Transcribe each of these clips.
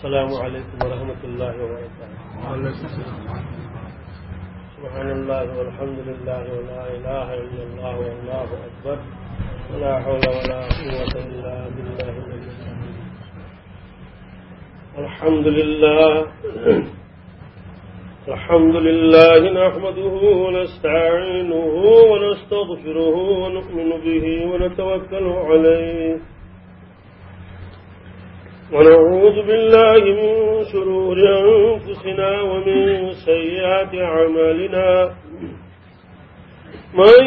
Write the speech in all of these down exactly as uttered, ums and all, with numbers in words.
السلام عليكم ورحمة الله وبركاته. سبحان الله والحمد لله ولا إله إلا الله والله أكبر. ولا حول ولا قوة إلا بالله العلي العظيم. الحمد لله. الحمد لله نحمده ونستعينه ونستغفره ونؤمن به ونتوكل عليه. ونعوذ بالله من شرور أنفسنا ومن سيئات أعمالنا. من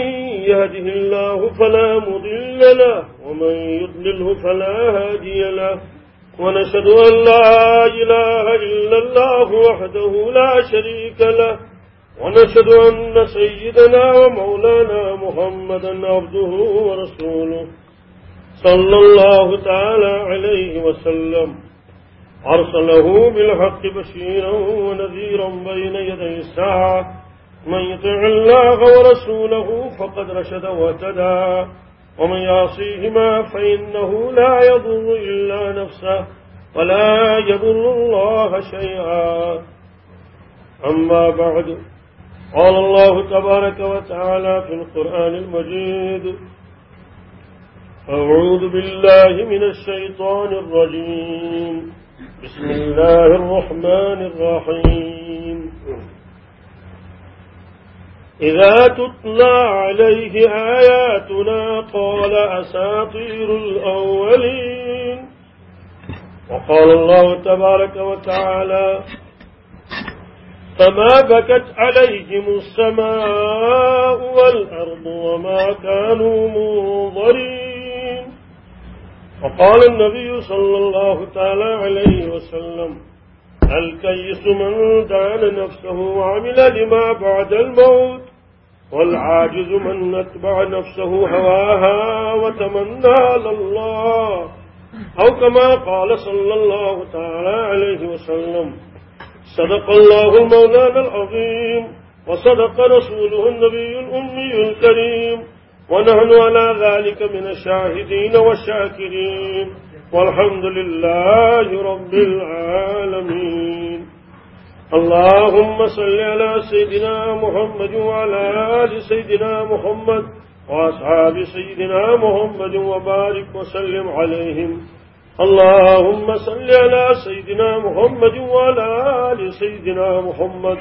يهده الله فلا مضل له ومن يضلله فلا هادي له. ونشهد أن لا إله إلا الله وحده لا شريك له. ونشهد أن سيدنا ومولانا محمدا عبده ورسوله صلى الله تعالى عليه وسلم أرسله بالحق بشيرا ونذيرا بين يدي الساعة. من يطع الله ورسوله فقد رشد واهتدى ومن يعصيهما فإنه لا يضر إلا نفسه ولا يضر الله شيئا. أما بعد، قال الله تبارك وتعالى في القرآن المجيد: أعوذ بالله من الشيطان الرجيم. بسم الله الرحمن الرحيم. إذا تتلى عليه آياتنا قال أساطير الأولين. وقال الله تبارك وتعالى: فما بكت عليهم السماء والأرض وما كانوا منظرين. وقال النبي صلى الله تعالى عليه وسلم: الكيس من دان نفسه وعمل لما بعد الموت، والعاجز من أتبع نفسه هواها وتمنى على الله، أو كما قال صلى الله تعالى عليه وسلم. صدق الله مولانا العظيم، وصدق رسوله النبي الأمي الكريم، ونحن على ذلك من الشاهدين والشاكرين، والحمد لله رب العالمين. اللهم صل على سيدنا محمد وعلى آل سيدنا محمد وأصحاب سيدنا محمد وبارك وسلم عليهم. اللهم صل على سيدنا محمد وعلى آل سيدنا محمد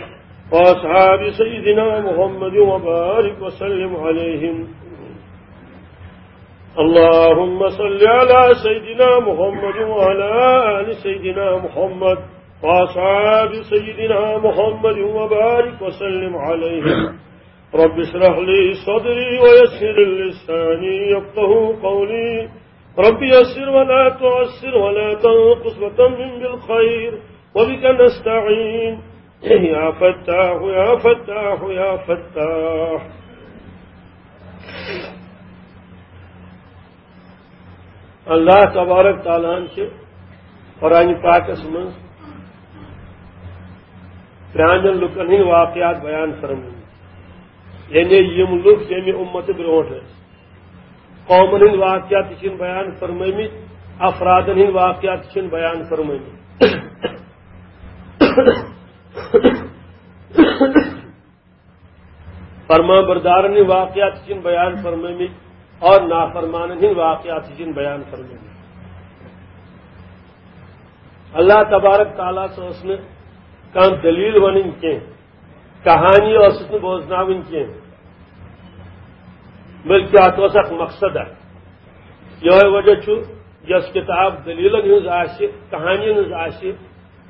وأصحاب سيدنا محمد وبارك وسلم عليهم. اللهم صل على سيدنا محمد وعلى آل سيدنا محمد وأصحاب سيدنا محمد وبارك وسلم عليهم. رب اشرح لي صدري ويسر لساني يفقه قولي. رب يسر ولا تعسر ولا تنقص وتمم بالخير وبك نستعين. يا فتاح يا فتاح يا فتاح. اللہ تبارک تعالیٰ ہن چھِ قرآن پاکس منٛز پرٛانٮ۪ن لُکن ہٕنٛدۍ واقعات بیان فرمٲومٕتۍ، یعنی یِم لُکھ ییٚمہِ اُمتہٕ برونٛٹھ ٲسۍ، قومن ہٕنٛدۍ واقعات تہِ چھِن بیان فرمٲومٕتۍ، افرادن ہٕنٛدۍ واقعات تہِ چھِن بیان فرمٲومٕتۍ۔ فرمان بردارن ہٕنٛدۍ واقعات تہِ چھِن بیان فرمٲومٕتۍ اور نافرمانن ہٕنٛدۍ واقعات تہِ چھِن بیان فرمٲومٕتۍ۔ اللہ تبارک تعالیٰ ہس ٲس نہٕ کانٛہہ دٔلیٖل ونٕنۍ کینٛہہ، کہانی ٲسٕس نہٕ بوزناوٕنۍ کینٛہہ، بلکہِ اتھ اوس اکھ مقصد اکھ۔ یِہوٚے وجہ چھُ، یۄس کِتاب دٔلیٖلن ہٕنٛز آسہِ، کہانی ہٕنٛز آسہِ،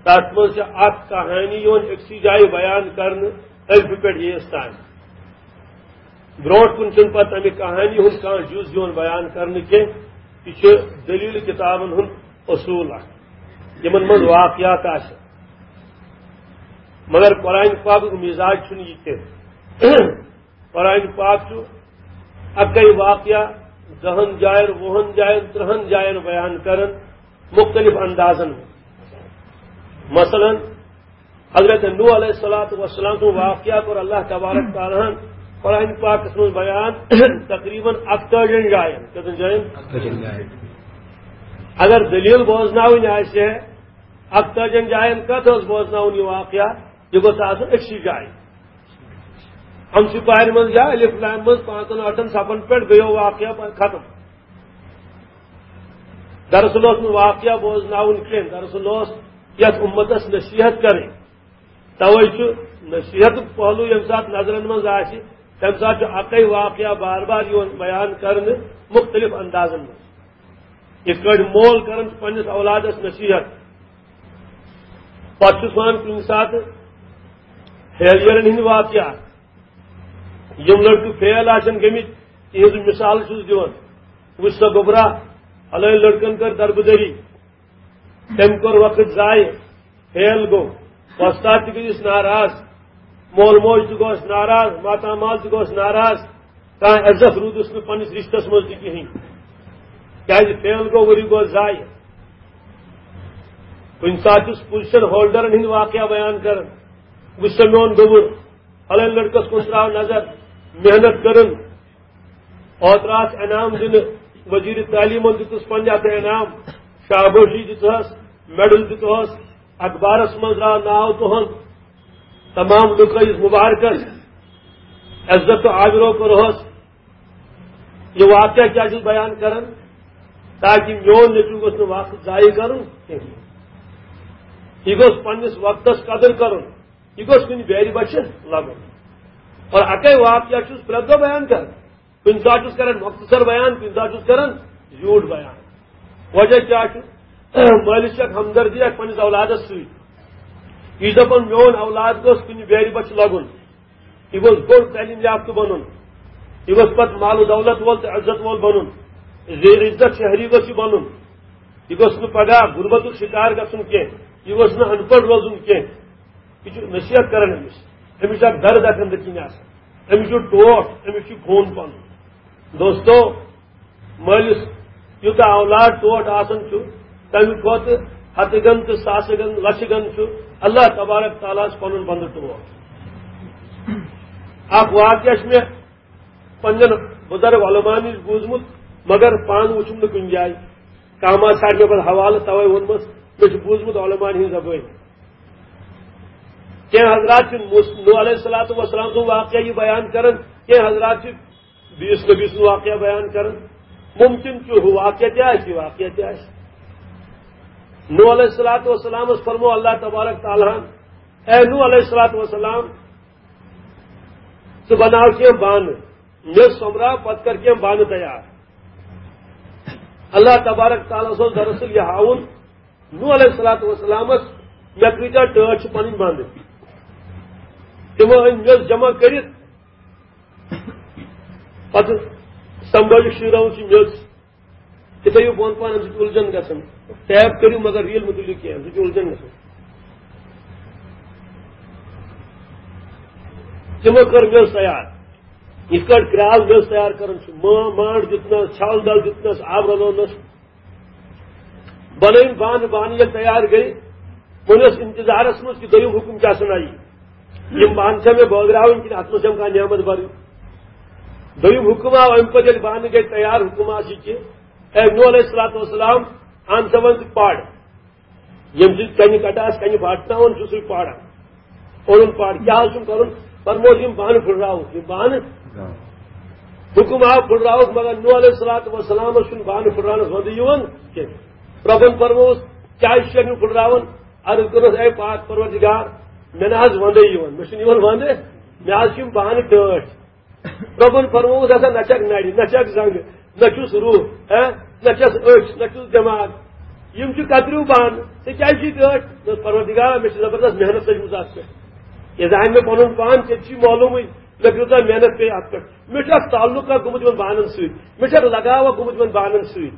تَتھ منٛز چھِ اکھ کہانی یِوان أکسٕے جایہِ بیان کرنہٕ، ألفہِ پٮ۪ٹھ ییٚیِس تام۔ برونٛٹھ کُن چھُنہٕ پتہٕ اَمہِ کہانی ہُنٛد کانٛہہ جُز یِوان بیان کرنہٕ کینٛہہ۔ یہِ چھُ دٔلیٖل کِتابن ہُنٛد اصوٗل اکھ، یِمن منٛز واقعات آسن۔ مگر قرآن پاکُک مزاج چھُنہٕ یہِ کینٛہہ۔ قرآن پاک چھُ اَکٕے واقعہ دَہَن جاین، وُہَن جاین، ترٛہَن جاین بیان کران مختلف اندازن منٛز۔ مثلاً، حضرت نوح علیہ الصلوۃ والسلام سُنٛد واقعہ کوٚر اللہ تبارک تعالیٰ ہن قرآن پاکس منٛز بیان تقریباً اَکتٲجِہَن جاین۔ کٔژَن جاین؟ اَکتٲجِہَن جاین۔ اگر دٔلیٖل بوزناوٕنۍ آسہِ ہے، اکتٲجن جاین کتھ ٲس بوزناوُن یہِ واقعہ؟ یہِ گوٚژھ آسُن أکسٕے جایہِ۔ ہمسہٕ پارِ منٛز یا الف لام منٛز پانٛژن ٲٹھن صفن پٮ۪ٹھ گٔیو واقعہ ختم۔ دراصل اوس نہٕ واقعہ بوزناوُن کینٛہہ، دراصل اوس یتھ امتس نصیحت کرٕنۍ۔ توے چھُ نصیحتُک پہلو ییٚمہِ ساتہٕ نظرن منٛز آسہِ، تمہِ ساتہٕ چھُ اکے واقعہ بار بار یِوان بیان کرنہٕ مختلف اندازن منٛز۔ یِتھ کٲٹھۍ مول کران چھُ پننِس اولادس نصیحت، پتہٕ چھُس ونان کُنہِ ساتہٕ فیلئرن ہٕنٛدۍ واقعہ، یِم لڑکہٕ فیل آسن گٔمٕتۍ، تِہنٛز مثال چھُس دِوان۔ وٕچھ سا گوٚبرا، فلٲنۍ لڑکن کٔر دربٕدٔری، تٔمۍ کوٚر وقت ضایع، فیل گوٚو، وۄستاد تہِ گٔیس ناراض، مول موج تہِ گوس ناراض، ماتامال تہِ گوس ناراض، کانٛہہ عزت روٗدُس نہٕ پننِس رشتس منٛز تہِ کِہینۍ، کیازِ فیل گوٚو، ؤری گوٚو ضایع۔ کُنہِ ساتہٕ چھُس پوزیشن ہولڈرن ہٕنٛدۍ واقعہ بیان کران، وٕچھ سا میون گوٚبُر، فلٲنۍ لڑکس کُن تراو نظر، محنت کٔرٕن، اوترٕ آس انعام دِنہٕ، وزیر تعلیمن دِتُس پنجاب انعام، شابٲشی دِژہس، میڈل دِژہس، اخبارس منٛز درٛاو ناو تُہُنٛد، تمام لُکھ ٲسۍ مبارکس، عزت تہٕ آبرو کوٚرہس۔ یہِ واقعہ کیٛاہ چھُس بیان کران؟ تاکہ میون نیٚچو گوٚژھ نہٕ وقت ضایع کرُن کینٛہہ۔ یہِ گوٚژھ پننِس وقتس قدر کرُن، یہِ گوٚژھ کُنہِ بیرِ بچہِ لگُن۔ اور اکے واقعہ چھُس پرٛٮ۪تھ دۄہ بیان کران۔ کُنہِ ساتہٕ چھُس کران مختصر بیان، کُنہِ ساتہٕ چھُس کران زیوٗٹھ بیان۔ وجہ کیٛاہ چھُ؟ مٲلِس چھِ اکھ ہمدردی اکھ پننِس اولادس سۭتۍ۔ یہِ چھُ دپان، میون اولاد گوٚژھ کُنہِ بیرِ بچہِ لگُن، یہِ گوٚژھ بوٚڑ تعلیٖم یافتہٕ بنُن، یہِ گوٚژھ پتہٕ مال و دولت وول تہٕ عزت وول بنُن، زیر عزت شہری گوٚژھ یہِ بنُن، یہِ گوٚژھ نہٕ پگاہ غربتُک شکار گژھُن کینٛہہ، یہِ گوٚژھ نہٕ ان پڑھ روزُن کینٛہہ۔ یہِ چھُ نصیحت کران أمِس۔ أمِس چھُ اکھ درد اکھ أنٛدرۍ کِنۍ آسان۔ أمِس چھُ ٹوٹھ، أمِس چھُ خوٗن پنُن۔ دوستو، مٲلِس یوٗتاہ اولاد ٹوٹھ آسان چھُ، تَمہِ کھۄتہٕ ہَتہٕ گَن تہٕ ساسہٕ گَن، لَچھٕ گَن چھُ اللہ تبارک تعالیٰ ہَس پَنُن بنٛدٕ ٹوٹھ۔ اکھ واقعہ چھُ مےٚ پننٮ۪ن بُزرگ علماء نِش بوٗزمُت، مگر پانہٕ وُچھُم نہٕ کُنہِ جایہِ۔ کانٛہہ ما ژھانٛڈِ مےٚ پتہٕ حوالہٕ، توے ووٚنمس، مےٚ چھُ بوٗزمُت علماءن ہٕنٛزِ زبٲنۍ۔ کینٛہہ حضرات چھِ موس-، نوح علیہ الصلوۃ والسلام سُنٛد واقعہ یہِ بیان کران، کینٛہہ حضرات چھِ بیٚیِس نبی سُنٛد واقعہ بیان کران۔ ممکن چھُ ہُہ واقعہ تہِ آسہِ، یہِ واقعہ تہِ آسہِ۔ نوح علیہ الصلوۃ والسلامس فرموو اللہ تبارک تعالیٰ ہن، اے نوح علیہ الصلوۃ والسلام، ژٕ بناو کینٛہہ بانہٕ، مےٚ سۄمبراو، پتہٕ کر کینٛہہ بانہٕ تیار۔ اللہ تبارک تعالیٰ ہس اوس دراصل یہِ ہاوُن، نوح علیہ الصلوۃ والسلامس مےٚ کۭتیاہ ٹٲٹھۍ چھِ پنٕنۍ بنٛد۔ تِمو أنۍ میٚژ جمع کٔرِتھ، پتہٕ سمبٲلِتھ شیٖرٲوٕکھ یہِ میٚژ۔ تہِ تھٲیِو بۄن پہن، اَمہِ سۭتۍ چھُ اُلجھن گژھان۔ ٹیپ کٔرِو، مگر ریٖل مہٕ تُلِو کینٛہہ، اَمہِ سۭتۍ چھُ اُلجھن گژھان۔ تِمو کٔر میٚژ تیار، یِتھ کٲٹھۍ کرٛال میٚژ تیار کران چھُ۔ مٲ-، مانٛڈ دیُتنَس، چھل دل دیُتنَس، آب رلوونَس۔ بنٲوِم بانہٕ، بانہٕ ییٚلہِ تیار گٔے، وۄنۍ اوس انتظارس منٛز کہِ دوٚیِم حُکُم کیٛاہ سنا یی۔ یِم بانہٕ چھا مےٚ بٲگراوٕنۍ کِنہٕ اتھ منٛز چھَم کانٛہہ نعمت بَرٕنۍ؟ دوٚیِم حُکُم آو، اَمہِ پتہٕ ییٚلہِ بانہٕ گٔے تیار، حُکُم آو یہِ کہِ، اے نوح علیہ الصلوۃ والسلام، اَن سا وۄنۍ ژٕ پَر۔ ییٚمہِ سۭتۍ کنہِ کٹہٕ آسہِ، کنہِ پھاٹناوان چھُ سُے پَر۔ اوٚنُن پَر۔ کیٛاہ حظ چھُم کَرُن؟ فرمووُس، یِم بانہٕ پھُٹراوُکھ، یِم بانہٕ۔ حُکُم آو پھُٹراوُکھ، مگر نوح علیہ الصلوۃ والسلامس چھُنہٕ بانہٕ پھُٹراونس وَندٕ یِوان کینٛہہ۔ رۄبن فرمووُس، کیٛازِ چھُکھ نہٕ پھُٹراوان؟ عرض کٔرٕس، اے پاک پروردگار، مےٚ نہ حظ وَندَے یِوان، مےٚ چھُنہٕ یِوان وَندٕ، مےٚ حظ چھِ یِم بانہٕ ٹٲٹھۍ۔ رۄبن فرمووُس، ہسا نہ چھکھ نرِ، نہ چھکھ زنٛگہٕ، نہ چھُس روح، ہہ؟ نہ چھس أچھ، نہ چھُس دٮ۪ماغ۔ یِم چھِ کتریو بانہٕ، ژےٚ کیازِ چھُے ٹٲٹھۍ؟ دوٚپُس، پروردگارا، مےٚ چھِ زبردست محنت لٔجمٕژ اتھ پٮ۪ٹھ۔ یہِ زانہِ مےٚ پنُن پان، تیٚلہِ چھُے معلومٕے مےٚ کۭژاہ محنت پیٚیہِ اتھ پٮ۪ٹھ۔ مےٚ چھُ اکھ تعلق اکھ گوٚمُت یِمن بانن سۭتۍ، مےٚ چھُ اکھ لگاو اکھ گوٚمُت یِمن بانن سۭتۍ۔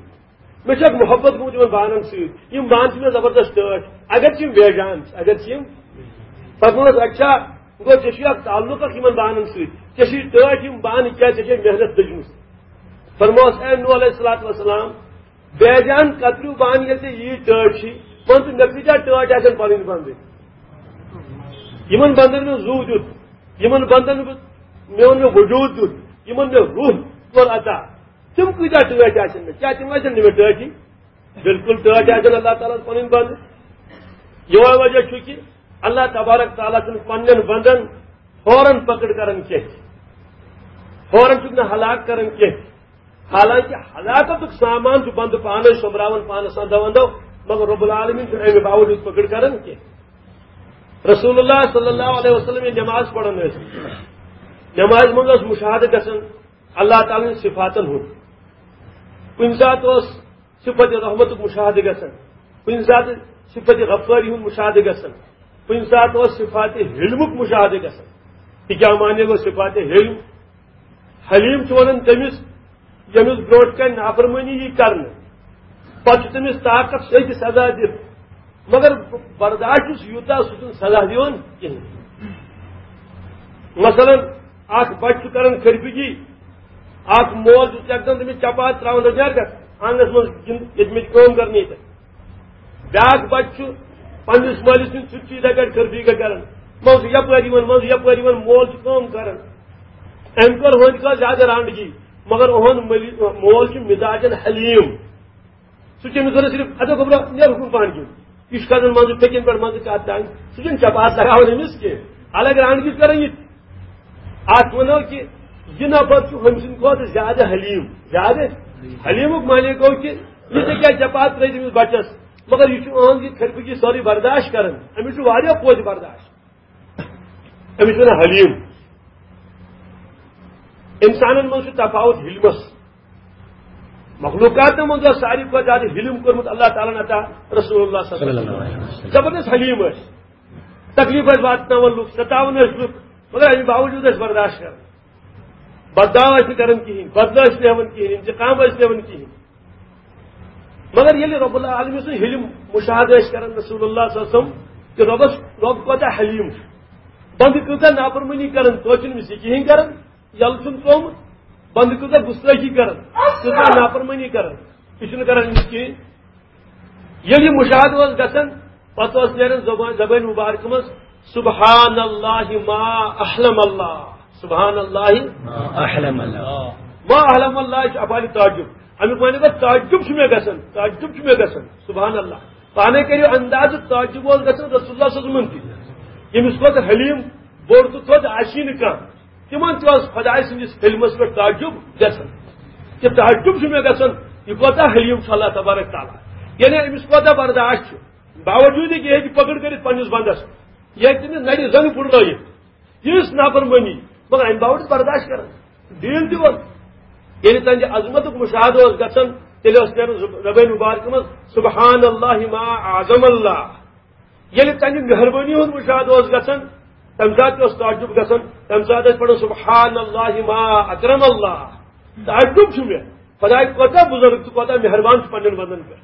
مےٚ چھِ اکھ محبت گوٚمُت یِمن بانن سۭتۍ۔ یِم بانہٕ چھِ مےٚ زبردست ٹٲٹھۍ۔ اگر چھِ یِم بے جان، اگر چھِ یِم، پتہٕ ووٚنُس، اچھا، گوٚو ژےٚ چھُے اکھ تعلق اکھ یِمن بانن سۭتۍ۔ ژےٚ چھُے ٹٲٹھۍ یِم بانہٕ، کیٛازِ ژےٚ چھے محنت لٔجمٕژ۔ فرمووس، اے نوح علیہ الصلوۃ والسلام، بے جان کتریو بانہٕ ییٚلہِ ژےٚ یی ٹٲٹھۍ چھِ، وَن تہٕ مےٚ کۭتیٛاہ ٹٲٹھۍ آسن پنٕنۍ بنٛدٕنۍ؟ یِمن بنٛدن مےٚ زُو دیُت، یِمن بنٛدن مےٚ، مےٚ اوٚن مےٚ وجوٗد دیُت، یِمن مےٚ روح کوٚر عطا۔ تِم کۭتیٛاہ ٹٲٹھۍ آسن مےٚ؟ کیٛاہ تِم آسن نہٕ مےٚ ٹٲٹھی؟ بِلکُل ٹٲٹھۍ آسن اللہ تعالیٰ ہَس پَنٕنۍ بنٛدٕ۔ یہوے وجہ چھُ کہِ اللہ تبارک تعالیٰ چھُنہٕ پننٮ۪ن بندن فوراً پکڑ کران کینٛہہ، فوراً چھُکھ نہٕ ہلاک کران کینٛہہ۔ حالانکہ ہلاکتُک سامان چھُ بندٕ پانے سوٚمبراوان پانس اندو اندو، مگر رب العالمین چھُنہٕ امہِ باوجود پکڑ کران کینٛہہ۔ رسول اللہ صلی اللہ علیہ وسلم ییٚلہِ نماز پران ٲسۍ، نمازِ منٛز اوس مشاہدٕ گژھان اللہ تعالیٰ ہٕنٛدۍ صفاتن ہُنٛد۔ کُنہِ ساتہٕ اوس صفت رحمتُک مشاہدٕ گژھان، کُنہِ ساتہٕ صفت غفٲری ہُنٛد مشاہدٕ گژھان، کُنہِ ساتہٕ اوس صفات حلمُک مشاہدٕ گژھان۔ یہِ کیٛاہ معنی گوٚو صفات حلم؟ حلیم چھُ ونان تٔمِس، ییٚمِس برونٛٹھ کنہِ نافرمٲنی یی کرنہٕ، پتہٕ چھُ تٔمِس طاقت سۭتۍ سزا دِتھ، مگر برداشت چھُس یوٗتاہ سُہ چھُنہٕ سزا دِوان کِہیٖنۍ۔ مثلاً، اکھ بچہٕ چھُ کران خرفگی، اکھ مول چھُ یکدم تٔمِس چپاتھ تراوان، دوٚپُن، "نیرٕ گژھ آنگنس منٛز گِنٛد، ییٚتہِ مےٚ چھِ کٲم کرنی تہٕ۔" بیٛاکھ بچہٕ چھُ پننِس مٲلِس سٕنٛدِ سۭتۍ چھُ یِتھے کٲٹھۍ خرفگی کران، منٛزٕ یپٲرۍ یِوان، منٛزٕ یپٲرۍ یِوان، مول چھُ کٲم کران۔ أمۍ کٔر ہُہنٛدِ کھۄتہٕ زیادٕ رانڈگی، مگر اُہُنٛد مٲلی-، مول چھُ مزاجن حلیم۔ سُہ چھُ أمِس وَنان صرف، "اَدٕ گوٚبرا، نیرُکھ نہٕ پانہٕ کِنۍ۔ یہِ چھُ کھسان منٛزٕ پھیٚکٮ۪ن پٮ۪ٹھ منٛزٕ کَتھ تانۍ۔ سُہ چھُنہٕ چپاتھ لگاوان أمِس کینٛہہ۔ الگ رانڈگی چھُ کران یہِ تہِ۔ اَتھ وَنو کہِ یہِ نفر چھُ ہُمہِ سٕنٛدِ کھۄتہٕ زیادٕ حلیٖم۔" زیادٕ حلیٖمُک معنی گوٚو کہِ یہِ ژےٚ کیٛازِ چپاتھ ترٲوِتھ أمِس بَچَس؟ مگر یہِ چھُ أہٕنٛز یہِ خرفگی سٲرٕے برداشت کران۔ أمِس چھُ واریاہ پوٚز برداشت۔ أمِس چھِ وَنان حلیٖم۔ اِنسانَن منٛز چھُ تفاوت حلمَس۔ مخلوقاتن منٛز اوس ساروی کھۄتہٕ زیادٕ حلم کوٚرمُت اللہ تعالیٰ ہن عطا رسول اللہ صلی اللہ علیہ وسلم۔ زبردست حلیم ٲسۍ۔ تکلیف ٲسۍ واتناوان لُکھ، ستاوان ٲسۍ لُکھ، مگر اَمہِ باوجوٗد ٲسۍ برداشت کران۔ بددعا ٲسۍ نہٕ کران کِہینۍ، بدلہٕ ٲسۍ نہٕ ہٮ۪وان کِہینۍ، انتقام ٲسۍ نہٕ ہٮ۪وان کِہینۍ۔ مگر ییٚلہِ رب العالمین سُنٛد حلم مشاہدٕ ٲسۍ کران رسول اللہ صلی اللہ علیہ وسلم، کہ ربس، رب کوتاہ حلیم چھُ، بندٕ کۭژاہ نافرمٲنی کران، توتہِ چھُنہٕ أمِس یہِ کِہینۍ کران۔ یلہٕ چھُن ترٛوومُت، بندٕ کۭژاہ گُستٲخی کران، کۭژاہ نافرمٲنی کران، یہِ چھُنہٕ کران أمِس کِہیٖنۍ۔ ییٚلہِ یہِ مُشاہدٕ اوس گژھان، پتہٕ اوس نیران زبان، زبٲنۍ مُبارکہٕ منٛز، "سبحان اللہ ما احلم اللہ، سبحان اللہ ما احلم اللہ۔" ما احلم اللہ چھُ افعالِ تعجب۔ اَمیُک معنی گوٚو، تعجب چھُ مےٚ گژھان، تعجب چھُ مےٚ گژھان، سبحان اللہ۔ پانے کٔرِو اندازٕ، تعجب اوس گژھان رسول اللہ صلی اللہ علیہ وسلمن تہِ۔ ییٚمِس کھۄتہٕ حلیٖم بوٚڑ تہٕ تھوٚد آسی نہٕ کانٛہہ، تِمن تہِ اوس خۄداے سٕنٛدِس حلمس پٮ۪ٹھ تعجب گژھان۔ یہِ تعجب چھُ مےٚ گژھان، یہِ کوتاہ حلیٖم چھُ اللہ تبارک تعالیٰ۔ یعنی أمِس کوتاہ برداشت چھُ، باوجوٗد یہِ ہیٚکہِ پکڑ کٔرِتھ پننِس بندس، یہِ ہیٚکہِ تٔمِس نرِ زنٛگہٕ پھُٹرٲیِتھ۔ یِژھ نافرمٲنی، مگر اَمہِ باوجوٗد برداشت کران، ڈیٖل دِوان۔ ییٚلہِ تہنٛدِ عظمتُک مُشاہدٕ اوس گژھان، تیٚلہِ اوس نیران زب-، زبٲنۍ مُبارکہٕ منٛز، "سبحان اللہ ما اعظم اللہ۔" ییٚلہِ تہنٛدِ مہربٲنی ہُنٛد مُشاہدٕ اوس گژھان، تَمہِ ساتہٕ تہِ اوس تعجب گژھان، تَمہِ ساتہٕ ٲسۍ پران، "سبحان اللہ ما اکرم اللہ۔" تعجب چھُ مےٚ، خۄداے کوتاہ بُزرگ تہٕ کوتاہ مہربان چھُ پننٮ۪ن بندن پٮ۪ٹھ۔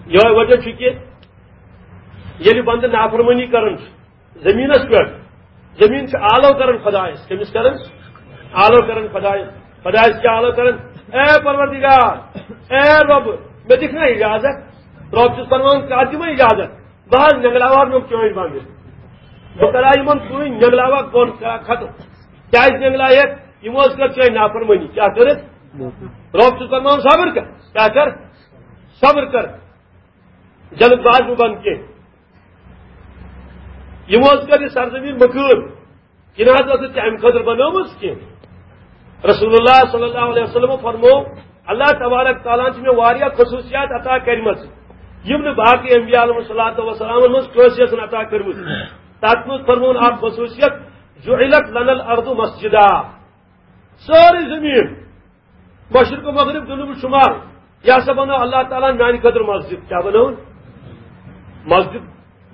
یِہوٚے وجہ چھُ کہِ ییٚلہِ بندٕ نافرمٲنی کران چھُ، زمینس پٮ۪ٹھ، زمین چھِ آلو کران خۄدایس۔ کٔمِس کران؟ آلو کران خۄدایس۔ خۄدایس کیٛاہ آلو کران؟ "اے پروردگار، اے رۄب، مےٚ دِکھ نا اجازت؟" رۄب چھُس فرماوان، "کر دِمے اجازت؟ بہٕ حظ نٮ۪نٛگلاوہا نوٚم چٲنۍ بنٛگہٕ۔ بہٕ کرا یِمن کُنُے نٮ۪نٛگلاوہا بۄن کرا ختم۔ کیٛازِ نٮ۪نٛگلایکھ؟ یِمو حظ کٔر چٲنۍ نافرمٲنی۔" کیٛاہ کٔرٕکھ؟ رۄب چھُس فرماوان، "صبر کر۔" کیٛاہ کر؟ صبر کر۔ جلد باز مہٕ بن کینٛہہ۔ یِمو حظ کٔر یہِ سرزمین مٔکۭر۔ یہِ نہ حظ ٲسٕکھ ژےٚ اَمہِ خٲطرٕ بنٲومٕژ کینٛہہ۔ رسول اللہ صلی اللہ علیہ وسلم فرمو، "اللہ تبارک تعالیٰ ہن چھِ مےٚ واریاہ خصوٗصیات عطا کٔرمٕژ، یِم نہٕ باقٕے انبیاء علیہم الصلوۃ والسلامن منٛز کٲنٛسہِ ٲسن عطا کٔرمٕژ۔" تَتھ منٛز فرمووُن اکھ خصوٗصیت، "جعلت لنا الارض مسجدا۔" سٲرٕے زٔمیٖن، مشرق و مغرب، جنوب و شمال، یہِ ہسا بنٲو اللہ تعالیٰ ہن میانہِ خٲطرٕ مسجد۔ کیٛاہ بنٲوٕن؟ مسجد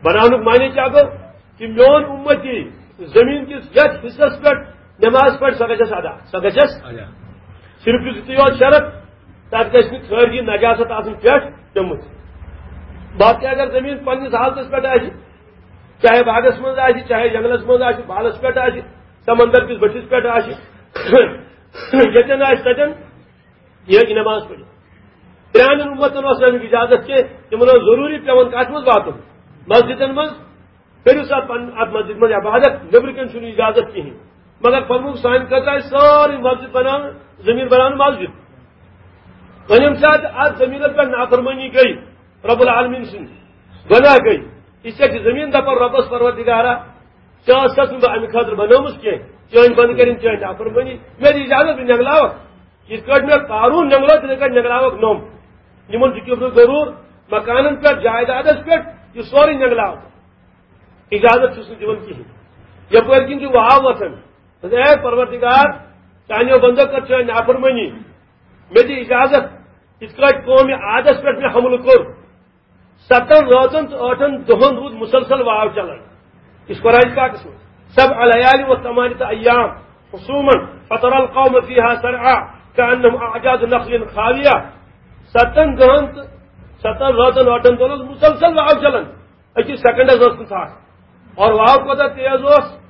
بناونُک معنی کیٛاہ گوٚو؟ کہِ میون اُمتی زٔمیٖن کِس یتھ حصس پٮ۪ٹھ نماز پرِ، سۄ گژھٮ۪س ادا، سۄ گژھٮ۪س۔ ادا۔ صرف چھُ یُتُے یوت شرط، تتھ گژھِ نہٕ خٲرجی نجاست آسٕنۍ پٮ۪ٹھ پیوٚمُت۔ باقٕے اگر زٔمیٖن پننِس حالتس پٮ۪ٹھ آسہِ، چاہے باغس منٛز آسہِ، چاہے جنگلس منٛز آسہِ، بالس پٮ۪ٹھ آسہِ، سمندر کِس بٔٹھِس پٮ۪ٹھ آسہِ، ییٚتٮ۪ن آسہِ تتٮ۪ن، یہِ ہیٚکہِ نماز پٔرِتھ۔ پرٛانٮ۪ن اُمتن اوس نہٕ اَمیُک اجازت کینٛہہ، تِمن اوس ضروٗری پٮ۪وان کتھ منٛز واتُن؟ مسجدن منٛز۔ کٔرِو سا پنُن اتھ مسجد منٛز عبادت، نیٚبرٕ کَنہِ چھُنہٕ اجازت کِہیٖنۍ۔ مگر فرمووُکھ، سانہِ خٲطرٕ آسہِ سٲرٕے مسجد بناونہٕ، زٔمیٖن بناونہٕ مسجد۔ وۄنۍ ییٚمہِ ساتہٕ اتھ زٔمیٖنس پٮ۪ٹھ نافرمٲنی گٔے، رب العالمین سٕنٛز گۄناہ گٔے، یہِ چھےٚ زٔمیٖن دَپان رۄبَس، پروردگارا، ژےٚ ٲسَتھ نہٕ بہٕ اَمہِ خٲطرٕ بَنٲومٕژ کینٛہہ، چٲنۍ بنٛد کٔرِنۍ، چٲنۍ نافرمٲنی، مےٚ دِ اِجازت، بہٕ نٮ۪نٛگلاوَکھ۔ یِتھ کٲٹھۍ مےٚ قارون نٮ۪نٛگلٲو، تِتھَے کٲٹھۍ نٮ۪نٛگلاوَکھ نوٚم۔ یِمَن چھُ کیُتھ گروٗر، مکانَن پٮ۪ٹھ، جایدادَس پٮ۪ٹھ، یہِ سورُے نٮ۪نٛگلاوَکھ۔ اِجازت چھُس نہٕ دِوان کِہیٖنۍ۔ یَپٲرۍ کِنۍ چھُ واو وۄتھان۔ دوٚپُس، اے پروردگار، چانیو بندو کٔر چٲنۍ نافرمٲنی، مےٚ دِ اِجازت، یِتھ کٲٹھۍ قومِ عادس پٮ۪ٹھ مےٚ حملہٕ کوٚر۔ ستن رٲژن تہٕ ٲٹھن دۄہن روٗد مسلسل واو چلان۔ یہِ چھُ قرآن پاکس منٛز، سبع لیال و ثمانیہ ایام حسوما فتر القوم فیہا صرعا کأنہم اعجاز نخل خاویہ۔ ستن دۄہن تہٕ ستن رٲژن ٲٹھن دۄہن اوس مسلسل واو چلان۔ أکِس سیکنڈس ٲس نہٕ ژھاٹھ۔ اور واو کوتاہ تیز اوس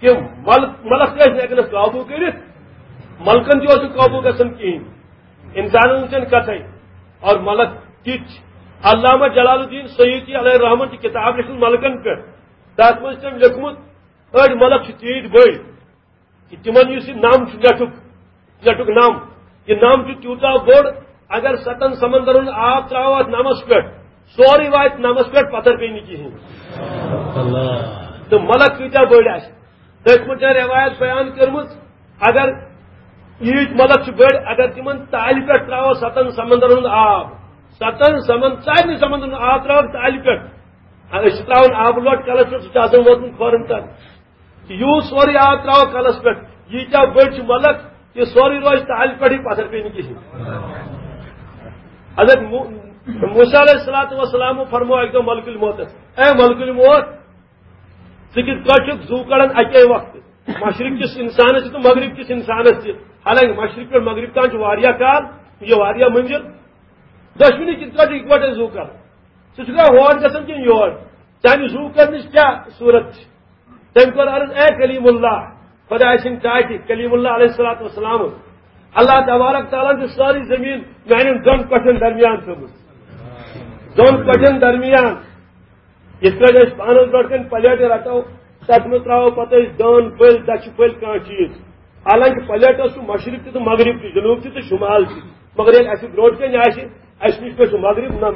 کہ مل-، ملک تہِ ٲسۍ نہٕ ہٮ۪کان اَتھ قابوٗ کٔرِتھ، ملکن تہِ اوس نہٕ قابوٗ گژھان کِہیٖنۍ۔ اِنسانن وٕچھان کتھے۔ اور ملک تِتھۍ چھِ۔ علامہ جلال الدین سیوطی علیہ رحمن چھِ کِتاب لیٚچھمٕژ ملکن پٮ۪ٹھ۔ تتھ منٛز چھِ تٔمۍ لیوٚکھمُت، أڑۍ ملک چھِ تیٖتۍ بٔڑۍ، کہ تِمن یُس یہِ نم چھُ نیٹُک، نیٹُک نم، یہِ نم چھُ تیوٗتاہ بوٚڑ، اگر ستن سمندرن ہُنٛد آب ترٛاوو اتھ نمس پٮ۪ٹھ، سورُے واتہِ نمس پٮ۪ٹھ، پتھر پیٚیہِ نہٕ کِہیٖنۍ۔ اللہ۔ تہٕ ملک کۭتیاہ بٔڑۍ آسہِ۔ تٔتھۍ منٛز چھےٚ رٮ۪وایت بیان کٔرمٕژ، اگر ییٖتۍ ملک چھِ بٔڑۍ، اگر تِمن تالہِ پٮ۪ٹھ ترٛاوو ستن سمندرن ہُنٛد آب، ستن سمن-، سارنٕے سمندرن ہُنٛد آب ترٛاوو تالہِ پٮ۪ٹھ، أسۍ چھِ ترٛاوان آبہٕ لۄٹ کلس پٮ۪ٹھ، سُہ چھُ آسان ووتمُت کھۄرن تام۔ یوٗت سورُے آب ترٛاوو کلس پٮ۪ٹھ، ییٖتیٛاہ بٔڑۍ چھِ ملک، یہِ سورُے روزِ تالہِ پٮ۪ٹھٕے، پتھر پیٚیہِ نہٕ کِہیٖنۍ۔ حضرت مو-، موسیٰ علیہ الصلوۃ والسلام فرموو اکہِ دۄہ ملک الموتس، اے ملک الموت، ژٕ کِتھ پٲٹھۍ چھُکھ زُو کڑان اَکے وقتہٕ؟ مشرق کِس اِنسانس تہِ تہٕ مغرب کِس اِنسانس تہِ۔ حالانکہِ مشرق پٮ۪ٹھ مغرب تام چھُ واریاہ کال، یہِ واریاہ منزل۔ دۄشوٕنی کِتھ پٲٹھۍ چھُ اِکوٹے زُو کڑان؟ ژٕ چھُکھ وۄنۍ ہور گژھان کِنہٕ یور؟ چانہِ زُو کڑنٕچ کیٛاہ صوٗرت چھِ؟ تٔمۍ کوٚر عرض، اے کلیم اللہ، خۄداے سٕنٛدۍ ٹاٹھۍ، کلیم اللہ علیہ الصلوۃ والسلام، اللہ تبارک تعالیٰ ہن چھِ سٲرٕے زٔمیٖن میانٮ۪ن دۄن کۄٹھٮ۪ن درمیان تھٲومٕژ۔ دۄن کۄٹھٮ۪ن درمیان۔ یِتھ پٲٹھۍ أسۍ پانَس برٛونٛٹھ کَنہِ پلیٹہٕ رَٹو، تَتھ منٛز ترٛاوو پَتہٕ أسۍ دٲن پھٔلۍ، دَچھِ پھٔلۍ، کانٛہہ چیٖز۔ حالانکہِ پلیٹَس چھُ مشرق تہِ تہٕ مغرب تہِ، جنوب تہِ تہٕ شمال تہِ۔ مگر ییٚلہِ اَسہِ برٛونٛٹھ کَنہِ آسہِ، اَسہِ نِش پٮ۪ٹھ چھُ مغرب نہ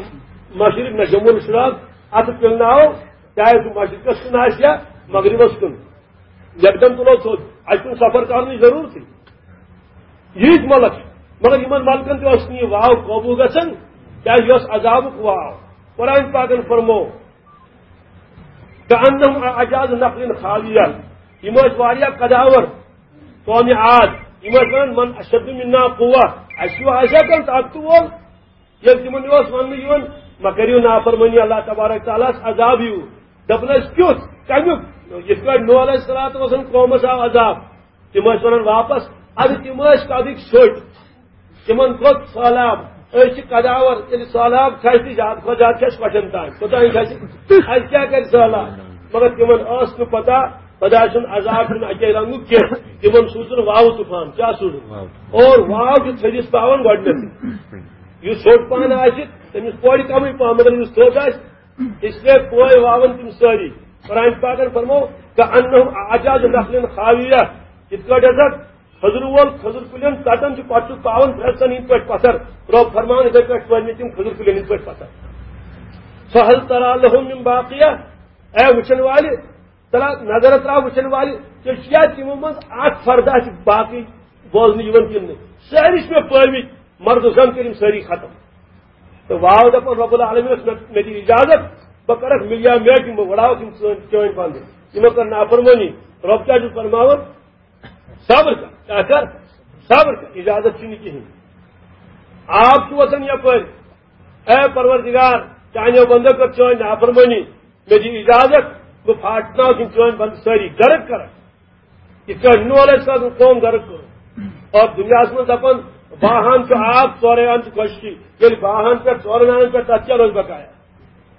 مشرق نہ جموں الشراق، اَتھٕ پِلناوو، چاہے سُہ مشرقَس کُن آسہِ یا مغربَس کُن۔ یکدم تُلو تھوٚد، اَسہِ چھُنہٕ سفر کرنٕچ ضروٗرتٕے۔ ییٖتۍ ملک چھِ، مگر یِمن ملکن تہِ اوس نہٕ یہِ واو قوبوٗ گژھان، کیٛازِ یہِ اوس عذابُک واو۔ قرآن پاکن فرموو، "کأنہم اعجاز نخل خاویہ"، یِم ٲسۍ واریاہ قداور، قومِ عاد، یِم ٲسۍ ونان، "من اشد منا قوة"، اَسہِ ہیوٗ آسیا کانٛہہ طاقتہٕ وول؟ ییٚلہِ تِمن یہِ اوس وننہٕ یِوان، مہ کٔرِو نافرمٲنی اللہ تبارک تعالیٰ ہس، عذاب یِیِو۔ دپان ٲسۍ، "کیُتھ؟ کمیُک؟" یِتھ پٲٹھۍ نوح علیہ الصلوۃ والسلام قومس آو عذاب، تِم ٲسۍ ونان واپس، ادٕ تِم ٲسۍ قدٕکۍ سٔٹۍ۔ تِمن کھوٚت سہلاب۔ أسۍ چھِ قداور، ییٚلہِ سہلاب کھسہِ تہٕ زیادٕ کھۄتہٕ زیادٕ کھسہِ کۄٹھٮ۪ن تام۔ کوٚتام کھسہِ؟ اَسہِ کیٛاہ کرِ سہلاب؟ مگر تِمن ٲس نہٕ پتہ خۄداے سُنٛد عذاب چھُنہٕ اَکے رنٛگُک کینٛہہ۔ تِمن سوٗزُن واوٕ طوفان۔ کیٛاہ سوٗزُن؟ واوٕ۔ اور واو چھُ تھٔدِس پاوان گۄڈٕنیتھٕے۔ یُس ژھوٚٹ پہن آسہِ، تٔمِس پورِ کمٕے پہن، مگر یُس تھوٚد آسہِ، اس لیے پوے واون تِم سٲری۔ قرآن پاکن فرموو، "کأنہم اعجاز نخل خاویہ"، یِتھ کٲٹھۍ ہسا کھٔزرٕ وول کھٔزٕر کُلٮ۪ن ژٹان چھُ، پتہٕ چھُ پاوان پھرستن ہٕنٛدۍ پٲٹھۍ پتھر۔ رۄب فرماوان، یِتھے پٲٹھۍ پٲوۍ مےٚ تِم کھٔزٕر کُلٮ۪ن ہٕنٛدۍ پٲٹھۍ پتھر۔ فہل ترى لهم من باقیہ، اے وٕچھن والہِ، ترا نظر ترا وٕچھن والہِ، ژےٚ چھُیا تِمو منٛز اکھ فردا چھِ باقٕے بوزنہٕ یِوان کِنہٕ نہٕ؟ سٲری چھِ مےٚ پٲومٕتۍ، مرد و زن کٔرِم سٲری ختم۔ تہٕ واو دپان، رب العالمین اوس مےٚ، مےٚ دِ اجازت، بہٕ کرکھ ملیا میٹ، یِم بہٕ وڑاوکھ یِم چٲنۍ، چٲنۍ بندٕ۔ یِمو کٔر نافرمٲنی۔ رب کیٛاہ چھُ فرماوان؟ صبر کر، کیٛاہ کر؟ صبر کر، اجازت چھُنہٕ کِہیٖنۍ۔ آب چھُ وَسان یَپٲرۍ۔ اے پروردگار، چانیو بندو کٔر چٲنۍ نافرمٲنی، مےٚ دِ اجازت، بہٕ پھاٹناوٕ یِم چٲنۍ بندٕ سٲری، غرق کرکھ۔ یِتھ کٲٹھۍ نوح علیہ السلام قوم غرق کوٚر۔ اور دُنیاہَس منٛز دَپان، باہان چھُ آب، ژورے اَن چھِ خۄشکی۔ ییٚلہِ باہان پٮ۪ٹھ، ژورَن اَنَن پٮ۪ٹھ، تَتھ کیٛاہ روزِ بقایا؟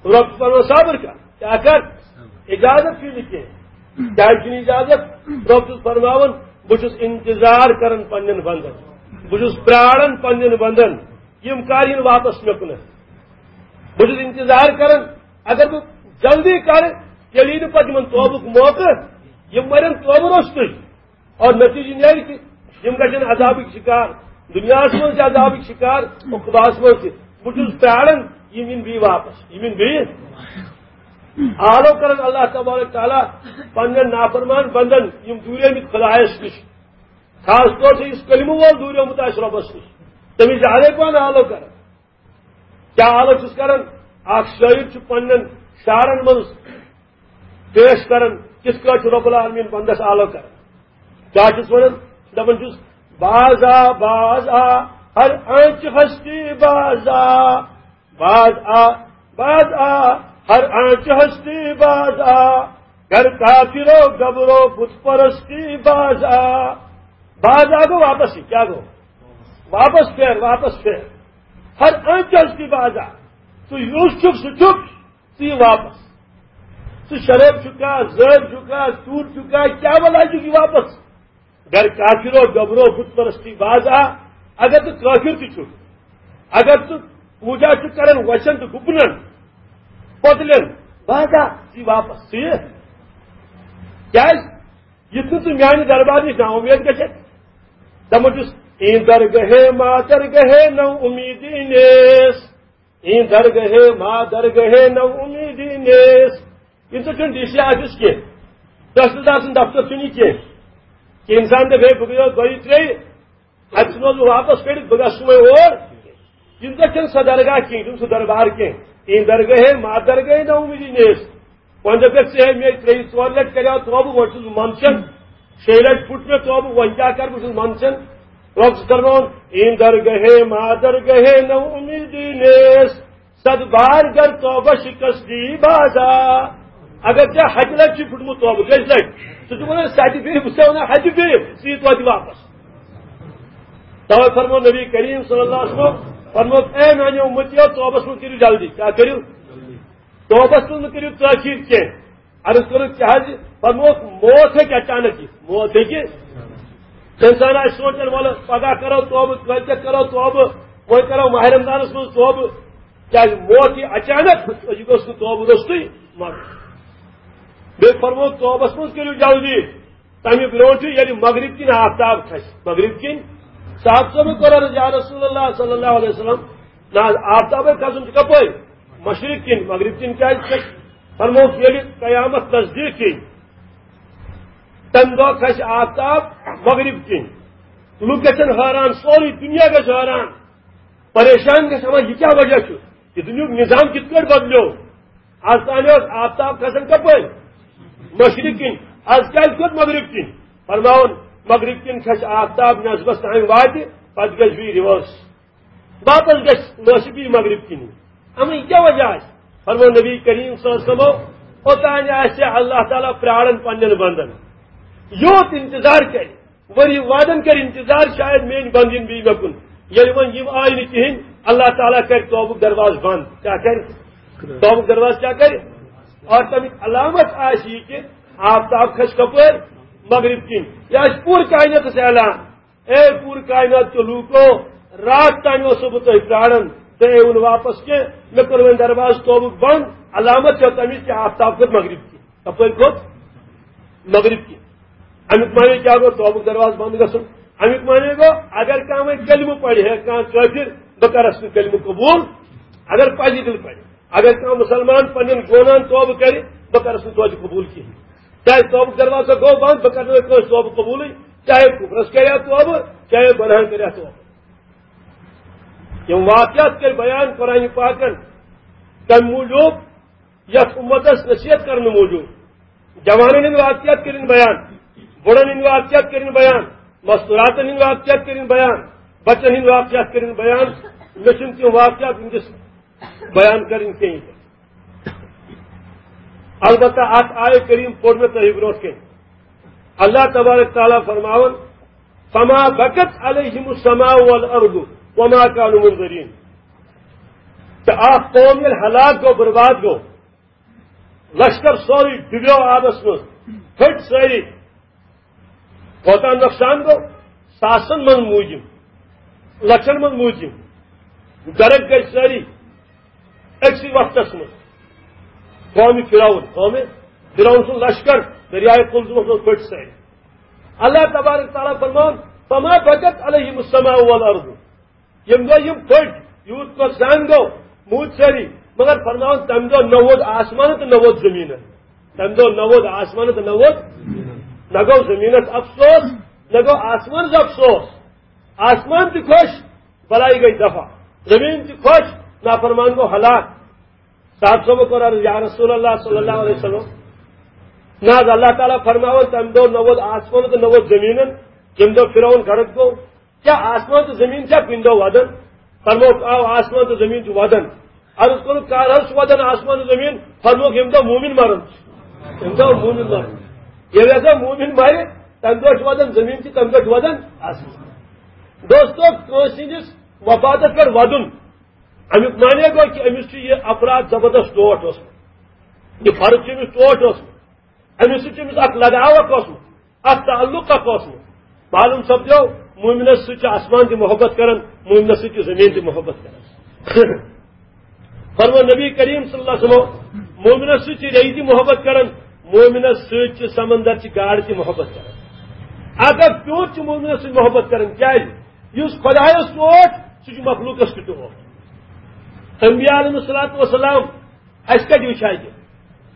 رۄب چھُ فرماوان، صبر کر، کیٛاہ کر؟ اجازت چھُے نہٕ کینٛہہ۔ کیٛازِ چھُنہٕ اجازت؟ رۄب چھُس فرماوان، بہٕ چھُس انتظار کران پننٮ۪ن بندن، بہٕ چھُس پراران پننٮ۪ن بندن، یِم کر یِن واپس مےٚ کُنتھ۔ بہٕ چھُس انتظار کران، اگر بہٕ جلدی کرٕ، تیٚلہِ یی نہٕ پتہٕ یِمن توبُک موقعہٕ، یِم مرن توبہٕ روٚستُے۔ اور نتیجہ نیرِ کہِ یِم گژھن عذابٕکۍ شکار، دُنیاہس منٛز تہِ عذابٕکۍ شکار، عقباہس منٛز تہِ۔ بہٕ چھُس پیاران، یِم یِن بیٚیہِ واپس، یِم یِن بیٚیہِ۔ آلو کران اللہ تبارک تعالیٰ پننٮ۪ن نافرمان بندن، یِم دوٗریمٕتۍ خدایس نِش، خاص طور چھُ یُس کلمہٕ وول دوٗریومُت آسہِ رۄبس نِش، تٔمِس چھُ الے پہن آلو کران۔ کیٛاہ آلو چھُس کران؟ اکھ شٲعر چھُ پننٮ۪ن شعرن منٛز پیش کران، کِتھ کٲٹھۍ چھُ رب العالمین بندس آلو کران۔ کیٛاہ چھُس ونان؟ دپان چھُس، باز آ، باز آ، ہر آنچ ہستی باز آ، باز آ، باز آ، ہر آنچ ہستی باز آ، گر کافرو گبرو بت پرستی باز آ۔ باز آ گوٚو واپس، یہِ کیٛاہ گوٚو؟ واپس پھیر، واپس پھیر۔ ہر آنچ ہستی باز آ۔ ژٕ یُس چھُکھ، سُہ چھُکھ۔ ژٕ یہِ واپس۔ ژٕ شرٲبۍ چھُکھا، زٲج چھُکھا، ژوٗر چھُکھا، کیٛاہ بلاے چھُکھ یہِ واپس؟ گر کافرو گبرو بت پرستی باز آ، اگر ژٕ کافر تہِ چھُکھ، اگر ژٕ پوٗجا چھُکھ کران وۄژھن تہٕ گُپنن، پۄتلٮ۪ن، باز آ، ژٕ یہِ واپس۔ ژٕ یہِ۔ کیٛازِ؟ یُتھ نہٕ ژٕ میانہِ دربار نِش نا اُمید گژھکھ۔ دپان چھُس، این درگہے ما درگہے نو امیدی نیس۔ این درگہے ما درگہے نو امیدی نیس۔ ییٚمہِ سۭتۍ چھُنہٕ ڈی سی آفس کینٛہہ، تحصیلدار سُنٛد دفتر چھُنہٕ یہِ کینٛہہ، کہِ انسان دَپہِ، ہے، بہٕ گٔیوس دۄیہِ ترٛیٚیہِ، اَتہِ ژھٕنوس بہٕ واپس کٔڑِتھ، بہٕ گژھٕ صُبحٲے اور۔ یِم زَن چھَنہٕ سۄ درگاہ کینٛہہ، یِم سُہ دربار کینٛہہ۔ این درگہے ما درگہے نو امیدی نیس۔ وۄنۍ دَپٮ۪کھ ژٕ، ہے، مےٚ ترٛیٚیہِ ژورِ لَٹہِ کریٛاو توبہٕ، وۄنۍ چھُس بہٕ منٛدچھان۔ شیٚیہِ لَٹہِ پھُٹ مےٚ توبہٕ، وۄنۍ کیٛاہ کَرٕ، بہٕ چھُس منٛدچھان۔ رۄب چھُ فرماوان، این درگہے ما درگہے نو امیدی نیس۔ صد بار گر توبہ شکست دی بازا۔ اگر ژےٚ ہتہِ لٹہِ چھُ پھُٹمُت توبہٕ، کٔژِ لٹہِ؟ سُہ چھُ وَنان، سَتہِ بیٚیہِ، بہٕ چھُسے وَنان، ہتہِ بیٚیہِ، ژٕ یہِ توتہِ واپس۔ توے فرموو نبی کریم صلی اللہ علیہ وسلم، فرموو، اے میانیو اُمتیو، توبس منٛز کٔرِو جلدی۔ کیٛاہ کٔرِو؟ توبس منٛز مہٕ کٔرِو تٲخیر کینٛہہ۔ عرض کوٚرُکھ، کیٛاہ حظ؟ فرمووُکھ، موت ہیٚکہِ اچانک یِتھ، موت ہیٚکہِ۔ انسان آسہِ سونٛچان، وَلہٕ پگاہ کرو توبہٕ، کٲلۍکٮ۪تھ کرو توبہٕ، وۄنۍ کرو ماہِ رمضانس منٛز توبہٕ۔ کیٛازِ؟ موت یی اچانک، یہِ گوٚژھ نہٕ توبہٕ روٚستُے مۄکلُن۔ بیٚیہِ فرموو، توبس منٛز کٔرِو جلدی، تَمہِ برونٛٹھٕے ییٚلہِ مغرب کِنۍ آفتاب کھسہِ، مغرب کِنۍ۔ صحابہٕ صٲبن کوٚر عرض، یا رسول اللہ صلی اللہ علیہ وسلم، نہ حظ، آفتابے کھسُن چھُ کپٲرۍ؟ مشرق کِنۍ۔ مغرب کِنۍ کیٛازِ کھسہِ؟ فرمووُکھ، ییٚلہِ قیامت نزدیٖک یی، تَمہِ دۄہ کھسہِ آفتاب مغرب کِنۍ۔ لُکھ گژھن حٲران، سورُے دُنیا گژھِ حٲران، پریشان گژھِ، دَپان، یہِ کیٛاہ وجہ چھُ؟ یہِ دُنیاہُک نظام کِتھ پٲٹھۍ بدلیو؟ از تام اوس آفتاب کھسان کپٲرۍ؟ مشرق کِنۍ۔ از کیٛازِ کھوٚت مغرب کِنۍ؟ فرماوُن، مغرب کِنۍ کھسہِ آفتاب نصبس تام واتہِ، پتہٕ گژھِ بیٚیہِ ریورس۔ واپس گژھِ لٲسِتھ بیٚیہِ مغرب کِنی۔ اما یہِ کیٛاہ وجہ آسہِ؟ فرموو نبی کریم صلی اللہ علیہ وسلمو، اوٚتانۍ آسہِ اللہ تعالیٰ پرٛاران پننٮ۪ن بندن۔ یوت انتظار کرِ، ؤری وادن کرِ انتظار، شاید میٲنۍ بندٕ یِن بیٚیہِ مےٚ کُن۔ ییٚلہِ وۄنۍ یِم آیہِ نہٕ کِہیٖنۍ، اللہ تعالیٰ کرِ توبُک دروازٕ بنٛد۔ کیٛاہ کرِ؟ توبُک دروازٕ کیٛاہ کرِ؟ اور تَمِچ علامت آسہِ یہِ کہِ آفتاب کھسہِ کپٲرۍ؟ مغرب کِنۍ۔ یہِ آسہِ پوٗرٕ کائناتس اعلان۔ اے پوٗرٕ کائنات کیو لوٗکو، راتھ تام اوسُس بہٕ تۄہہِ پراران، تۄہہِ آیوٕ نہٕ واپس کینٛہہ۔ مےٚ کوٚر وۄنۍ دروازٕ توبُک بنٛد۔ علامت چھےٚ تَمِچ کہِ آفتاب کھوٚت مغرب کِنۍ۔ کپٲرۍ کھوٚت؟ مغرب کِنۍ۔ اَمیُک معنی کیٛاہ گوٚو توبُک دروازٕ بنٛد گژھُن؟ اَمیُک معنی گوٚو، اگر کانٛہہ وۄنۍ کلمہٕ پرِ ہے، کانٛہہ کٲفِر، بہٕ کرس نہٕ کلمہٕ قبوٗل۔ اگر پزِ دِل پرِ، اگر کانٛہہ مُسلمان پننٮ۪ن گۄناہن توبہٕ کرِ، بہٕ کرس نہٕ توتہِ قبوٗل کِہیٖنۍ۔ کیٛازِ؟ توبُک دروازٕ گوٚو بنٛد، بہٕ کرٕ نہٕ کٲنٛسہِ توبہٕ قبوٗلٕے، چاہے کُفرس کرِ ہا توبہٕ، چاہے گۄناہن کرِ ہا توبہٕ۔ یِم واقعات کٔرۍ بیان قرآن پاکن، تَمہِ موٗجوٗب یَتھ اُمتس نصیحت کرنہٕ موٗجوٗب۔ جوانن ہٕنٛدۍ واقعات کٔرِن بیان، بُڑن ہٕنٛدۍ واقعات کٔرِن بیان، مستوٗراتن ہٕنٛدۍ واقعات کٔرِن بیان، بچن ہٕنٛدۍ واقعات کٔرِن بیان۔ مےٚ چھِنہٕ تِم واقعات وٕنکیٚس بیان کرٕنۍ کینٛہہ۔ البتہ اتھ آیہِ کریم پوٚر مےٚ تۄہہِ برونٛٹھ کَنہِ۔ اللہ تبارک تعالیٰ فرماوان، فما بکت علیہم السماء والارض وما کانوا منظرین۔ تہٕ اکھ قوم ییٚلہِ ہلاک گوٚو، برباد گوٚو، لشکر سورُے ڈُبیو آبس منٛز، پھٔٹۍ سٲری۔ کوتاہ نۄقصان گوٚو؟ ساسن منٛز موٗدۍ یِم، لچھن منٛز موٗدۍ یِم، غرق گٔے سٲری أکسٕے وقتس منٛز۔ قومِ فرعون، قومِ فرعون سُنٛد لشکر دریائے قلزمس منٛز پھٔٹۍ سٲری۔ اللہ تبارک تعالیٰ فرمان، فما بکت علیہم السماء والارض۔ ییٚمہِ دۄہ یِم پھٔٹۍ، یوٗت نۄقصان گوٚو، موٗدۍ سٲری، مگر فرماوان، تَمہِ دۄہ نہ ووت آسمان تہٕ نہ ووت زٔمیٖنَن۔ تَمہِ دۄہ نہ ووت آسمان تہٕ نہ ووت، نہ گوٚو زٔمیٖنَس افسوس، نہ گوٚو آسمانَس افسوس۔ آسمان تہِ خۄش، بلائی گٔے دفع۔ زٔمیٖن تہِ خۄش، نافرمان گوٚو ہلاک۔ صاحب صٲبو کوٚر عرض، یا رسول اللہ صلی اللہ علیہ وسلم، نہ حظ، اللہ تعالیٰ فرماوان، تَمہِ دۄہ نہ ووت آسمان تہٕ نہ ووت زٔمیٖنَن، ییٚمہِ دۄہ فرعون غرق گوٚو۔ کیٛاہ آسمان تہٕ زٔمیٖن چھا کُنہِ دۄہ وَدان؟ فرمووُکھ، آ، آسمان تہٕ زٔمیٖن چھِ وَدان۔ عرض کوٚرُکھ، کر حظ چھُ وَدان آسمان تہٕ زٔمیٖن؟ فرمووُکھ، ییٚمہِ دۄہ مومِن مَرَن چھِ۔ ییٚمہِ دۄہ مومِن مَرَن۔ ییٚلہِ ہسا مومِن مَرِ، تَمہِ دۄہ چھُ وَدان زٔمیٖن تہِ، تَمہِ دۄہ چھُ وَدان آسمان۔ دوستو، کٲنٛسہِ ہٕنٛدِس وفاتَس پٮ۪ٹھ وَدُن، اَمیُک معنی گوٚو کہِ أمِس چھُ یہِ افراد زبردست ٹوٹھ اوسمُت۔ یہِ فرض چھُ أمِس ٹوٹھ اوسمُت۔ أمِس سۭتۍ چھُ أمِس اکھ لگاو اکھ اوسمُت، اکھ تعلق اکھ اوسمُت۔ معلوم سپدیو، مومنس سۭتۍ چھُ آسمان تہِ محبت کران، مومنس سۭتۍ چھُ زٔمیٖن تہِ محبت کران۔ فرموو نبی کریم صلی اللہ علیہ وسلم، مومنس سۭتۍ چھِ ریٚیہِ تہِ محبت کران، مومنس سۭتۍ چھِ سمندر چہِ گاڈٕ تہِ محبت کران۔ اگر پیوٚت چھُ مومنس سۭتۍ محبت کران، کیازِ؟ یُس خدایس ٹوٹھ، سُہ چھُ مخلوقس تہِ ٹوٹھ۔ انبیاء علیہ الصلوۃ والسلام اَسہِ کَتہِ وٕچھِ اَتہِ؟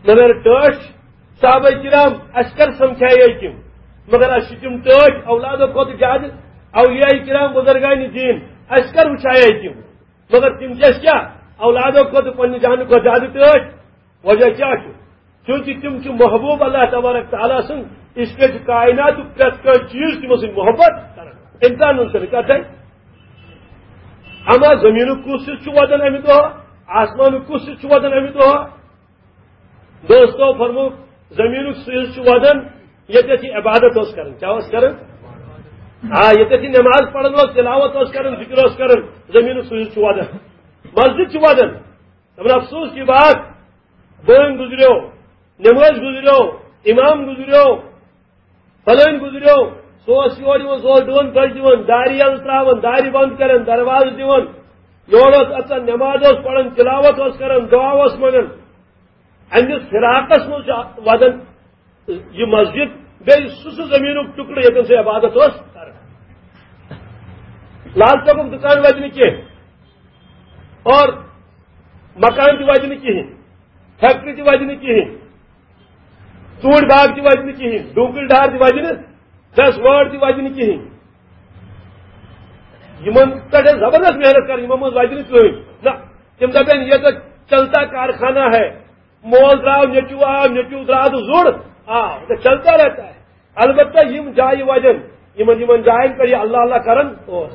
مگر ٹٲٹھۍ صحابہ کرام اَسہِ کر سمکھایے تِم؟ مگر اَسہِ چھِ تِم ٹٲٹھۍ اولادو کھۄتہٕ زیادٕ، اولیاء کرام بزرگان دین اَسہِ کر وٕچھایے تِم؟ مگر تِم چھِ اَسہِ کیٛاہ؟ اولادو کھۄتہٕ، پننہِ جانہٕ کھۄتہٕ زیادٕ ٹٲٹھۍ۔ وجہ کیٛاہ چھُ؟ چونکہ تِم چھِ محبوب اللہ تبارک تعالیٰ سٕنٛدۍ، اس لیے چھُ کائناتُک پرٛٮ۪تھ کانٛہہ چیٖز تِمو سۭتۍ محبت کران۔ امتحان سۭتۍ کتھ ہے۔ اما زمینُک کُس حصہٕ چھُ وۄدان امہِ دۄہ؟ آسمانُک کُس حصہٕ چھُ وۄدان امہِ دۄہ؟ دوستو فرموو، زمینُک سُہ حصہٕ چھُ وۄدان، ییٚتٮ۪تھ یہِ عبادت اوس کران۔ کیٛاہ اوس کران؟ آ، ییٚتٮ۪تھ یہِ نماز پران اوس، تلاوت اوس کران، ذکر اوس کران، زمینُک سُہ حصہٕ چھُ وۄدان۔ مسجد چھِ وۄدان۔ دپان، افسوس کی بات، بٲنۍ گُزریو، نمٲز گُزریو، امام گُزریو، فلٲنۍ گُزریو، سُہ اوس یورٕ یِوان، سُہ اوس ڈوٗن پھٔلۍ دِوان، دارِ یَلہٕ ترٛاوان، دارِ بنٛد کران، دروازٕ دِوان، یورٕ اوس اَژان، نماز اوس پران، تلاوت اوس کران، دعا اوس منٛگان۔ اَمہِ فراقس منٛز چھُ وَدان یہِ مسجد، بیٚیہِ سُہ، سُہ زٔمیٖنُک ٹُکڑٕ، ییٚتٮ۪ن سُہ عبادت اوس کران۔ لال چوکُک دُکان وَدِ نہٕ کینٛہہ، اور مکان تہِ وَدِ نہٕ کِہیٖنۍ، فیکٹری تہِ وَدِ نہٕ کِہیٖنۍ، ژوٗنٛٹھۍ باغ تہِ وَدِ نہٕ کِہیٖنۍ، ڈوٗنٛکٕلۍ ڈار تہِ وَدِ نہٕ، دَس وٲر تہِ وَدِ نہٕ کِہیٖنۍ۔ یِمن پٮ۪ٹھ ٲس زبردست محنت کَرٕنۍ، یِمن منٛز وَدِ نہٕ کٕہٕنۍ۔ نہ، تِم دَپن، "یہ تو چلتا کارخانہ ہے، مول درٛاو، نیٚچوٗ آو، نیٚچوٗ درٛاو تہٕ زوٚڑ آو، تو چلتا رہتا ہے۔" البتہ یِم جایہِ وَدن، یِمن، یِمن جاین پٮ۪ٹھ یہِ اللہ اللہ کران اوس۔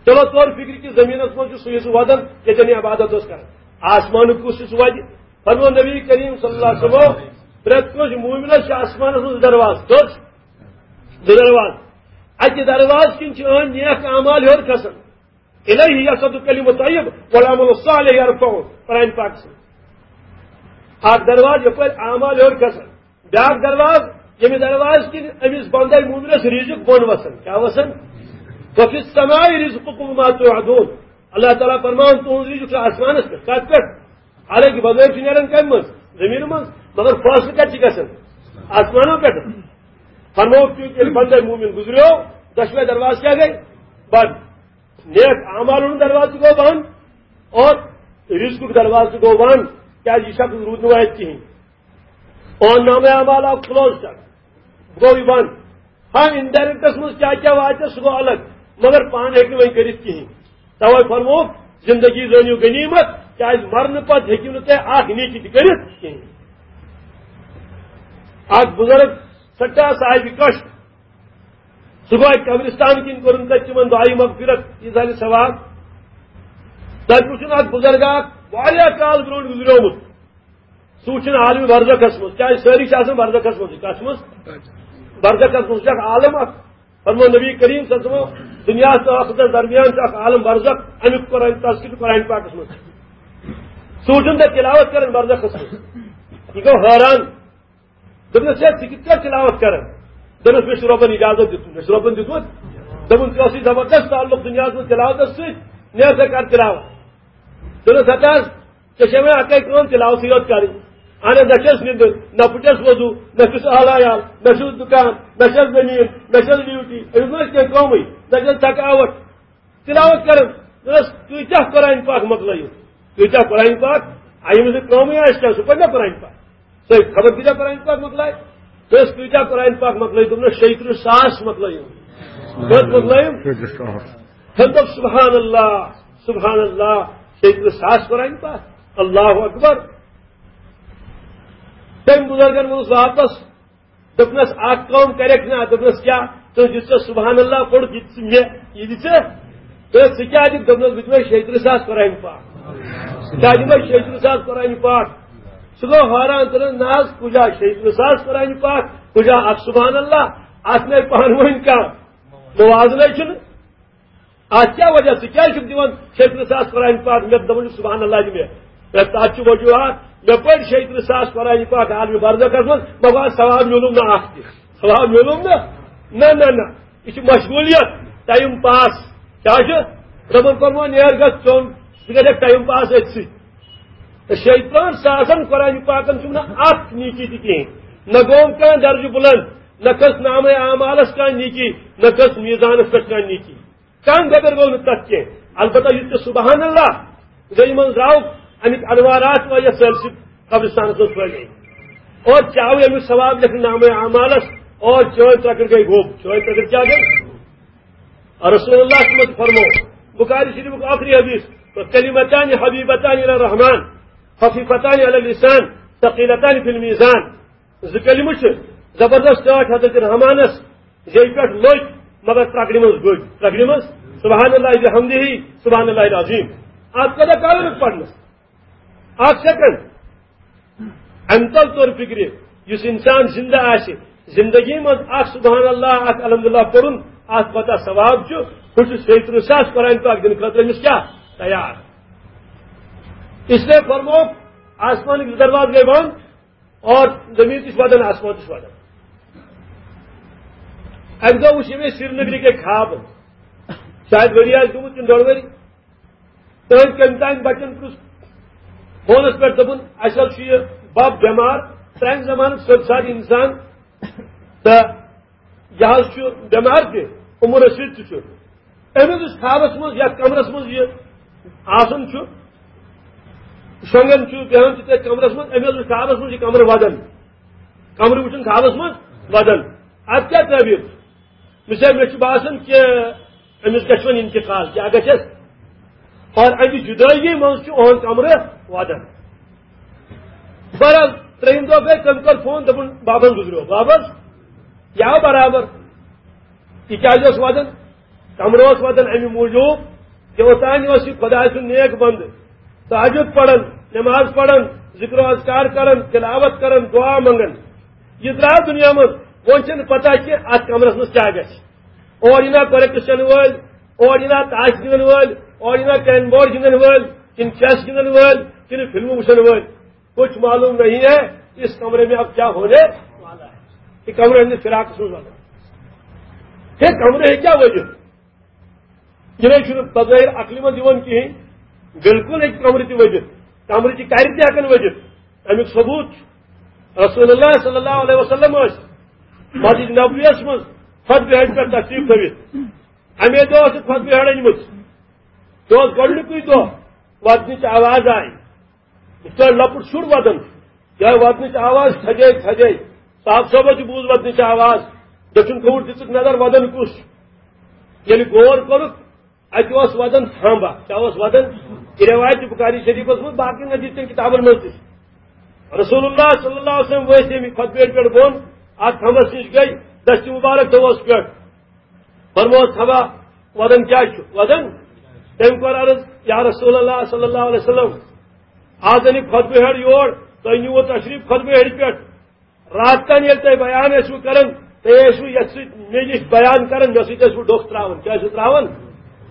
چلو، طور فکر کہِ زٔمیٖنَس منٛز چھُ سُہ حصہٕ وَدان، ییٚتٮ۪ن یہِ عبادت اوس کران۔ آسمانُک کُس حصہٕ وَدِ؟ فرموو نبی کریم صلی اللہ علیہ وسلم، پرٛٮ۪تھ کٲنٛسہِ مومنس چھِ آسمانس منٛز زٕ دروازٕ۔ کٔژ؟ زٕ دروازٕ۔ اَکہِ دروازٕ کِنۍ چھِ أہٕنٛدۍ نیک اعمال ہیوٚر کھسان۔ الیہ یصعد الکلم الطیب والعمل الصالح یرفعہ۔ قرآن پاکس منٛز۔ اکھ دروازٕ یپٲرۍ اعمال ہیوٚر کھسان۔ بیاکھ دروازٕ، ییٚمہِ دروازٕ کِنۍ أمِس بندے مومنس رزق بۄن وسان۔ کیٛاہ وسان؟ وفی السماء رزقکم وما توعدون۔ اللہ تعالیٰ فرمان، تُہُنٛد رزق چھُ آسمانس پٮ۪ٹھ۔ کتھ پٮ۪ٹھ؟ حالانکہ بغٲر چھُ نیران کمہِ منٛز؟ زٔمیٖنہٕ منٛز۔ مگر فٲصلہٕ کتہِ چھِ گژھان؟ آسمانو پٮ۪ٹھ۔ فرموو، کیونکہ ییٚلہِ بندے مومن گُزریو، دۄشوے دروازٕ کیٛاہ گٔے؟ بنٛد۔ نیک اعمالن ہُنٛد دروازٕ تہِ گوٚو بنٛد اور رزقُک دروازٕ تہِ گوٚو بنٛد، کیٛازِ یہِ شخص روٗد نہٕ وۄنۍ اَتہِ کِہیٖنۍ۔ اور نامہ اعمال آو کلوز کرنہٕ، گوٚو یہِ بنٛد۔ ہاں، انڈائریکٹس منٛز کیٛاہ کیٛاہ واتہِ، سُہ گوٚو الگ، مگر پانہٕ ہیٚکہِ نہٕ وۄنۍ کٔرِتھ کِہیٖنۍ۔ توے فرمووُکھ، زندگی زٲنِو غنیمت، کیٛازِ مرنہٕ پتہٕ ہیٚکِو نہٕ تُہۍ اکھ نیکی تہِ کٔرِتھ کِہیٖنۍ۔ اکھ بزرگ سٮ۪ٹھاہ صاحبِ کشت، سُہ گوٚو اَتہِ قبرستان کِنۍ کوٚرُن تَتہِ تِمن دعایہِ مغفرت، یہِ زانہِ ثواب۔ تَتہِ وُچھُن اکھ بُزرگا اکھ واریاہ کال برونٛٹھ گُزریومُت۔ سُہ وُچھُن عالمِ برزخس منٛز، کیٛازِ سٲری چھِ آسان برزخس منٛزٕے۔ کَتھ منٛز؟ برزخس منٛز چھُ اکھ عالم اکھ۔ فرموو نبی کریم صلی اللہ علیہ وسلم، دُنیاہس تہٕ ٲخرتس درمیان چھُ اکھ عالم برزخ، اَمیُک قرآن، تذکرہ چھُ قرآن پاکس منٛز۔ سُہ وُچھُن تَتہِ تِلاوت کران برزخس منٛز۔ یہِ گوٚو حٲران۔ دوٚپنَس، "ہے، ژٕ کِتھ کٔنۍ تِلاوت کران؟" دوٚپنَس، "مےٚ چھُ رۄبَن اِجازت دیُتمُت، مےٚ چھُ رۄبَن دیُتمُت۔" دوٚپُن، "ژےٚ ٲسٕے زبردست تعلق دُنیاہَس منٛز تِلاوتَس سۭتۍ، نیر سا کر تِلاوت۔" دوٚپنَس، "ہتا حظ، ژےٚ چھےٚ وۄنۍ اَکٕے کٲم، تِلاوتٕے یوت کَرٕنۍ۔ اَہَن حظ، نہ چھَس نِندٕر، نہ پھُٹٮ۪س وضوٗ، نہ چھُس اہل عیال، نہ چھُس دُکان، نہ چھَس زٔمیٖن، نہ چھَس ڈیوٹی، أمِس ما چھِ کینٛہہ کٲمٕے، نہ چھَس تھکاوَٹھ۔" تِلاوت کران۔ دوٚپنَس، "تُہۍ کیٛاہ قرآن پاک مۄکلٲیِو؟" کۭتیٛاہ قرآن پاک؟ آیہِ أمِس نہٕ کٲمٕے آسہِ کیٛاہ، سُہ پَرِ نا قرآن پاک؟ تُہۍ خبر کۭتیٛاہ قرآن پاک مۄکلایہِ؟ تُہۍ ٲسۍ کۭتیٛاہ قرآن پاک مۄکلٲیِو؟ دوٚپنَس، شیٚیہِ تٕرٛہ ساس مۄکلٲیِو۔ کٔژ مۄکلٲیِو؟ شیٚیہِ تٕرٛہ ساس۔ تٔمۍ دوٚپ، سبحان اللہ، سبحان اللہ، شیٚیہِ تٕرٛہ ساس قرآن پاک، اللہ اکبر۔ تٔمۍ بُزرگن ووٚنُس واپس، دوٚپنَس، اکھ کٲم کَرٮ۪کھ نا؟ دوٚپنَس، کیٛاہ؟ ژٕ یُتھ ژےٚ سبحان اللہ پوٚرُتھ، یہِ تہِ ژٕ مےٚ، یہِ دِ ژٕ۔ تہٕ ژٕ کیٛاہ دِکھ؟ دوٚپنَس، بہٕ دِمے شیٚیہِ تٕرٛہ ساس قرآن پاک۔ کیٛاہ دِمے شیٚیہِ تٕرٛہ ساس قرآن پاک؟ سُہ گوٚو حٲران، دوٚپنَس، نہ حظ، کُجا شیٚیہِ تٕرٛہ ساس قرآن پاک، کُجا اکھ سبحان اللہ، اَتھ نَے پانہٕ ؤنۍ کانٛہہ موازنَے چھُنہٕ۔ اَتھ کیٛاہ وجہ؟ ژٕ کیٛازِ چھُکھ دِوان شیٚیہِ تٕرٛہ ساس قرآن پاک؟ مےٚ دَپان چھُکھ سبحان اللہ دِ مےٚ۔ ہے، تَتھ چھُ وجوہات، مےٚ پٔرۍ شیٚیہِ تٕرٛہ ساس قرآن پاک عالمِ برزخس منٛز، مگر ثواب میوٗلُم نہٕ اکھ تہِ۔ ثواب میوٗلُم نہٕ؟ نہ، نہ، نہ۔ یہِ چھِ مشغوٗلیت، ٹایم پاس۔ کیٛاہ چھُ؟ رۄبن کوٚرمو نیر گژھ چوٚن، ژٕ گژھکھ ٹایم پاس أتھۍ سۭتۍ۔ تہٕ شیٚیہِ تٕرٛہن ساسن قرآن پاکن چھُم نہٕ اکھ نیکی تہِ کِہیٖنۍ۔ نہ گوٚوم کانٛہہ درجہٕ بُلند، نہ کھٔژ نامے اعمالس کانٛہہ نیکی، نہ کھٔژ میزانس پٮ۪ٹھ کانٛہہ نیکی۔ کانٛہہ گۄبر گوٚو نہٕ تَتھ کینٛہہ۔ البتہ یُس تہِ سبحان اللہ گٔے، یِمن درٛاو اَمِکۍ انوارات وۄنۍ یَتھ سٲرسٕے قبرستانَس منٛز پھٔہلے۔ اور ژےٚ آوُے اَمیُک ثواب لیکھنہٕ نامے اعمالَس، اور چٲنۍ ترٛکٕر گٔے گوٚب۔ چٲنۍ ترٛکٕر کیٛاہ گٔے؟ رسول اللہ صلی اللہ علیہ وسلم فرمو، بخاری شریفُک ٲخری حدیث، کلمتان حبیبتان الی الرحمن، خفیفتان علی اللسان، ثقیلتان فی المیزان۔ زٕ کلمہٕ چھِ زبردست ٹٲٹھۍ حضرت رحمانس زیٚوِ پٮ۪ٹھ لٔگۍ، مگر ترٛکرِ منٛز گٔے۔ ترٛکرِ منٛز سبحان اللہ بحمدہ، سبحان اللہ العظیم۔ اَتھ کوتاہ کال لوٚگ پرنس؟ اکھ سیکنڈ۔ اَمہِ تل توٚر فِکرِ، یُس انسان زندٕ آسہِ، زندگی منٛز اکھ سبحان اللہ، اکھ الحمدللہ پوٚرُن، اَتھ کوتاہ ثواب چھُ، ہُہ چھُ شیٚیہِ تٕرٛہ ساس قرآن پاک دِنہٕ خٲطرٕ أمِس کیٛاہ تیار۔ اس لیے فرموو، آسمانٕکۍ زٕ دروازٕ گٔے بنٛد، اور زمین تہِ چھِ ودان، آسمان تہِ چھُ ودان۔ اَکہِ دۄہ وُچھ مےٚ سرینگرٕکۍ أکۍ خواب، شاید ؤری آسہِ گوٚمُت کِنہٕ ڈۄڈ ؤری۔ تٔمۍ کٔمۍ تام بچن پرُژھ فونس پٮ۪ٹھ، دوٚپُن، "اَسہِ حظ چھُ یہِ بب بٮ۪مار، پرٛانہِ زمانُک سیوٚد سادٕ انسان، تہٕ یہِ حظ چھُ بٮ۪مار تہِ، عمر رشیٖد تہِ چھُ۔ أمِس یُس خوابس منٛز یتھ کمرس منٛز یہِ آسان چھُ، شۄنٛگان چھُ، بیٚہوان چھُ تٔتھۍ کمرس منٛز، أمِس یُس خوابس منٛز یہِ کمرٕ ودان، کمرٕ وٕچھُن خوابس منٛز ودان۔ اتھ کیٛاہ تعبیر چھِ؟ مےٚ چھا، مےٚ چھُ باسان کہِ أمِس گژھِ وۄنۍ انتقال، کیٛاہ گژھٮ۪س؟ اور اَمہِ جُدٲیی منٛز چھُ اُہُنٛد کمرٕ ودان۔" بہرحال، ترٛیٚیِم دۄہ گٔے، تٔمۍ کوٚر فون، دوٚپُن، "بابن گُزریو۔" بابس؟ یہِ آو برابر۔ یہِ کیٛازِ اوس ودان؟ کمرٕ اوس ودان اَمہِ موٗجوٗب کہِ اوٚتانۍ اوس یہِ خۄداے سُنٛد نیک بنٛدٕ، تہجد پران، نماز پران، ذکر و اذکار کران، تلاوت کران، دعا منٛگان۔ یہِ درٛاو دُنیا منٛز، وۄنۍ چھَنہٕ پتہ کہِ اَتھ کمرس منٛز کیٛاہ گژھِ۔ اور یہِ نا کریکٹ وٕچھن وٲلۍ، اور یہِ نا تاش گِنٛدن وٲلۍ، اور یہِ نا کیرم بورڈ گِنٛدن وٲلۍ، کِنہٕ چیس گِنٛدن وٲلۍ، کِنہٕ فلمہٕ وٕچھن وٲلۍ۔ کچھ معلوم نہیں ہے اس کمرے میں اب کیا ہونے والا ہے۔ یہ کمرہ ہٕنٛدِس فراقس منٛز ونان۔ ہے، کمرٕ ہیٚکیٛاہ ؤجِتھ؟ یہِ نَے چھُنہٕ بظٲہِر عقلہِ منٛز یِوان کِہیٖنۍ۔ بالکل ہیٚکہِ کمرٕ تہِ ؤجِتھ، کمرٕچہِ کرِ تہِ ہٮ۪کن ؤجِتھ۔ اَمیُک ثبوت چھُ، رسول اللہ صلی اللہ علیہ وسلم ٲسۍ مسجد نبویَس منٛز خطبہٕ ہیٚرِ پٮ۪ٹھ تشریٖف تھٲوِتھ۔ اَمے دۄہ ٲسٕکھ خطبہٕ ہیٚرِ أنۍمٕژ۔ یہِ اوس گۄڈٕنیُکُے دۄہ، وَدنٕچ آواز آیہِ۔ یِتھ پٲٹھۍ لۄکُٹ شُر وَدان چھُ، یِہوٚے وَدنٕچ آواز تھَجے تھَجے۔ صاحب صٲبَس تہِ بوٗز وَدنٕچ آواز، دٔچھُن کھووُر دِژٕکھ نظر، وَدان کُس چھُ؟ ییٚلہِ غور کوٚرُکھ، اَتہِ اوس وَدان تھامبا۔ کیٛاہ اوس وَدان؟ یہِ رٮ۪وایت چھِ بُخاری شریٖفَس منٛز، باقٕے نزدیٖک کٮ۪ن کِتابَن منٛز تہِ چھِ۔ رسول اللہ صلی اللہ علیہ وسلم ؤتھۍ ییٚمہِ خۄطبہٕ ہیٚرِ پٮ۪ٹھ بۄن، اَتھ تھَمبَس نِش گٔے، دٔستی مُبارک تھٲوہوس پٮ۪ٹھ۔ فرموس، "تھَمبا، وَدان کیٛاہ چھُ؟ وَدان؟" تٔمۍ کوٚر عرض، "یا رسول اللہ صلی اللہ علیہ وسلم، آز أنِکھ خۄطبہٕ ہیٚرِ یور، تۄہہِ نیوٗوٕ تشریٖف خۄطبہٕ ہیٚرِ پٮ۪ٹھ۔ راتھ تام ییٚلہِ تۄہہِ بیان ٲسوٕ کران، تُہۍ ٲسوٕ یَتھ سۭتۍ مےٚ نِش بیان کران، مےٚ سۭتۍ ٲسوٕ ڈوٚکھ ترٛاوان۔ کیٛاہ ٲسوٕ ترٛاوان؟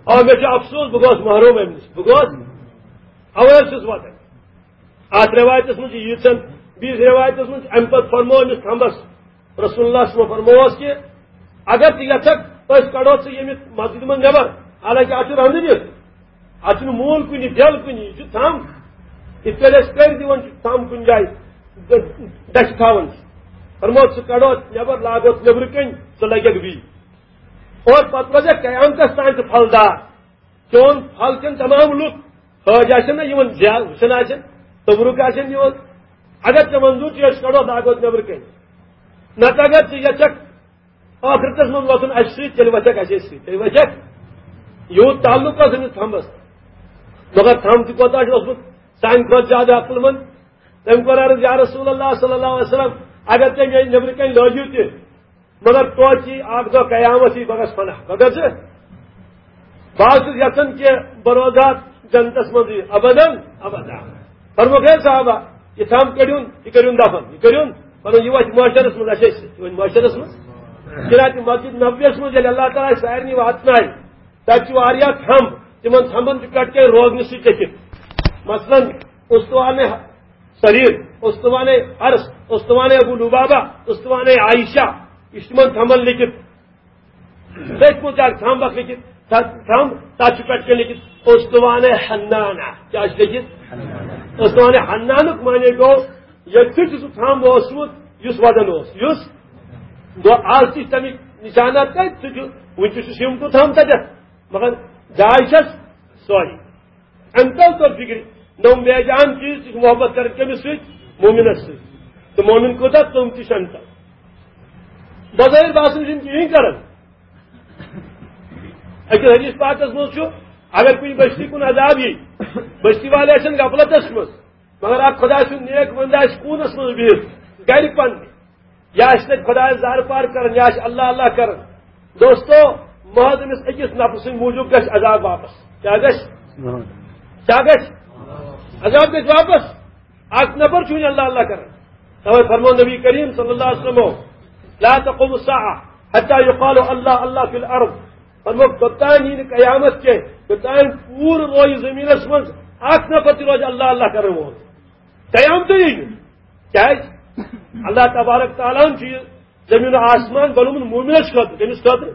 اَوا مےٚ چھُ افسوس، بہٕ گوس محروم اَمہِ نِش، بہٕ گوس، اَوَے حظ چھُس وَدان۔" اَتھ رٮ۪وایتَس منٛز چھِ ییٖژَن، بیٚیِس رٮ۪وایتَس منٛز چھِ اَمہِ پَتہٕ فرموو أمِس تھَمبَس، رسول اللہ صلی اللہ علیہ وسلم فرمووس کہِ اگر ژٕ یَژھکھ، أسۍ کَڑو ژٕ ییٚمہِ مسجدِ منٛز نٮ۪بر، حالانکہِ اَتھ چھُ رَنٛدٕ دِتھ، اَتھ چھُنہٕ موٗل کُنہِ، بیل کُنہِ، یہِ چھُ تھَم۔ یِتھ پٲٹھۍ أسۍ کٔرۍ دِوان چھِ تھَم کُنہِ جایہِ، ڈ-، ڈَچھِ تھاوان چھِ۔ فرموو، ژٕ کَڑو نٮ۪بر، لاگو نٮ۪برٕ کَنۍ، ژٕ لَگَکھ بیٚیہِ۔ اور پَتہٕ روزِ قیامتَس تام تہِ پھلدار۔ چون پھل کھٮ۪ن تمام لُکھ، حٲج آسن نا یِوان زیارت وٕچھان آسن، تبرُک آسن یِوان۔ اگر ژےٚ منظوٗر چھُ، أسۍ کڑو داغوت نٮ۪برٕ کنہِ۔ نتہٕ اگر ژٕ یژھکھ ٲخرتس منٛز وۄتھُن اَسہِ سۭتۍ، تیٚلہِ وۄتھکھ اَسے سۭتۍ، تیٚلہِ وۄتھکھ۔ یوٗت تعلق اوس أمِس تھمبس۔ مگر تھم تہِ کوتاہ چھُ اوسمُت سانہِ کھۄتہٕ زیادٕ عقل مند۔ تٔمۍ کوٚر عرض، یا رسول اللہ صلی اللہ علیہ وسلم، اگر تُہۍ مےٚ نٮ۪برٕ کنہِ لٲگِو تہِ، مگر توتہِ یی اکھ دۄہ قیامت، یی بہٕ گژھٕ فنا، بہٕ گژھٕ۔ بہٕ حظ چھُس یژھان کہِ بہٕ روزٕ ہا جنتس منٛزٕے ابداً ابدا۔ فرموکھ، ہے صحابہ، یہِ تھم کٔڑِوُن، یہِ کٔرِوُن دفن، یہِ کٔرِوُن، پنُن یہِ وۄتھِ معاشرس منٛز، اَسہِ ٲسۍ یہِ وۄنۍ معاشرس منٛز۔ چنانچہ مسجد نبویس منٛز ییٚلہِ اللہ تعالیٰ اَسہِ سارنٕے واتنایہِ، تَتہِ چھِ واریاہ تھمب، تِمن تھمبن چھُ پٮ۪ٹھ کَنہِ روغنہٕ سۭتۍ لیٚکھِتھ۔ مثلاً، استوانِ سریر، استوانِ عرش، استوانِ ابو لبابہ، استوانِ عائشہ، یہِ چھُ تِمن تھمبن لیٚکھِتھ۔ تٔتھۍ منٛز چھِ اکھ تھمب اکھ لیٚکھِتھ، تھمب، تَتھ چھُ پٮ۪ٹھ کَنہِ لیٚکھِتھ استوانِ حنانہ۔ کیٛاہ چھُ لیٚکھِتھ؟ استوانِ حنانُک معنی گوٚو، ییٚتہِ چھُ سُہ تھمب اوسمُت، یُس وَدان اوس، یُس گوٚو، آز تہِ چھِ تَمِکۍ نِشانات تَتہِ، سُہ چھُ، وٕنہِ تہِ چھُ سِمٹُک تھمب تَتٮ۪تھ، مگر جاے چھَس سۄے۔ اَمہِ تَل توٚر فِکرِ، نوٚم بے جان چیٖز تہِ چھُ محبت کران کٔمِس سۭتۍ؟ مومِنَس سۭتۍ۔ تہٕ مومِن کوٗتاہ، تِم تہِ چھِ اَمہِ تَل۔ بظٲہِر باسان چھِنہٕ کِہیٖنۍ کران۔ أکِس حدیث پاکَس منٛز چھُ، اگر کُنہِ بستی کُن عذاب یی، بستی والے آسن غفلتس منٛز، مگر اکھ خۄداے سُنٛد نیک بندٕ آسہِ کوٗنس منٛز بِہِتھ، گرِ پننہِ، یا آسہِ تتہِ خۄدایس زارٕ پار کران، یا آسہِ اللہ اللہ کران۔ دوستو، محض أمِس أکِس نفرٕ سٕنٛدِ موٗجوٗب گژھِ عذاب واپس۔ کیٛاہ گژھِ؟ کیٛاہ گژھِ؟ عذاب گژھِ واپس۔ اکھ نفر چھُ وۄنۍ اللہ اللہ کران۔ توے فرموو نبی کریم صلی اللہ علیہ وسلم، لا تقوم الساعة حتى يقال الله الله في الأرض۔ فرموو، توٚتام یی نہٕ قیامت کینٛہہ، توٚتام پوٗرٕ روزِ زٔمیٖنَس منٛز اکھ نفر تہِ روزِ اللہ اللہ کرن وول۔ قیامتٕے یی نہٕ۔ کیٛازِ؟ اللہ تبارک تعالیٰ ہن چھُ یہِ زٔمیٖن و آسمان بنوومُت مومنس خٲطرٕ۔ کٔمِس خٲطرٕ؟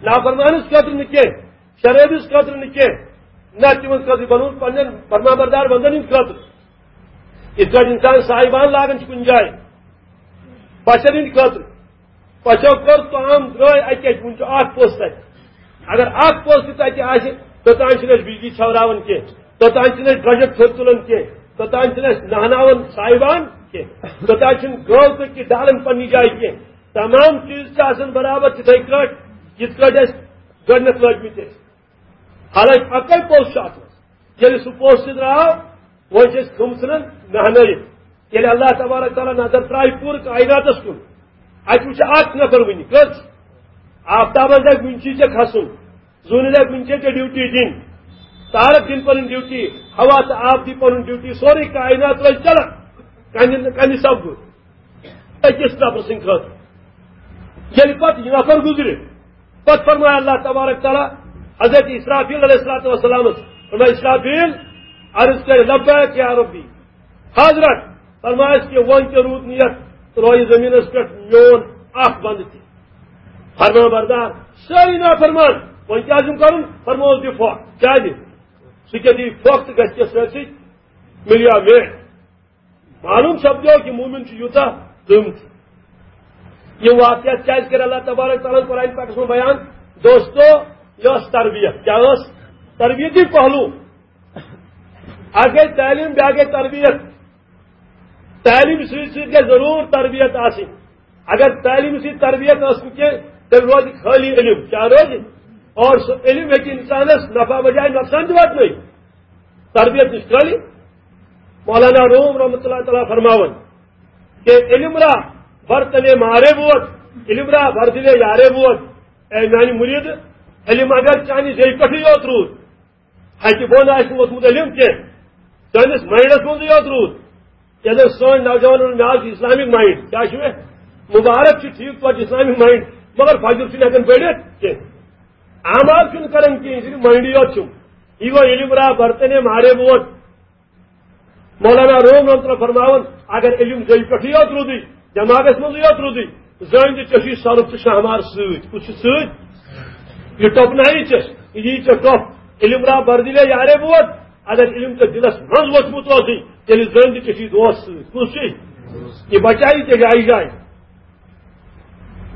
نافرمانس خٲطرٕ نہٕ کینٛہہ، شرٲبِس خٲطرٕ نہٕ کینٛہہ، نہ، تِمن خٲطرٕ بنوومُت پننٮ۪ن فرما بردار بندن ہٕنٛدِ خٲطرٕ۔ یِتھ پٲٹھۍ انسان صاحبان لاگان چھُ کُنہِ جایہِ پژھٮ۪ن ہٕنٛدِ خٲطرٕ، پژھٮ۪و کٔر کٲم، درٛاے اَتہِ، اَتہِ وُنہِ چھُ اکھ پوٚژھ تَتہِ۔ اگر اکھ پوٚژھ تہِ تَتہِ آسہِ، توٚتام چھِنہٕ أسۍ بجلی ژھٮ۪وراوان کینٛہہ، توٚتام چھِنہٕ أسۍ درٛۄجر تھوٚد تُلان کینٛہہ، توٚتام چھِنہٕ أسۍ نہناوان صاحبان کینٛہہ، توٚتام چھِنہٕ گٲو تہٕ کہِ ڈالان پننہِ جایہِ کینٛہہ۔ تمام چیٖز چھِ آسان برابر تِتھے کٲٹھۍ، یِتھ کٲٹھۍ أسۍ گۄڈٕنٮ۪تھ لٲگمٕتۍ ٲسۍ۔ حالانکہ اکے پوٚژھ چھُ اتھ منٛز۔ ییٚلہِ سُہ پوٚژھ تہِ درٛاو، وۄنۍ چھِ أسۍ تِم ژھٕنان نہنٲیِتھ۔ ییٚلہِ اللہ تبارک تعالیٰ نظر ترٛایہِ پوٗرٕ کائناتس کُن، اتہِ وٕچھِ اکھ نفر وٕنہِ کٔژ؟ آفتابس دپہِ وٕنہِ چھُے ژےٚ کھسُن، زوٗنہِ دپہِ وٕنہِ چھےٚ ژےٚ ڈیوٹی دِنۍ، تارک دِنۍ پنٕنۍ ڈیوٹی، ہوا تہٕ آب دی پنُن ڈیوٹی، سورُے کائنات روزِ چلان۔ کنہِ، کنہِ سپدُن أکِس نفرٕ سٕنٛدِ خٲطرٕ۔ ییٚلہِ پتہٕ یہِ نفر گُزرِ، پتہٕ فرمایہِ اللہ تبارک تعالیٰ حضرت اسرافیل علیہ الصلوۃ والسلامس، فرمایہِ، اسرافیل، عرض کرِ، لبیک یا ربی۔ حضرت، فرمایس کہ وۄنۍ تہِ روٗد نہٕ یتھ رویہِ زٔمیٖنس پٮ۪ٹھ میون اکھ بندٕ تہِ۔ فرمان بردار، سٲری نافرمان۔ وۄنۍ کیٛاہ چھُم کرُن؟ فرمووُس دِ پھۄکھ۔ کیٛازِ؟ سُہ کیٛاہ دِیہِ پھۄکھ تہٕ گژھِ کیٛاہ سۭتۍ سۭتۍ؟ مِلیو مےٚ۔ معلوم سپدیو کہ مومن چھُ یوٗتاہ قۭمتی۔ یہِ واقعہ کیٛازِ کٔر اللہ تبارک تعالیٰ ہن قرآن پاکس منٛز بیان؟ دوستو، یہِ ٲس تربیت۔ کیٛاہ ٲس؟ تربیتی پہلو۔ اکھ گٔے تعلیٖم، بیٛاکھ گٔے تربیت۔ تعلیٖم سۭتۍ سۭتۍ گژھِ ضروٗر تربیت آسٕنۍ۔ اگر تعلیٖم سۭتۍ تربیت ٲس نہٕ کینٛہہ، تیٚلہِ روزِ خٲلی علم۔ کیٛاہ روزِ؟ اور سُہ علم ہیٚکہِ انسانس نفع بجایہِ نۄقصان تہِ واتنٲیِتھ۔ تربیت نِش خٲلی۔ مولانا روم رحمۃ اللہ تعالیٰ فرماوان کہ علم را برتنے مارے بود، علم را بردلے یارے بود۔ اے میانہِ مرید، علم اگر چانہِ زیٚیہِ پٮ۪ٹھٕے یوت روٗد، ہتہِ بۄن آسہِ نہٕ ووٚتھمُت علم کینٛہہ، چٲنِس مایِنڈس منٛزٕے یوت روٗد۔ ییٚلہِ سٲنۍ نوجوانن، مےٚ آو اسلامک مایِنڈ، کیٛاہ چھُ مےٚ؟ مُبارک چھُ، ٹھیٖک پٲٹھۍ اسلامک مایِنڈ، مگر فجر چھُنہٕ ہٮ۪کان پٔرِتھ کینٛہہ، اعمال چھُنہٕ کران کینٛہہ، یہِ چھُ مایِنڈٕے یوت چھُم۔ یہِ گوٚو علم را برتنے مارے بود۔ مولانا روم رحمۃ اللہ فرماوان، اگر علم زیٚیہِ پٮ۪ٹھٕے یوت روٗدُے، دٮ۪ماغس منٛزٕے یوت روٗدُے، زٲنۍ تہِ ژےٚ چھُے سۄرُپھ تہٕ شہمار سۭتۍ۔ کُس چھُ سۭتۍ؟ یہِ ٹۄپنایی ژےٚ، یہِ یی ژےٚ ٹۄپھ۔ علم را بردلے یارے بود، اگر علم ژےٚ دِلس منٛز ووٚتھمُت اوسُے، تیٚلہِ زٲنۍ تہِ ژےٚ چھُے دوست سۭتۍ۔ کُس چھُے؟ یہِ بچایی ژےٚ جایہِ جایہِ۔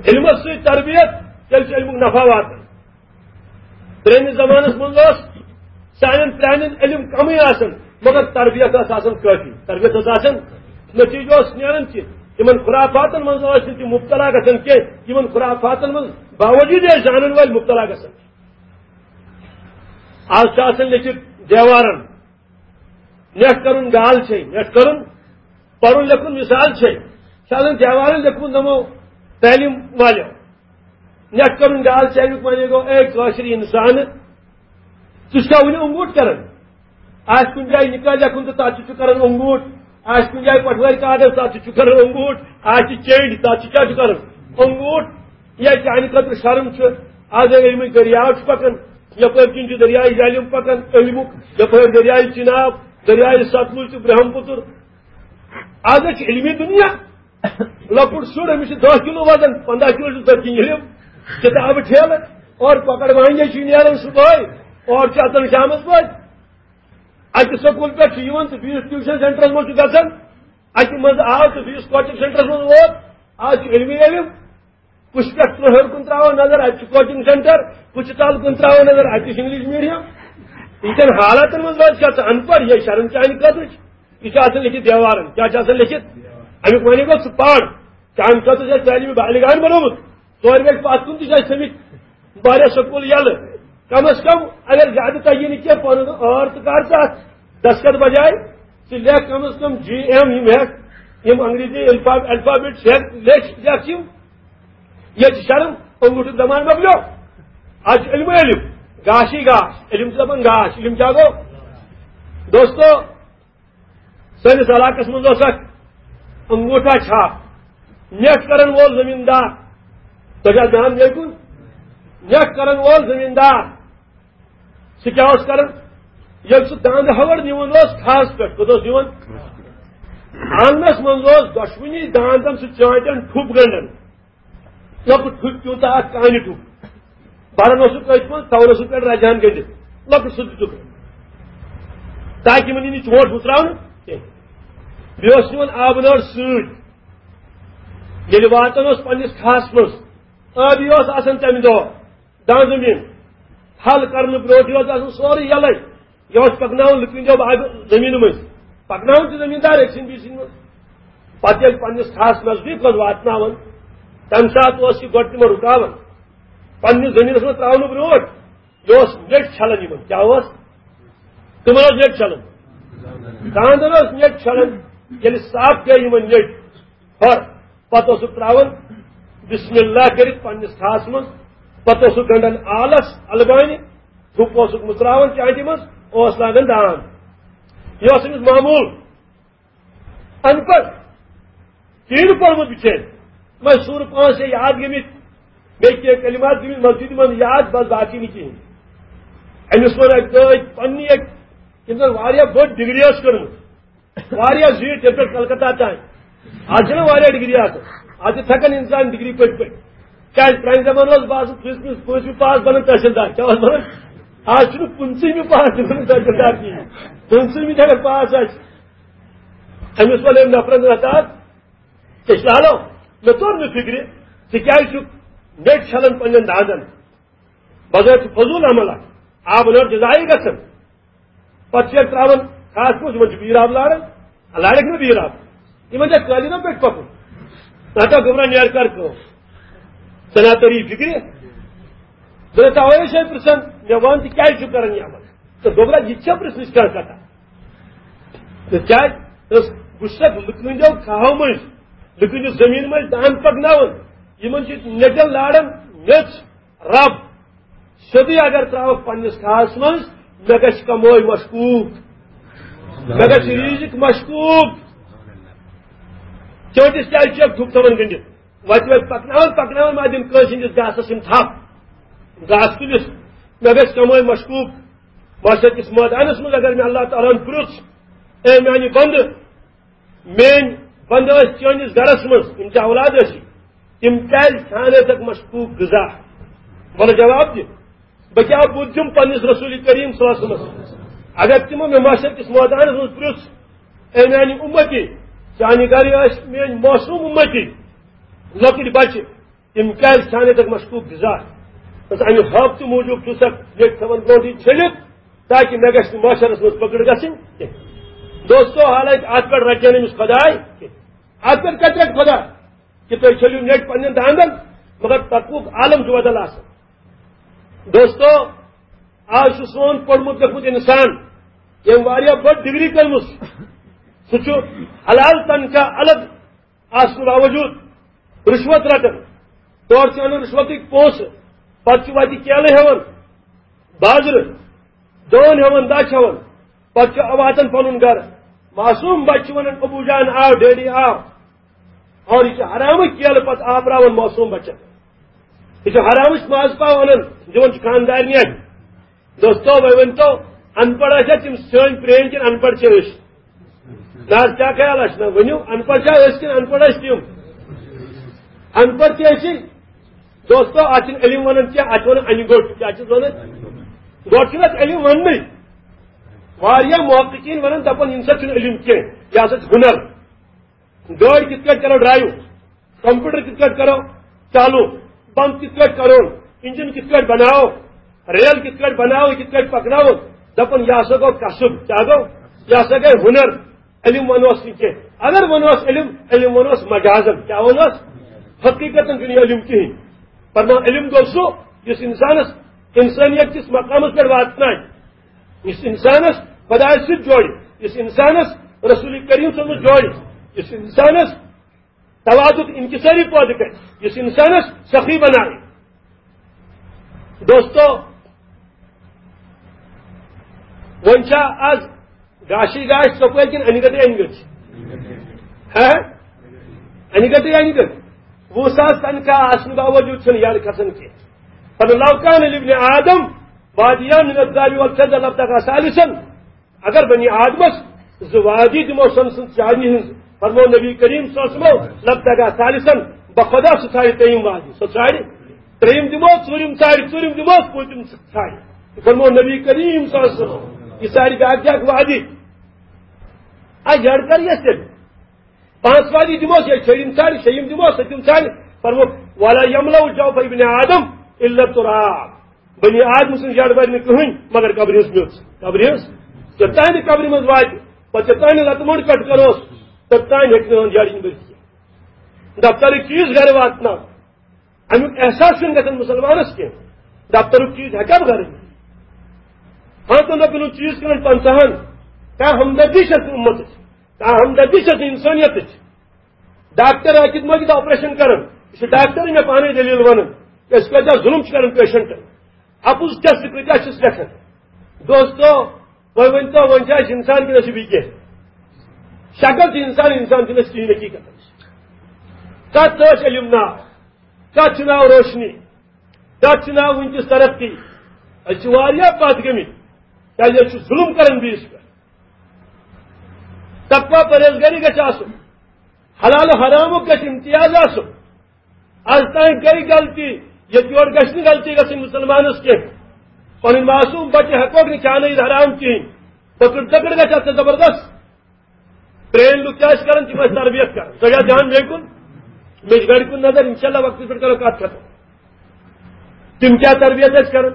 علمس سۭتۍ تربیت، تیٚلہِ چھُ علمُک نفع واتان۔ پرٛٲنِس زمانس منٛز اوس سانٮ۪ن پرٛانٮ۪ن علم کمٕے آسان، مگر تربیت ٲس آسان کٲفی۔ تربیت ٲس آسان، نتیجہٕ اوس نیران کہِ یِمن خرافاتن منٛز ٲسۍ نہٕ تِم مبتلا گژھان کینٛہہ، یِمن خرافاتن منٛز باوجود ٲسۍ زانن وٲلۍ مبتلا گژھان۔ آز چھُ آسان لیٚکھِتھ دیوارن، نیٹ کرُن گال چھے، نیٹ کرُن، پرُن لیکھُن مثال چھے۔ چھُ آسان دیوارن لیکھمُت نمو تعلیم والیو۔ نیٹ کرُن گال چھے، امیُک معنی گوٚو، اے کٲشِر انسان، ژٕ چھُکھا وُنہِ انگوٗٹھ کران؟ آسہِ کُنہِ جایہِ نکاح لیکھُن تہٕ تتھ تہِ چھُ کران انگوٗٹھ، آسہِ کُنہِ جایہِ پٹھوٲرۍ کارڈس تتھ تہِ چھُ کران انگوٗٹھ، آسہِ چینج تتھ تہِ کیٛاہ چھُ کران؟ انگوٗٹھ۔ یا چانہِ خٲطرٕ شرم چھُ، از اگر یِمے دٔریاو چھُ پکان، یپٲرۍ کِنۍ چھُ دٔریاے جہلِم پکان، علمُک، یپٲرۍ دٔریاے چناب، دٔریاے ستلج تہٕ برہمپُتر۔ از چھُ علمی دُنیا، لۄکُٹ شُر، أمِس چھُ دَہ کِلوٗ وزن، پنٛداہ کِلوٗ چھُ تٔتھۍ کِنۍ علم، کِتابہٕ ٹھیلہٕ، اورٕ کۄکر وانجہِ چھُ نیران صُبحٲے، اورٕ چھُ اژان شامس بٲگۍ۔ اکہِ سکوٗل پٮ۪ٹھ چھُ یِوان تہٕ بیٚیِس ٹیوٗشن سینٹرس منٛز چھُ گژھان، اکہِ منٛز آو تہٕ بیٚیِس کوچنگ سینٹرس منٛز ووت۔ از چھُ علمی علم، کُس پٮ۪ٹھ ترٛوہر کُن ترٛاوان نظر، اتہِ چھُ کوچنگ سینٹر، کُس چھُ تل کُن ترٛاوان نظر، اتہِ چھُ انگلش میڈیم۔ یِتھٮ۪ن حالاتن منٛز روزِ کیٛاہ ژٕ ان پڑھ، یہِ شرم چانہِ خٲطرٕ چھُ۔ یہِ چھُ آسان لیکھِتھ دیوارن، کیٛاہ چھُ آسان لیکھِتھ؟ امیُک معنی گوٚو، ژٕ پَر۔ چانہِ خٲطرٕ چھُ اَسہِ تعلیٖم بالغان بنومُت۔ ژورِ گژھِ پَتھ کُن تہِ چھُ اَسہِ تھٲومٕتۍ واریاہ سکوٗل یَلہٕ۔ کم از کم اگر زیادٕ تَگی نہٕ کینٛہہ، پَنُن ٲر تہٕ کر ژٕ اَتھ دستخط بجاے، ژٕ لیکھ کم از کم جی ایم، یِم ہٮ۪کھ، یِم انگریزی الفا-، الفابیٹ چھِ، ہٮ۪کھ، لیکھ، لیکھ یِم۔ ییٚتہِ چھِ شرم، اوٚنگوٗٹھُک زمانہٕ مۄکلیو۔ آز چھُ علم علم، گاشی گاش، علم چھِ دَپان گاش، علم کیٛاہ گوٚو؟ دوستو، سٲنِس علاقس منٛز اوس اکھ انگوٗٹھا چھاپ، نیٹ کرن وول زٔمیٖندار۔ تۄہہِ چھا دھیان بیٚیہِ کُن؟ نیٹ کرن وول زٔمیٖندار، سُہ کیٛاہ اوس کران؟ ییٚلہِ سُہ داندٕ ہَوَر نِوان اوس کھہَس پٮ۪ٹھ، کوٚت اوس نِوان؟ آنٛگنس منٛز اوس دۄشوٕنی داندن سُہ چانٹان ٹھوٚپ گنٛڈان۔ لۄکُٹ ٹھُک پیوٗنٛتاہ اکھ کانہِ ٹھُک۔ بران اوسُکھ أتھۍ منٛز، تھاوان اوسُکھ پٮ۪ٹھ رجہٕ ہن گٔنٛڈِتھ۔ لۄکُٹ سُہ دِتُکھ۔ تاکہِ یِمن یی نہٕ چونٛٹھ مُژراونہٕ کینٛہہ۔ بیٚیہِ اوس نِوان آبہٕ نٲر سۭتۍ۔ ییٚلہِ واتان اوس پننِس کھہس منٛز، ٲبی اوس آسان تمہِ دۄہ داں زٔمیٖن۔ تھل کرنہٕ برونٛٹھٕے اوس آسان سورُے یَلَے۔ یہِ اوس پَکناوان لُکہٕ ہٕنٛدیو باغہٕ زٔمیٖنہٕ مٔنٛزۍ۔ پَکناوان چھِ زٔمیٖندار أکۍ سٕنٛدۍ بیٚیہِ سٕنٛدۍ منٛز۔ پَتہٕ ییٚلہِ پنٛنِس کھہَس نزدیٖک اوس واتناوان، تَمہِ ساتہٕ اوس یہِ گۄڈٕ تِمَن رُکاوان۔ پنٛنِس زٔمیٖنَس منٛز ترٛاونہٕ برونٛٹھ یہِ اوس نیٚٹۍ چھَلان یِمَن۔ کیٛاہ اوس؟ تِمَن اوس نیٚٹۍ چھَلان۔ داندَن اوس نیٚٹۍ چھَلان۔ ییٚلہِ صاف گٔے یِمَن نیٚٹۍ، ہر پتہٕ اوسُکھ ترٛاوان بسم اللہ کٔرِتھ پننِس کھہَس منٛز، پتہٕ اوسُکھ گنٛڈان آلس البانہِ، تھُپ اوسُکھ مُژراوان چانٹہِ منٛز، اوس لاگان داند۔ یہِ اوس أمِس معموٗل۔ ان پڑھ، کِہیٖنۍ نہٕ پوٚرمُت بِچٲرۍ، مگر سورٕ پانٛژھ چھِ یاد گٔمٕتۍ، بیٚیہِ کینٛہہ کلمات گٔمٕتۍ مسجدِ منٛز یاد، بس باقٕے نہٕ کِہیٖنۍ۔ أمِس ووٚن اَکہِ دۄہ أکۍ پننی اَکہِ، ییٚمۍ زن واریاہ بٔڑ ڈگری ٲس کٔرمٕژ، واریاہ زیٖٹھ ییٚتہِ پٮ۪ٹھ کلکتہ تام۔ آز چھِنہ واریاہ ڈگری آسان۔ آز چھِ تھکان انسان ڈگری پٔرۍ پٔرۍ۔ کیٛازِ پرٛانہِ زمانہٕ اوس باسان پٕنٛژمہِ، پٲنٛژمہِ پاس بنان تحصیلدار۔ کیٛاہ اوس بنان؟ آز چھُنہٕ پٕنٛژٕہمہِ پاس تہِ بنان تحصیلدار کِہیٖنۍ۔ پٕنٛژٕہمہِ تہِ اگر پاس آسہِ۔ أمِس وَنہِ أمۍ نفرن رٹان، أسۍ لالو، مےٚ توٚر نہٕ فِکرِ، ژٕ کیٛازِ چھُکھ نیٚٹۍ چھلان پننٮ۪ن داندن؟ بظٲہِر چھُ فضوٗل عمل اکھ۔ آب لٲر چھِ ضایع گژھان۔ پتہٕ چھِ أسۍ ترٛاوان خاص پٲٹھۍ یِمن چھُ بیٖر آب لاران، لارٮ۪کھ نہٕ بیٖر آب؟ یِمن چھا قٲلیٖنو پٮ۪ٹھ پکُن؟ نہ تہٕ گوٚبرا نیر کر کٲم۔ ژٕ نہ تٔری فِکرِ۔ دوٚپُن، تَوَے ٲسۍ أسۍ پرٛژھان، مےٚ وَن تہِ کیٛازِ چھُ کران یہِ عمل؟ تہٕ گوٚبرا، یہِ تہِ چھا پرٛژھنٕچ کانٛہہ کتھا؟ تہٕ کیٛازِ؟ بہٕ چھُسکھ لُکہٕ ہٕنٛدیو کھاہو مٔنٛزۍ، لُکہٕ ہٕنٛدِ زٔمیٖنہٕ مٔنٛزۍ دان پکناوان، یِمن چھِ نیٚٹٮ۪ن لاران میٚژ۔ رب، سیوٚدُے اگر ترٛاوَکھ پننِس کھاہَس منٛز، مےٚ گژھِ کمٲے مشکوٗک، مےٚ گژھِ ریٖزِق مشکوٗک۔ چٲنٛٹِس کیٛازِ چھُ ٹھُک تھاوان گٔنٛڈِتھ؟ وَتہِ وَتہِ پَکناوان، پَکناوان ما دِن کٲنٛسہِ ہٕنٛدِس گاسَس یِم تھپھ، گاسہٕ تُلِتھ، مےٚ گژھِ کمٲے مشکوٗک۔ محشر کِس مٲدانَس منٛز اگر مےٚ اللہ تعالیٰ ہَن پرُژھ، اے میٛانہِ بنٛدٕ، میٲنۍ بندٕ ٲسۍ چٲنِس گرس منٛز، یِم ژےٚ اولاد ٲسی، تِم کیازِ کھیانٲوتکھ مشکوک غذا؟ وَلہٕ جواب دِ، بہٕ کیٛاہ بُتھ دِمہٕ پننِس رسول کریم صلی اللہ علیہ وسلمس؟ اگر تِمو مےٚ محشر کِس مٲدانس منٛز پرُژھ، اے میانہِ اُمتی، چانہِ گرِ ٲسۍ میٲنۍ معصوم اُمتی، لۄکٕٹۍ بچہِ، تِم کیازِ کھیانٲوتکھ مشکوک غذا؟ بس امہِ ہٲبتہٕ موٗجوٗب چھُ سکھ ییٚتہِ تھاوان برونٛٹھٕے چھٔلِتھ، تاکہ مےٚ گژھِ نہٕ محشرس منٛز پکڑ گژھٕنۍ کینٛہہ۔ دوستو، حالانکہ اتھ پٮ۪ٹھ رٹہِ نہٕ أمِس خداے کینٛہہ۔ اتھ پٮ۪ٹھ کتہِ رٹہِ خدا؟ کہ تُہۍ چھٔلِو نیٹ پننٮ۪ن داندن، مگر تقوک عالم چھُ بدل آسان۔ دوستو، آز چھُ سون پوٚرمُت لیوٚکھمُت انسان، ییٚمۍ واریاہ بٔڑ ڈگری کٔرمٕژ، سُہ چھُ حلال تنخواہ الگ آسنہٕ باوجود رشوت رٹان۔ تورٕ چھُ انان رشوتٕکۍ پونٛسہٕ، پتہٕ چھُ وتہِ کیلہٕ ہٮ۪وان بازرٕ، دٲن ہٮ۪وان، دچھ ہٮ۪وان، پتہٕ چھُ واتان پنُن گرٕ۔ معصوم بچہٕ چھُ ونان، "ابو جان آو، ڈیڈی آو۔" اور یہِ چھُ حرامٕچ کیلہٕ پتہٕ آپراوان معصوم بچن۔ یہِ چھُ حرامٕچ ماز پاو انان، دِوان چھُ خاندارنہِ۔ دوستو، وۄنۍ ؤنۍ تو، ان پڑھ ٲسیا تِم سٲنۍ پرٛٲنۍ کِنہٕ ان پڑھ چھِ أسۍ؟ نہ حظ، کیٛاہ خیال آسہِ؟ نہ، ؤنِو، ان پڑھ چھا أسۍ کِنہٕ ان پڑھ ٲسۍ تِم؟ ان پڑھ تہِ ٲسی۔ دوستو، اتھ چھِنہٕ علم ونان کینٛہہ، اتھ چھِ ونان انہِ گوٚٹ۔ کیٛاہ چھِس ونان؟ گۄڈٕ چھُنہٕ اتھ علم وننٕے۔ واریاہ محققین ونان، دپان، ییٚمہِ سۭتۍ چھُنہٕ علم کینٛہہ، یہِ ہسا چھُ ہُنر۔ گٲڑۍ کِتھ کٲٹھۍ کرو ڈرایو، کمپیوٹر کِتھ کٲٹھۍ کرو چالو، پمپ کِتھ کٲٹھۍ کرو، انجن کِتھ کٲٹھۍ بناو، ریل کِتھ کٲٹھۍ بناو، کِتھ کٲٹھۍ پکناو، دپان، یہِ ہسا گوٚو کسب۔ کیٛاہ گوٚو؟ یہِ ہسا گٔے ہُنر۔ علم ونوس نہٕ کینٛہہ۔ اگر ونوس علم، علم ونوس مجازن۔ کیٛاہ ونوس؟ حقیقتن چھُنہٕ یہِ علم کِہیٖنۍ۔ فرمان، علم گوٚو سُہ، یُس انسانس انسانیت کِس مقامس پٮ۪ٹھ واتنایہِ، یُس انسانس خدایس سۭتۍ جوڑِ، یُس انسانس رسول کریم صٲبس جوڑِ، یُس انسانس تواضع انکساری پٲدٕ کرِ، یُس انسانس سخی بنایہِ۔ دوستو، وۄنۍ چھا از گاشی گاش سکویل کِنہٕ انہِ گٹے انہِ گٔٹ؟ ہہ؟ انہِ گٹے انہِ گٔٹ۔ وُہ ساس تنخواہ آسنہٕ باوجود چھُنہٕ یَڈ کھسان کینٛہہ۔ فلو کان لابن آدم وادیان من الذهب والفضة لابتغى ثالثا۔ اگر بنی آدمس زٕ وادی دِمو سۄنہٕ سٕنٛز چاندی ہٕنٛز، فرموو نبی کریم صلی اللہ علیہ وسلمو، لابتغى ثالثا، بخدا سُہ ژھانڈِ ترٛیٚیِم وادی، سُہ ژھانڈِ۔ ترٛیٚیِم دِمو، ژوٗرِم ژھانڈِ، ژوٗرِم دِمو، پوٗنٛژِم ژھانڈِ۔ فرموو نبی کریم صلی اللہ علیہ وسلم، یہِ ژھانڈِ بیٛاکھ بیٛاکھ وادی۔ آ، یَڈ کر یَس تیٚلہِ؟ پانٛژھ وادی دِموس، یا چھٲیِم ژھانڈِ، شیٚیِم دِموس، سٔتِم ژھانڈِ۔ فرموو، ولا یملأ جوف ابن آدم الا التراب۔ بنی آدم سٕنٛز یَڈ بَرِ نہٕ کٕہٕنۍ مگر قبرِ ہٕنٛز میٚژ۔ قبرِ ہٕنٛز، یوٚتانۍ نہٕ قبرِ منٛز واتہِ، پتہٕ یوٚتانۍ نہٕ لتہٕ موٚنٛڈ پٮ۪ٹھ کروس، توٚتانۍ ہیٚکہِ نہٕ یِہُنٛد یَڈ یِنہٕ بٔرِتھ کینٛہہ۔ دفترٕکۍ چیٖز گرِ واتناو، اَمیُک احساس چھُنہٕ گژھان مُسلمانس کینٛہہ۔ دفترُک چیٖز ہیٚکا بہٕ گرٕ أنِتھ؟ ہاں، تہٕ نہ کٕنُن چیٖز کٕنن پنٛژاہن۔ کانٛہہ ہمدردی چھَس نہٕ اُمتٕچ، کانٛہہ ہمدردی چھَس نہٕ اِنسٲنیتٕچ۔ ڈاکٹر عاقد مٲجد آپریشن کران، یہِ چھُ ڈاکٹرٕے مےٚ پانے دٔلیٖل ونان، أسۍ کۭتیٛاہ ظُلُم چھِ کران پیشنٹن، اَپُز ٹیسٹ کۭتیٛاہ چھِس لیکھان۔ دوستو، وۄنۍ ؤنۍ تو، وۄنۍ چھا أسۍ اِنسان کِنہٕ أسۍ چھِ بیٚیہِ کینٛہہ؟ شکل چھِ اِنسان، اِنسان چھِنہٕ أسۍ کِہیٖنۍ حقیٖقتن۔ کَتھ تہٕ ٲسۍ علم ناو، کَتھ چھُ ناو روشنی، کَتھ چھُ ناو وٕنکیٚس ترقی؟ أسۍ چھِ واریاہ پتھ گٔمٕتۍ، کیٛازِ أسۍ چھِ ظُلُم کران بیٚیِس پٮ۪ٹھ۔ تقوی پرہیزگاری گژھِ آسُن، حلال و حرامُک گژھِ امتیاز آسُن۔ از تام گٔے غلطی، ییٚتہِ یورٕ گژھِ نہٕ غلطی گژھٕنۍ مُسلمانس کینٛہہ۔ پنٕنۍ معصوم بچہِ ہٮ۪کوکھ نہٕ کھیانٲیِتھ حرام کِہیٖنۍ۔ پکڑ تکڑ گژھِ اتھ زبردست۔ پرٛٲنۍ لُکھ کیٛاہ ٲسۍ کران؟ تِم ٲسۍ تربیت کران۔ تۄہہِ چھا دھیان مےٚ کُن؟ مےٚ چھِ گرِ کُن نظر، انشاءاللہ وقتس پٮ۪ٹھ کرو کتھ ختم۔ تِم کیٛاہ تربیت ٲسۍ کران؟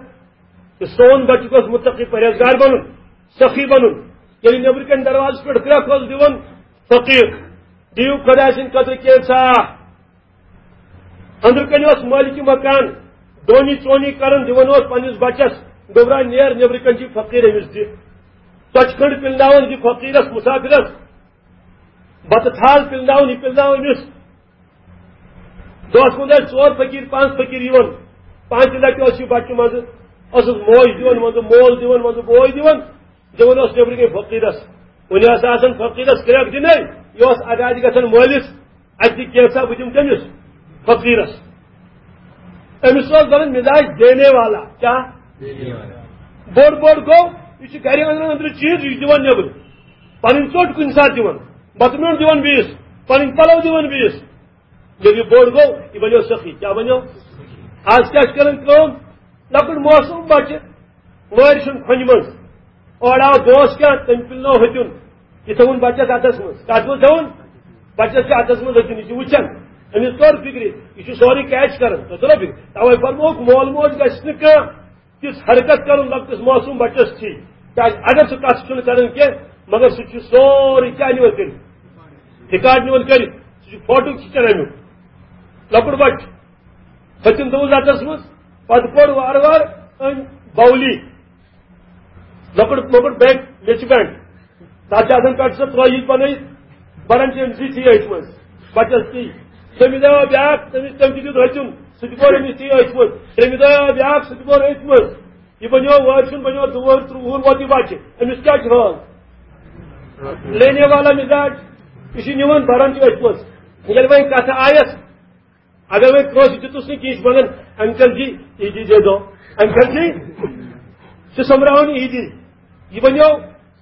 تہٕ سون بچہِ گوٚژھ متقی پرہیزگار بنُن، سخی بنُن۔ ییٚلہِ نیٚبرٕ کنہِ دروازس پٮ۪ٹھ کرٛکھ اوس دِوان فقیٖر، دِیِو خۄداے سٕنٛدِ خٲطرٕ کینٛژھا۔ أنٛدرٕ کنہِ اوس مٲلکہِ مکان دونی ژونی کران، دِوان اوس پننِس بچس، گوٚبرا نیر، نیٚبرٕ کنہِ چھُ فقیٖر، أمِس دِ۔ ژۄچہِ کھٔنٛڈ پِلناوان دِ فقیٖرس، مُسافِرس۔ بتہٕ تھال پِلناوان، یہِ پِلناوان أمِس۔ دۄہس منٛز ٲسۍ ژور فقیٖر، پانٛژھ فقیٖر یِوان۔ پانٛژِ لٹہِ اوس یہِ بچہِ منٛزٕ، ٲسٕس موج دِوان، منٛزٕ مول دِوان، منٛزٕ بوے دِوان۔ دِوان اوس نیٚبرٕ کَنہِ فقیٖرس۔ وُنہِ ٲس آسان فقیٖرس کرٛکھ دِنَے، یہِ اوس اَتہِ آسہِ گژھان مٲلِس، اَتہِ دِ کینٛژھا، بہٕ دِمہٕ تٔمِس فقیٖرس۔ أمِس اوس بَنان مِزاج دینے والا۔ کیٛاہ؟ بوٚڑ بوٚڑ گوٚو، یہِ چھُ گرِ أنٛدرٕ أنٛدرٕ چیٖز، یہِ چھُ دِوان نیٚبرٕ۔ پَنٕنۍ ژوٚٹ کُنہِ ساتہٕ دِوان، بَتہٕ میوٚنٛڈ دِوان بیٚیِس، پَنٕنۍ پَلو دِوان بیٚیِس۔ ییٚلہِ یہِ بوٚڑ گوٚو، یہِ بَنیو سخی۔ کیٛاہ بَنیو؟ آز کیٛاہ چھِ کران کٲم؟ لۄکُٹ معصوم بَچہٕ، وٲرۍ سُنٛد کھۄنہِ منٛز۔ اورٕ آو دوس کیٛاہ، تٔمۍ پِلنوو ہیٚتیُن۔ یہِ تھوٚوُن بَچَس اَتھَس منٛز۔ کَتھ منٛز تھوٚوُن؟ بَچَس چھِ اَتھَس منٛز ہیٚتیُن، یہِ چھُ وٕچھان۔ أمِس توٚر فِکرِ، یہِ چھُ سورُے کیچ کران۔ تۄہہِ توٚرا فِکرِ؟ تَوَے فرمووُکھ، مول موج گژھِ نہٕ کانٛہہ تِژھ حرکت کرُن لۄکٹِس معصوم بَچَس تھی۔ کیازِ اگر سُہ کتھ چھُنہٕ کران کینٛہہ، مگر سُہ چھُ سورُے کیٛاہ نِوان کٔرِتھ؟ ریکارڈ نِوان کٔرِتھ۔ سُہ چھُ فوٹو کھِچان امیُک۔ لۄکُٹ بچہٕ، ۂژِم دوٚپُن زَتَس منٛز، پتہٕ کوٚڑ وارٕ وارٕ أمۍ بولی۔ لۄکُٹ مۄکُٹ بینک، میٚژِ بینک۔ تَتھ چھِ آسان پٮ۪ٹھٕ سۄ ترٛویِج بَنٲیِتھ، بَران چھِ أمۍ سٕے ژیٚے أتھۍ منٛز۔ بَچَس تی۔ تٔمِس آو بیٛاکھ، تٔمِس، تٔمۍ تہِ دیُت ۂژِم، سُہ تہِ بوٚر أمِس ژیٚے أتھۍ منٛز۔ تٔمِس آو بیٛاکھ، سُہ تہِ بوٚر أتھۍ منٛز۔ یہِ بَنیو وٲرۍ سُنٛد، بَنیو دُوُہُر، ترٛوُہُر ووت یہِ بَچہِ۔ أمِس کیٛاہ چھُ حال؟ لینے والا مِزاج۔ یہِ چھُ نِوان بَران تہِ أتھۍ منٛز۔ ییٚلہِ وۄنۍ کَتھٕ آیَس، اگر وۄنۍ کٲنٛسہِ دیُتُس نہٕ کینٛہہ، یہِ چھُ وَنان، "انکل جی، عیدی دے دو، انکل جی۔" چھِ سۄمبراوان عیدی۔ یہِ بَنیو،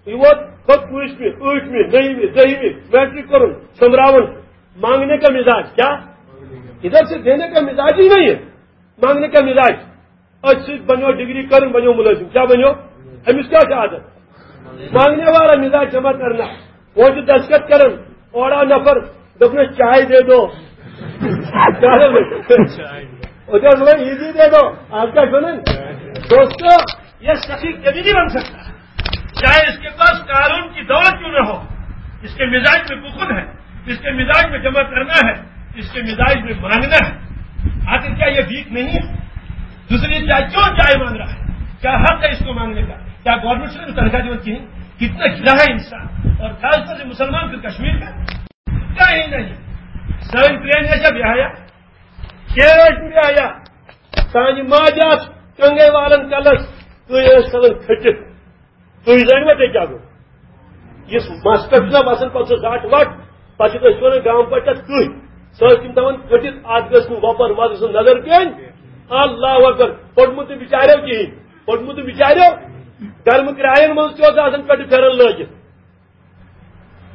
یہِ ووت پَتہٕ پٲنٛژمہِ، ٲٹھمہِ، نٔہمہِ، دٔہمہِ، میٹرک کوٚرُن، سۄمبراوان۔ مانگنے کا مزاج، کیا؟ ادھر سے دینے کا مزاج ہی نہیں ہے، مانگنے کا مزاج۔ أتھۍ سۭتۍ بنیو ڈگری کرن، بنیو ملٲزم۔ کیٛاہ بنیو؟ أمِس کیٛاہ چھُ عادت؟ مانگنے والا مزاج جمع کرنا۔ وۄنۍ چھُ دستخط کران، اورٕ آو نفر، دوٚپنَس، "چائے دے دو۔" کیٛاہ دوٚپُن؟ وۄنۍ چھُ آسان، "عیدی دے دو۔" آز کیٛاہ چھُ وَنان؟ دوستو، یہ سخی کبھی نہیں بن سکتا، چاہے اس کے پاس قارون کی دولت کیوں نہ ہو، اس کے مزاج میں بخل ہے، اس کے مزاج میں جمع کرنا ہے، اس کے مزاج میں مانگنا ہے۔ آخر کیا یہ بھیک نہیں ہے؟ دوسری چائے کیوں چائے مانگ رہا ہے؟ کیا حق ہے اس کو مانگنے کا؟ کیا گورنمنٹ سے تنخواہ دیوان کہیں؟ کتنا گرا ہے انسان، اور خاص طور سے مسلمان پھر کشمیر کا کہیں نہیں۔ سائن پلین ہے جب یہاں آیا، کیش بھی آیا، سانی ماجہ آس کنگے والن کلس، تُہۍ ٲسۍ ژلان کھٔٹِتھ۔ تُہۍ زٲنِوا تُہۍ کیٛاہ گوٚو؟ یُس مَس پٮ۪ٹھ چھُنہ وَسان، پَتہٕ سُہ زَٹ وَٹ، پَتہٕ چھِ أسۍ وَنان گامہٕ پَتہٕ چھِ تُہۍ۔ سُہ ٲسۍ تِم دَپان کھٔٹِتھ، اَتھ گٔژھ نہٕ وۄپَر وۄپَر سُنٛد نظر پیٚنۍ۔ اللہ اکبر۔ پوٚرمُت نہٕ بِچاریو کِہیٖنۍ۔ پوٚرمُت نہٕ بِچاریو۔ گرمہٕ کرٛایَن منٛز تہِ اوس آسان پٮ۪ٹھٕ پھٮ۪رن لٲگِتھ۔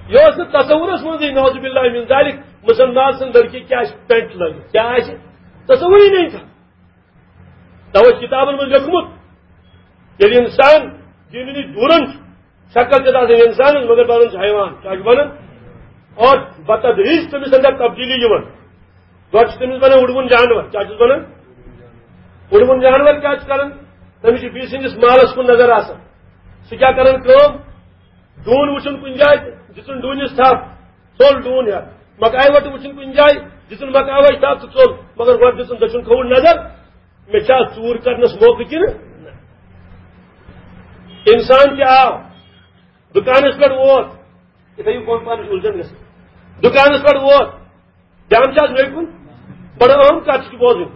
یہِ اوس نہٕ تصورس منٛزٕے، نعوذ باللہ من ذالک، مسلمان سٕنٛز لڑکی کیٛاہ آسہِ پینٹ لٲگِتھ، کیٛاہ آسہِ، تصورٕے نہٕ تھا۔ توے چھُ کِتابن منٛز لیوٚکھمُت، ییٚلہِ اِنسان دیٖنہٕ نِش دوٗرن چھُ، شکل چھِ آسان اِنسانس، مگر بنان چھُ حیوان۔ کیٛاہ چھُ بنان؟ اور بتدریج تٔمِس اندر تبدیلی یِوان۔ گۄڈٕ چھُ تٔمِس بنان وُڑوُن جانور۔ کیٛاہ چھُس بنان؟ وُڑوُن جانور کیٛاہ چھُ کران؟ تٔمِس چھُ بیٚیہِ سٕنٛدِس مالس کُن نظر آسان۔ سُہ کیٛاہ کران کٲم؟ ڈوٗن وٕچھُن کُنہِ جایہِ، دِژٕن ڈوٗنِس تھپھ، ژوٚل ڈوٗن ہٮ۪تھ۔ مکایہِ وَٹہٕ وٕچھُن کُنہِ جایہِ، دِژٕن مکاے وَٹہِ تھپھ تہٕ ژوٚل۔ مگر گۄڈٕ دِژٕن دٔچھُن کھووُر نظر، مےٚ چھا ژوٗر کرنس موقعہٕ کِنہٕ نہ؟ اِنسان تہِ آو، دُکانس پٮ۪ٹھ ووت، یہِ تھٲیِو پانہٕ پانس اُلجھن گژھان۔ دُکانس پٮ۪ٹھ ووت، دھیان چھا مےٚ کُن؟ بڑٕ اہم کتھ چھِ بوزٕنۍ۔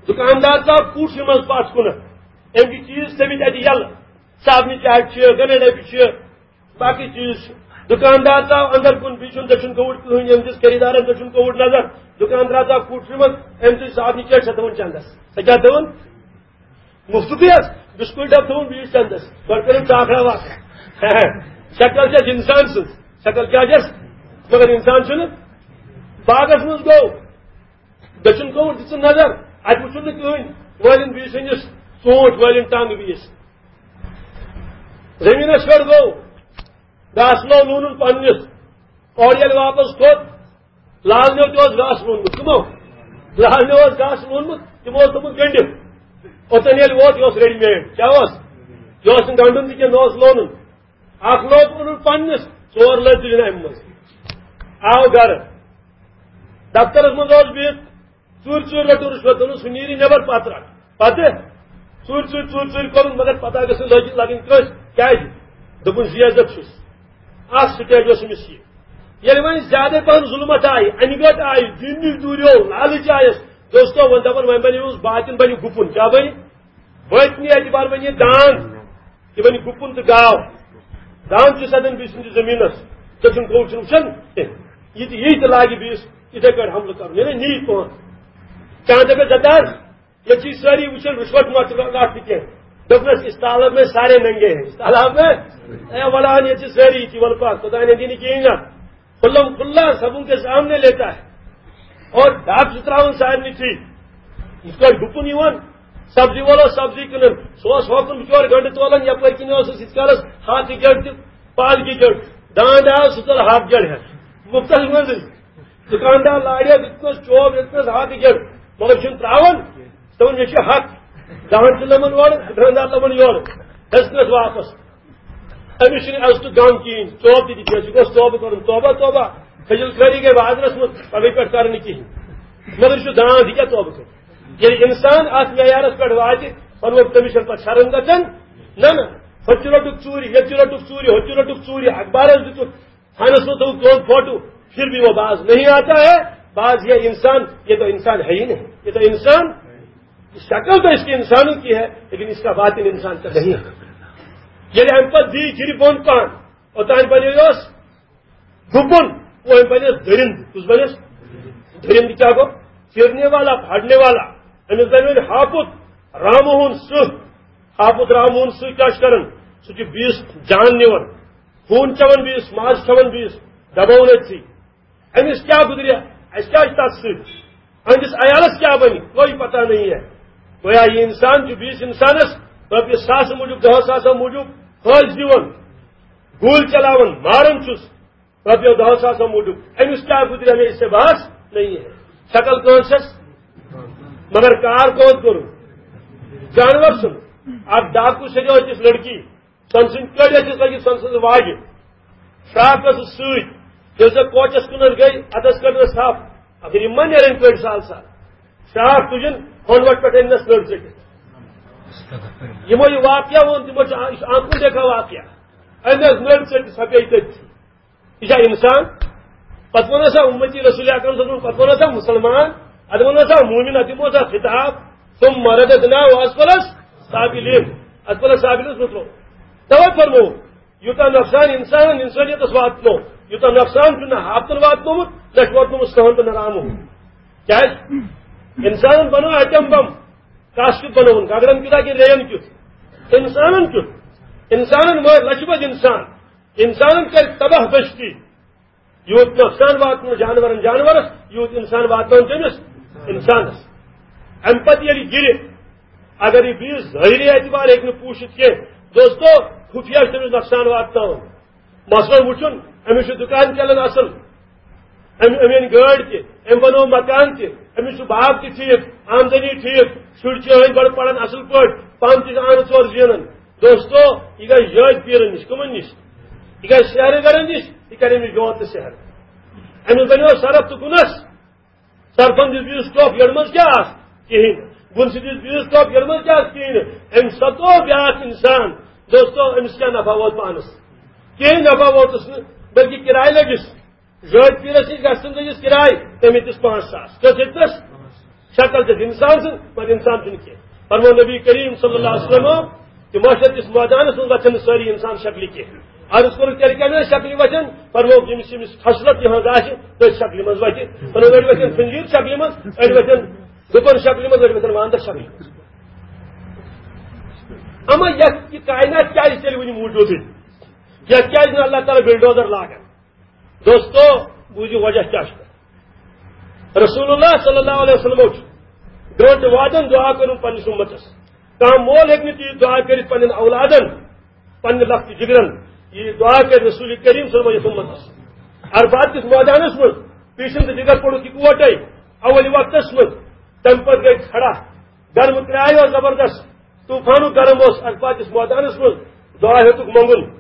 دُکاندار ژاو کوٗٹھسٕے منٛز پتھ کُنتھ، أمۍ چھِ چیٖز تھٲومٕتۍ اتہِ یَلہٕ، صابنہِ چاٹہِ چھِ، گنڈٕ ڈبہِ چھِ، باقٕے چیٖز چھِ۔ دُکاندار ژاو اندر کُن، بیٚیہِ چھُنہٕ دٔچھُن کھووُر کٕہٕنۍ، أمۍ دِژ خریٖدارن دٔچھُن کھووُر نظر۔ دُکاندار ژاو کوٗٹھسٕے منٛز، أمۍ تُج صابنہِ چاٹہِ، سۄ تھٲوٕن چندس۔ سۄ کیٛاہ تھٲوٕن؟ مُفتُے حظ، بِسکوٗٹ ڈَبہٕ تھوٚوُن بیٚیِس چندَس، گۄڈٕ کٔرٕن ژاکھا واکھا۔ شکل چھےٚ اِنسان سٕنٛز، شکل کیٛاہ چھَس؟ مگر اِنسان چھُنہٕ۔ باغَس منٛز گوٚو، دٔچھُن گوٚو، دِژٕن نظر، اَتہِ وُچھُن نہٕ کٕہٕنۍ، وٲلِن بیٚیِس أنِس ژوٗنٛٹھۍ، وٲلِن ٹنٛگ بیٚیِس۔ زٔمیٖنَس پٮ۪ٹھ گوٚو، گاسہٕ لوو لوٗنُن پنٛنِس، اورٕ ییٚلہِ واپَس کھوٚت، لالنیو تہِ اوس گاسہٕ لونمُت۔ کٕمو؟ لالنیو اوس گاسہٕ لونمُت، تِمو اوس دوٚپمُت گٔنڈِتھ۔ اوٚتَن ییٚلہِ ووت، یہِ اوس ریڈی میڈ۔ کیٛاہ اوس؟ یہِ اوس نہٕ گنڈُن تہِ کینٛہہ، نہ اوس لونُن۔ اکھ لوگ اوٚنُن پننِس، ژور لٲج تُجہِ نہٕ اَمہِ منٛز۔ آو گرٕ۔ دفترس منٛز اوس بِہِتھ، ژوٗرِ ژوٗرِ رٔٹٕن رُشوت، دوٚپُن، "سُہ نیرِ نٮ۪بر، پتہٕ رٹھ۔" پتہٕ ژوٗرِ ژوٗرِ، ژوٗرِ ژوٗرِ کوٚرُن، مگر پتہ گٔژھ نہٕ لٔج لگٕنۍ کٲنٛسہِ۔ کیٛازِ؟ دوٚپُن، "زی عزت چھُس۔" اکھ سٹیج اوس أمِس یہِ۔ ییٚلہِ وۄنۍ زیادَے پَہَن ظُلمت آیہِ، اَنہِ گٔٹ آیہِ، دیٖن نِش دوٗریو، لالٕچ آیَس، دوستو، وۄنۍ دَپَن، وۄنۍ بَنہِ أمِس باطن، بَنہِ گُپُن۔ کیٛاہ بَنہِ؟ باطنی اعتبار بَنہِ یہِ داند، یہِ بَنہِ گُپُن تہٕ گاو۔ داند چھُ سَدان بیٚیہِ سٕنٛدِس زٔمیٖنَس، ژےٚ چھُنہٕ کوٚو چھُنہٕ وٕچھان کینٛہہ۔ یہِ تہِ، یہِ تہِ لاگہِ بیٚیِس یِتھَے کٲٹھۍ حملہٕ کَرُن، یعنی نی پٲٹھۍ۔ چاند اگر زدار، ییٚتہِ چھِ سٲری وٕچھان رُشوت ما چھُ رَٹھ تہِ کینٛہہ۔ دوٚپنَس، "اس تالاب میں سارے ننگے ہیں، اس تالاب میں۔" اے وَلہٕ ہن، ییٚتہِ چھِ سٲری یِتھی، وَلہٕ پَکھ، خۄداے نہ دِنہِ کِہیٖنۍ نہ۔ کھُلم کھُلا سب ان کے سامنے لیتا ہے۔ اور ڈاکٹر چھُ ترٛاوان سارنٕے ٹھیٖک۔ یِتھ پٲٹھۍ گُپُن یِوان، سبزی وول اوس سبزی کٕنان، سُہ اوس ہوکُن بِچور گنٛڈٕ تولان، یَپٲرۍ کِنۍ اوس اَسہِ یِتھ کالَس ہاکہٕ گیٚڈ تہِ، پالکہِ گیٚڈ۔ داند آو، سُہ ژَل ہاکہٕ گیٚڈ ہٮ۪تھ۔ مُفتَس منٛزٕے۔ دُکاندار لاریو، دیُتنَس چوب، دیُتنَس ہاکہٕ گیٚڈ، مگر چھُنہٕ ترٛاوان۔ دوٚپُن، "مےٚ چھُ حق۔" دَہَن تہِ لَمَن اورٕ، دُکاندار لَمَن یورٕ۔ ہیٚژنَس واپَس۔ أمِس چھُنہٕ عزتُک غم کِہیٖنۍ، توبہٕ تہِ دِتھ، یہِ گوٚژھ توبہٕ کَرُن، توبہ، توبہ، کھٔجِل خٲری گٔے بازرَس منٛز، پَگہٕے پٮ۪ٹھ کَرٕ نہٕ کِہیٖنۍ۔ مگر یہِ چھُ داند، یہِ کیٛاہ توبہٕ کَرِ؟ ییٚلہِ اِنسان اَتھ معیارَس پٮ۪ٹھ واتہِ، پَنُن تٔمِس چھَنہٕ پَتہٕ شرم گژھان۔ نہ، نہ، ہُتہِ تہِ روٚٹُکھ ژوٗرِ، ییٚتہِ تہِ روٚٹُکھ ژوٗرِ، ہُتہِ تہِ روٚٹُکھ ژوٗرِ، اخبارَس دِتُکھ، تھانَس منٛز تھوٚوُکھ تُہُنٛد فوٹو، پھر بھی وہ باز نہیں آتا ہے۔ باز یہ انسان، یہ تو انسان ہے ہی نہیں، یہ تو انسان، شکل تو اس کے انسانوں کی ہے، لیکن اس کا باطن انسان کا نہیں ہے۔ ییٚلہِ اَمہِ پَتہٕ دی گِرِ بۄن پَہَن، اوٚتام بَنیوس گُپُن، وۄنۍ بَنیس دٔرِنٛد۔ کُس بَنیس؟ دٔرِنٛد کیٛاہ گوٚو؟ چیرنے والا، پھاڑنے والا۔ أمِس بَنیو وۄنۍ ہاپُت رامہٕ ہُن سٕہہ۔ ہاپُت رامہٕ ہُن سٕہہ کیٛاہ چھُ کَران؟ سُہ چھُ بیٚیِس جان نِوان، خوٗن چٮ۪وان بیٚیِس، ماز کھٮ۪وان بیٚیِس، دَباوُن أتھۍ سۭتۍ۔ أمِس کیٛاہ گُزرِ؟ اَسہِ کیٛاہ چھُ تَتھ سۭتۍ؟ أہٕنٛدِس عیالَس کیٛاہ بَنہِ؟ کوئی پتہ نہیں ہے۔ گویا یہِ اِنسان چھُ بیٚیِس اِنسانَس رۄپیہِ ساسہٕ موٗجوٗب، دَہ ساسَو موٗجوٗب فٲیِدٕ دِوان، گوٗلۍ چلاوان، ماران چھُس رۄپیو دَہو ساسو موٗجوٗب۔ أمِس کیٛاہ گُزرِ؟ ہمیں اس سے بحث نہیں ہے۔ شکل کون چھَس؟ مگر کار کون کوٚرُن؟ جانور سُنٛد۔ اَکھ ڈاکوٗ سیٚدیو أکِس لڑکی، سۄنہٕ سٕنٛدۍ کٔڑۍ ٲسِس لٔگِتھ سۄنہٕ سٕنٛز واجہِ۔ فراک ٲسٕس سۭتۍ۔ ییٚلہِ سۄ کوچَس کُنَتھ گٔے، اَتَس کٔڑنَس تھپھ۔ آخر یِم ما نیرَن کٔڑۍ سال سال؟ فراک تُجِن، ہۄنٛد وَٹھ پٮ۪ٹھ أنۍ نَس نٔر ژٔٹِتھ۔ یِمو یہِ واقعہ ووٚن، تِمو چھُ آ-، یہِ چھُ آنکھوں دیکھا واقعہ۔ أنۍ نَس نٔر ژٔٹِتھ، سۄ پیٚیہِ تٔتھۍ۔ یہِ چھا اِنسان؟ پَتہٕ ووٚن ہسا اُمتی رسول اکرم صٲبُن، پَتہٕ ووٚن ہسا مُسلمان، اَدٕ ووٚن ہسا مومِن، اَدٕ دِمو ہسا خطاب، ثم رددناه اسفل سافلین۔ اسفل سافلین مطلب توے فرمو، یوٗتاہ نۄقصان اِنسانَن اِنسٲنیتَس واتنو، یوٗتاہ نۄقصان چھُنہٕ ہاپتَن واتنومُت، نہ چھُ واتنومُت سٕہَن تہٕ نہ رامہٕ ہُن۔ کیٛازِ؟ اِنسانَن بَنوو ایٹم بم، کَس کیُتھ بَنووُن؟ گگرَن کیُتھ ہا کِنہٕ ریٚیَن کیُتھ؟ اِنسانَن کیُتھ؟ اِنسانَن مٲرۍ لَچھِ بَدِ اِنسان، اِنسانَن کَرِ تباہ بستی۔ یوٗت نۄقصان واتنو جانورَن جانورَس، یوٗت اِنسان واتناوُن تٔمِس اِنسانَس۔ اَمہِ پَتہٕ ییٚلہِ گِرِ، اگر یہِ بیٚیِس ظٲہِری اعتبار ہیٚکہِ نہٕ پوٗشِتھ کینٛہہ، دوستو، خُفیہ چھُ تٔمِس نۄقصان واتناوُن۔ مثلاً وٕچھُن، أمِس چھُ دُکان چَلان اَصٕل، أمۍ، أمۍ أنۍ گٲڑۍ تہِ، أمۍ بَنوو مکان تہِ، أمِس چھُ باغ تہِ ٹھیٖک، آمدنی ٹھیٖک، شُرۍ چھِ أہٕنٛدۍ بَڑٕ پَران اَصٕل پٲٹھۍ، پانہٕ تہِ چھِ آنہٕ ژور زینان۔ دوستو، یہِ گژھِ یٲدۍ پیٖرَن نِش۔ کٕمَن نِش؟ یہِ گژھِ سحرٕ گرن نِش، یہِ کَرِ أمِس جوت تہٕ سحر۔ أمِس بَنیو سرف تہٕ گُنَس۔ سرفَن دِژ بیٚیِس ٹۄپھ، یٔڑ منٛز کیٛاہ آس؟ کِہیٖنۍ۔ گُنسہِ دِژ بیٚیِس ٹۄپھ، یٔڑ منٛز کیٛاہ آس؟ کِہیٖنۍ۔ أمۍ سَتو بیٛاکھ اِنسان۔ دوستو، أمِس کیٛاہ نفع ووت پانَس؟ کِہیٖنۍ نفع ووتُس نہٕ، بلکہِ کِراے لٔجِس۔ زٲج پیٖرَس نِش گژھن لٔجِس کِراے، تٔمۍ ہیٚتِس پانٛژھ ساس۔ کٔژ ہیٚتِس؟ شکل چھِ اِنسان سٕنٛز، مگر اِنسان چھُنہٕ کینٛہہ۔ فرموو نبی کریم صلی اللہ علیہ وسلم، تِم محشر کِس مٲدانَس منٛز وۄتھن نہٕ سٲری اِنسان شکلہِ کینٛہہ۔ عرض کوٚرُکھ، تیٚلہِ کَمہِ آیہِ شکلہِ وۄتھن؟ فرمووُکھ، ییٚمِس ییٚمِس خصلت یِہٕنٛز آسہِ، تٔتھۍ شکلہِ منٛز وۄتھِ۔ فرمووُکھ، أڑۍ وۄتھن خنزیر شکلہِ منٛز، أڑۍ وۄتھن گُپن شکلہِ منٛز، أڑۍ وۄتھن واندر شکلہِ منٛز۔ اما یتھ یہِ کائنات کیازِ تیٚلہِ وُنہِ موٗجوٗدٕے؟ یتھ کیازِ نہٕ اللہ تعالیٰ بلڈوزر لاگان؟ دوستو، بوٗزِو وجہ کیٛاہ چھُ۔ رسول اللہ صلی اللہ علیہ وسلم چھُ برونٛٹھ وعدن دعا کٔرمٕژ پننِس اُمتس۔ کانٛہہ مول ہیٚکہِ نہٕ تیٖژ دعا کٔرِتھ پننٮ۪ن اولادن، پننہِ لۄکٹہِ جگرن۔ یہِ دعا کٔرۍ رسول کریم صلی اللہ علیہ وسلم یتھ اُمتس۔ عرفات کِس مٲدانس منٛز پیٖشن تہٕ جگر پوٚرُکھ یِکوٹے اول وقتس منٛز۔ تمہِ پتہٕ گٔے کھڑا، گرمہٕ کرایہِ اوس زبردست، طوفانُک گرم اوس عرفات کِس مٲدانس منٛز۔ دعا ہیوٚتُکھ منٛگُن۔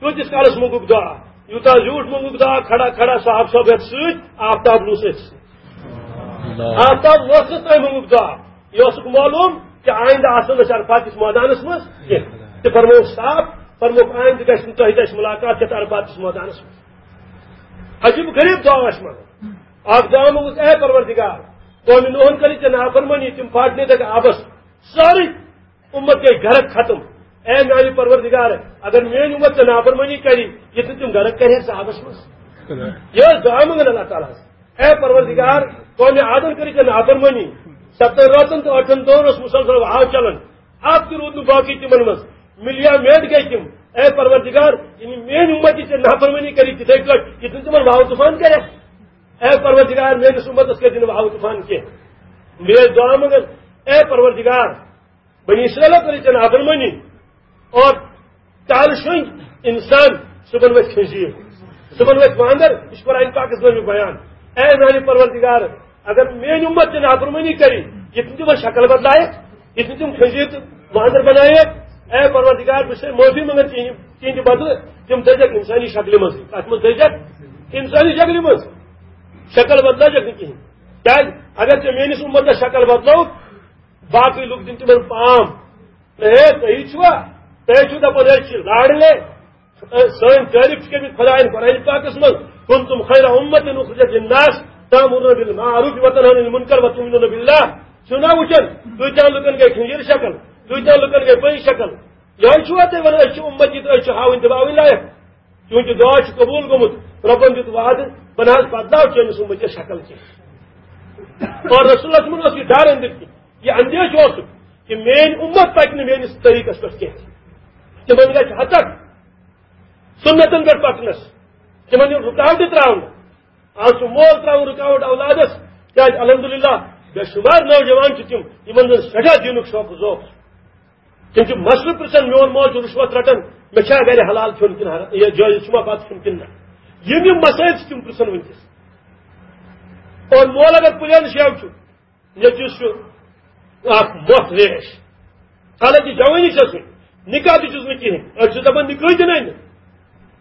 کۭتِس کالس منٛگُکھ دعا؟ یوٗتاہ زیوٗٹھ منٛگُکھ دعا، کھڑا کھڑا صاحب صٲب ہیٚتھ سۭتۍ، آفتاب لوٚس أتھۍ سۭتۍ۔ آفتاب لوسنس تام منٛگُکھ دعا۔ یہِ اوسُکھ معلوم کہِ آیندٕ آسو نہٕ أسۍ عرفات کِس مٲدانس منٛز کینٛہہ۔ تہِ فرمووُکھ صاف، فرمووُکھ آیندٕ گژھِ نہٕ تۄہہِ تہِ اَسہِ مُلاقات یَتھ عرفات کِس مٲدانس منٛز۔ عجیب غریب دعا ٲسۍ منٛگان۔ اکھ دعا منٛگُس، اے پروردگار، قومِ نوحن کٔرٕکھ ژےٚ نافرمٲنی، تِم پھاٹنے تَتہِ آبس۔ سٲرٕے اُمت گٔے غرق ختم۔ اے میانہِ پروردگار، اگر میٲنۍ اُمت ژےٚ نافرمٲنی کرِ، یہِ تہِ تِم غرق کرِ ہے صحابس منٛز۔ یہِ ٲس دعا منٛگان اللہ تعالیٰ ہس۔ اے پروردگار، قومِ عادن کٔرٕکھ ژےٚ نافرمٲنی۔ ستن راتن تہٕ ٲٹھن دۄہن اوس مسلسل وہاو چلان۔ اکھ تہِ روٗد نہٕ باقٕے تِمن منٛز۔ ملیا میٹ گٔے تِم۔ اے پروردگار، ییٚلہِ میٲنۍ اُمت یہِ ژےٚ نافرمٲنی کرِ تِتھے پٲٹھۍ، یہِ تہِ تِمن وہاو طوفان کرِ۔ اے پروردگار، میٲنِس اُمتس کٔرۍ زِ نہٕ وہاو طوفان کینٛہہ۔ مےٚ ٲسۍ دعا منٛگان، اے پروردگار، بنی اسرائیلو کٔرٕکھ ژےٚ نافرمٲنی اور تالہٕ شۄنٛگۍ انسان، صُبحن ؤتھۍ خنزیر، صُبحن ؤتھۍ واندر۔ یہِ چھُ قرآن پاکس منٛز بیان۔ اے میانہِ پروردگار، اگر میٲنۍ اُمت ژےٚ نافرمٲنی کرِ، یہِ تِم تِمن شکل بدلایکھ، یہِ تِم تِم خنزیر تہٕ واندر بنایکھ، اے پروردگار، بہٕ چھُسے معٲفی منٛگان چٲنہِ تِہنٛدِ بدلہٕ تِم دٔزِکھ انسٲنی شکلہِ منٛزٕے۔ کتھ منٛز دٔزِکھ؟ انسٲنی شکلہِ منٛز۔ شکل بدلٲوِکھ نہٕ کِہینۍ۔ کیازِ؟ اگر ژےٚ میٲنِس اُمتس شکل بدلٲوٕکھ، باقٕے لُکھ دِن تِمن پام۔ ہے، تُہی چھِوا؟ تُہۍ چھِو دپان أسۍ چھِ لاڈلے۔ سٲنۍ تعریف چھِ کٔرمٕتۍ خدایَن قرآن پاکس منٛز، "کنتم خیر امت اخرجت للناس تأمرون بالمعروف وتنهون عن المنکر وتؤمنون باللہ۔" چھِو نا وٕچھان، کۭتیٛاہ لُکن گٔے کھنجر شکل، کۭتیٛاہ لُکن گٔے پٔنٛزۍ شکل۔ یِہوٚے چھُوا تُہۍ وَنان أسۍ چھِ اُمتی تہٕ أسۍ چھِ ہاوٕنۍ دباوٕنۍ لایق؟ چونکہ دعا چھُ قبول گوٚمُت، رۄبن دیُت وعدٕ، بہٕ نہ حظ بدلاو چٲنِس اُمتس شکل کینٛہہ۔ اور رسول اللہ صلی اللہ علیہ وسلمن اوس یہِ ڈر أنٛدٕرۍ کِنۍ، یہِ اندیشہٕ اوسُکھ کہ میٲنۍ اُمت پکہِ نہٕ میٲنِس طریٖقس پٮ۪ٹھ کینٛہہ۔ تِمن گژھِ ہتک سُنتن پٮ۪ٹھ پکنس، تِمن یِن رُکاوٹہٕ تراونہٕ۔ آز چھُ مول تراوان رُکاوٹ اولادس، کیازِ الحمدللہ بے شمار نوجوان چھِ تِم، یِمن زن سٮ۪ٹھاہ دیٖنُک شوق ذوق چھُ۔ تِم چھِ مسلہٕ پرژھان، میون مول چھُ رُشوت رٹان، مےٚ چھا گرِ حلال کھیوٚن کِنہٕ حرام، یہِ جٲیز چھُ ما بتہٕ کھیوٚن کِنہٕ نہ؟ یِم یِم مسٲیل چھِ تِم پرژھان وٕنکیٚس۔ اور مول اگر پلین شیو چھُ، نیٚچوِس چھُ اکھ مۄٹھ ریش، حالانکہ جوٲنی چھَس وٕنہِ، نکاح تہِ چھُس نہٕ کِہیٖنۍ۔ أسۍ چھِ دَپان نکاح تہِ نَے نہٕ۔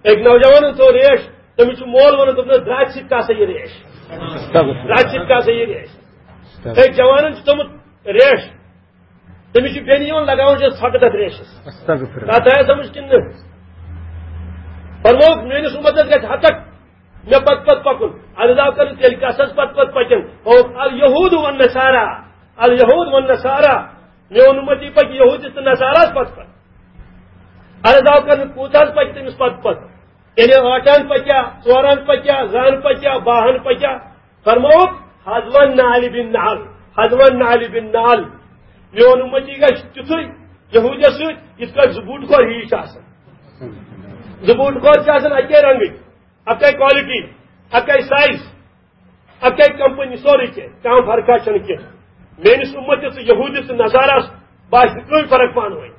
أکۍ نوجوانَن تھوٚو ریش، تٔمِس چھُ مول وَنان، دوٚپنَس، "درٛاتہِ سۭتۍ کَر سا یہِ ریش؟ استغفر۔ درٛاتہِ سۭتۍ کَر سا یہِ ریش؟" استغفر۔ أکۍ جوانَن چھُ تھوٚمُت ریش، تٔمِس چھُ بیٚنہِ یِوان لگاوان چھِ ژھۄٹہٕ تَتھ ریشَس۔ استغفر۔ کَتھ آیا سَمٕجھ کِنہٕ نہٕ؟ فرمووُکھ، میٲنِس اُمتَس گژھِ ہتک مےٚ پتہٕ پتہٕ پکُن۔ عرض آو کرنہٕ، تیٚلہِ کس حظ پتہٕ پتہٕ پکن؟ ہوٚو، الیہود والنصارا، الیہود والنصارا۔ میون اُمتی پکہِ یہودی تہٕ نصاراہس پتہٕ پتہٕ۔ عرض آو کرنہٕ، کوٗت حظ پکہِ تٔمِس پتہٕ پتہٕ؟ یعنی ٲٹھن پکیا، ژورن پکیا، زہن پکیا، باہن پکیا؟ فرمووُکھ، حذوان نعل بن نعل، حذوان نعل بن نعل۔ میون اُمتی گژھِ تیُتھُے یہودیس سۭتۍ، یِتھ کٲٹھۍ زٕ بوٗٹہٕ کھور ہِوی چھِ آسان۔ زٕ بوٗٹہٕ کھور چھِ آسان اَکے رنگٕکۍ۔ اکے کوالٹی، اکے سائز، اکے کمپنی، سورُے کینٛہہ، کانٛہہ فرقہ چھنہٕ کینٛہہ۔ میٲنِس اُمتس تہٕ یہودیس تہٕ نصاراہس باسہِ نہٕ کٕہٕنۍ فرق پانہٕ ؤنۍ۔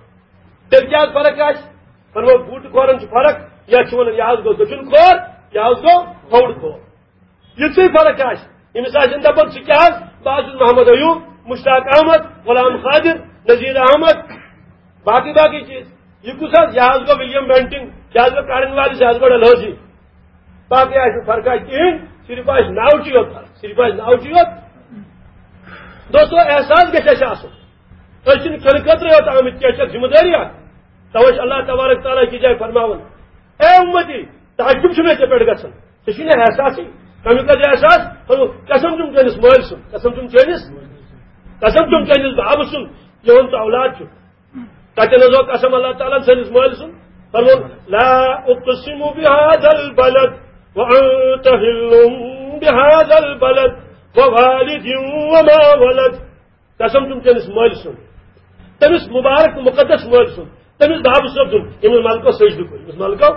تیٚلہِ کیٛاہ فرق آسہِ؟ فرموو، بوٗٹہٕ کھورن چھِ فرق، یتھ چھِ ونان، یہِ حظ گوٚو دٔچھُن کھور، یہِ حظ گوٚو کھووُر کھور۔ یِژٕے فرق آسہِ۔ ییٚمِس آسن دپان، "ژٕ کیٛاہ حظ؟ بہٕ حظ چھُس محمد ایوب، مشتاق احمد، غلام قادر، نذیر احمد، باقٕے باقٕے چیٖز۔" یہِ کُس حظ؟ یہِ حظ گوٚو ولیم بینٹنگ، یہِ حظ گوٚو کارن والیس، یہِ حظ گوٚو ڈلہوزی۔ باقٕے آسہِ نہٕ فرقہ کِہیٖنۍ، صرف آسہِ ناوچی یوت فرق، صرف آسہِ ناوچی یوت۔ دوستو، احساس گژھِ اَسہِ آسُن۔ أسۍ چھِنہٕ کھٮ۪نہٕ خٲطرٕ یوت آمٕتۍ کینٛہہ، چھِ اَسہِ ذمہٕ دٲری اَکھ۔ توے چھِ اللہ تبارک تعالیٰ أکِس جایہِ فرماوان، "اے اُمتی، تعجب چھُ مےٚ ژےٚ پٮ۪ٹھ گژھان، ژےٚ چھُے نہٕ احساسٕے، کَمیُک حظ احساس؟" فرموو، "قسم چھُم چٲنِس مٲلۍ سُنٛد، قسم چھُم چٲنِس، قسم چھُم چٲنِس بابہٕ سُنٛد، یِہُنٛد ژٕ اولاد چھُکھ۔" تَتٮ۪ن حظ گوٚو قسم اللہ تعالیٰ ہن سٲنِس مٲلۍ سُنٛد۔ فرمووُن، "لا اقسم بهذا البلد وانت حل بهذا البلد ووالد وما ولد۔" قسم چھُم چٲنِس مٲلۍ سُنٛد، تٔمِس مُبارک تہٕ مُقدس مٲلۍ سُنٛد، تٔمِس بابہٕ صٲب سُنٛد، ییٚمِس ملکو سجدٕ کوٚر، ییٚمِس ملکو۔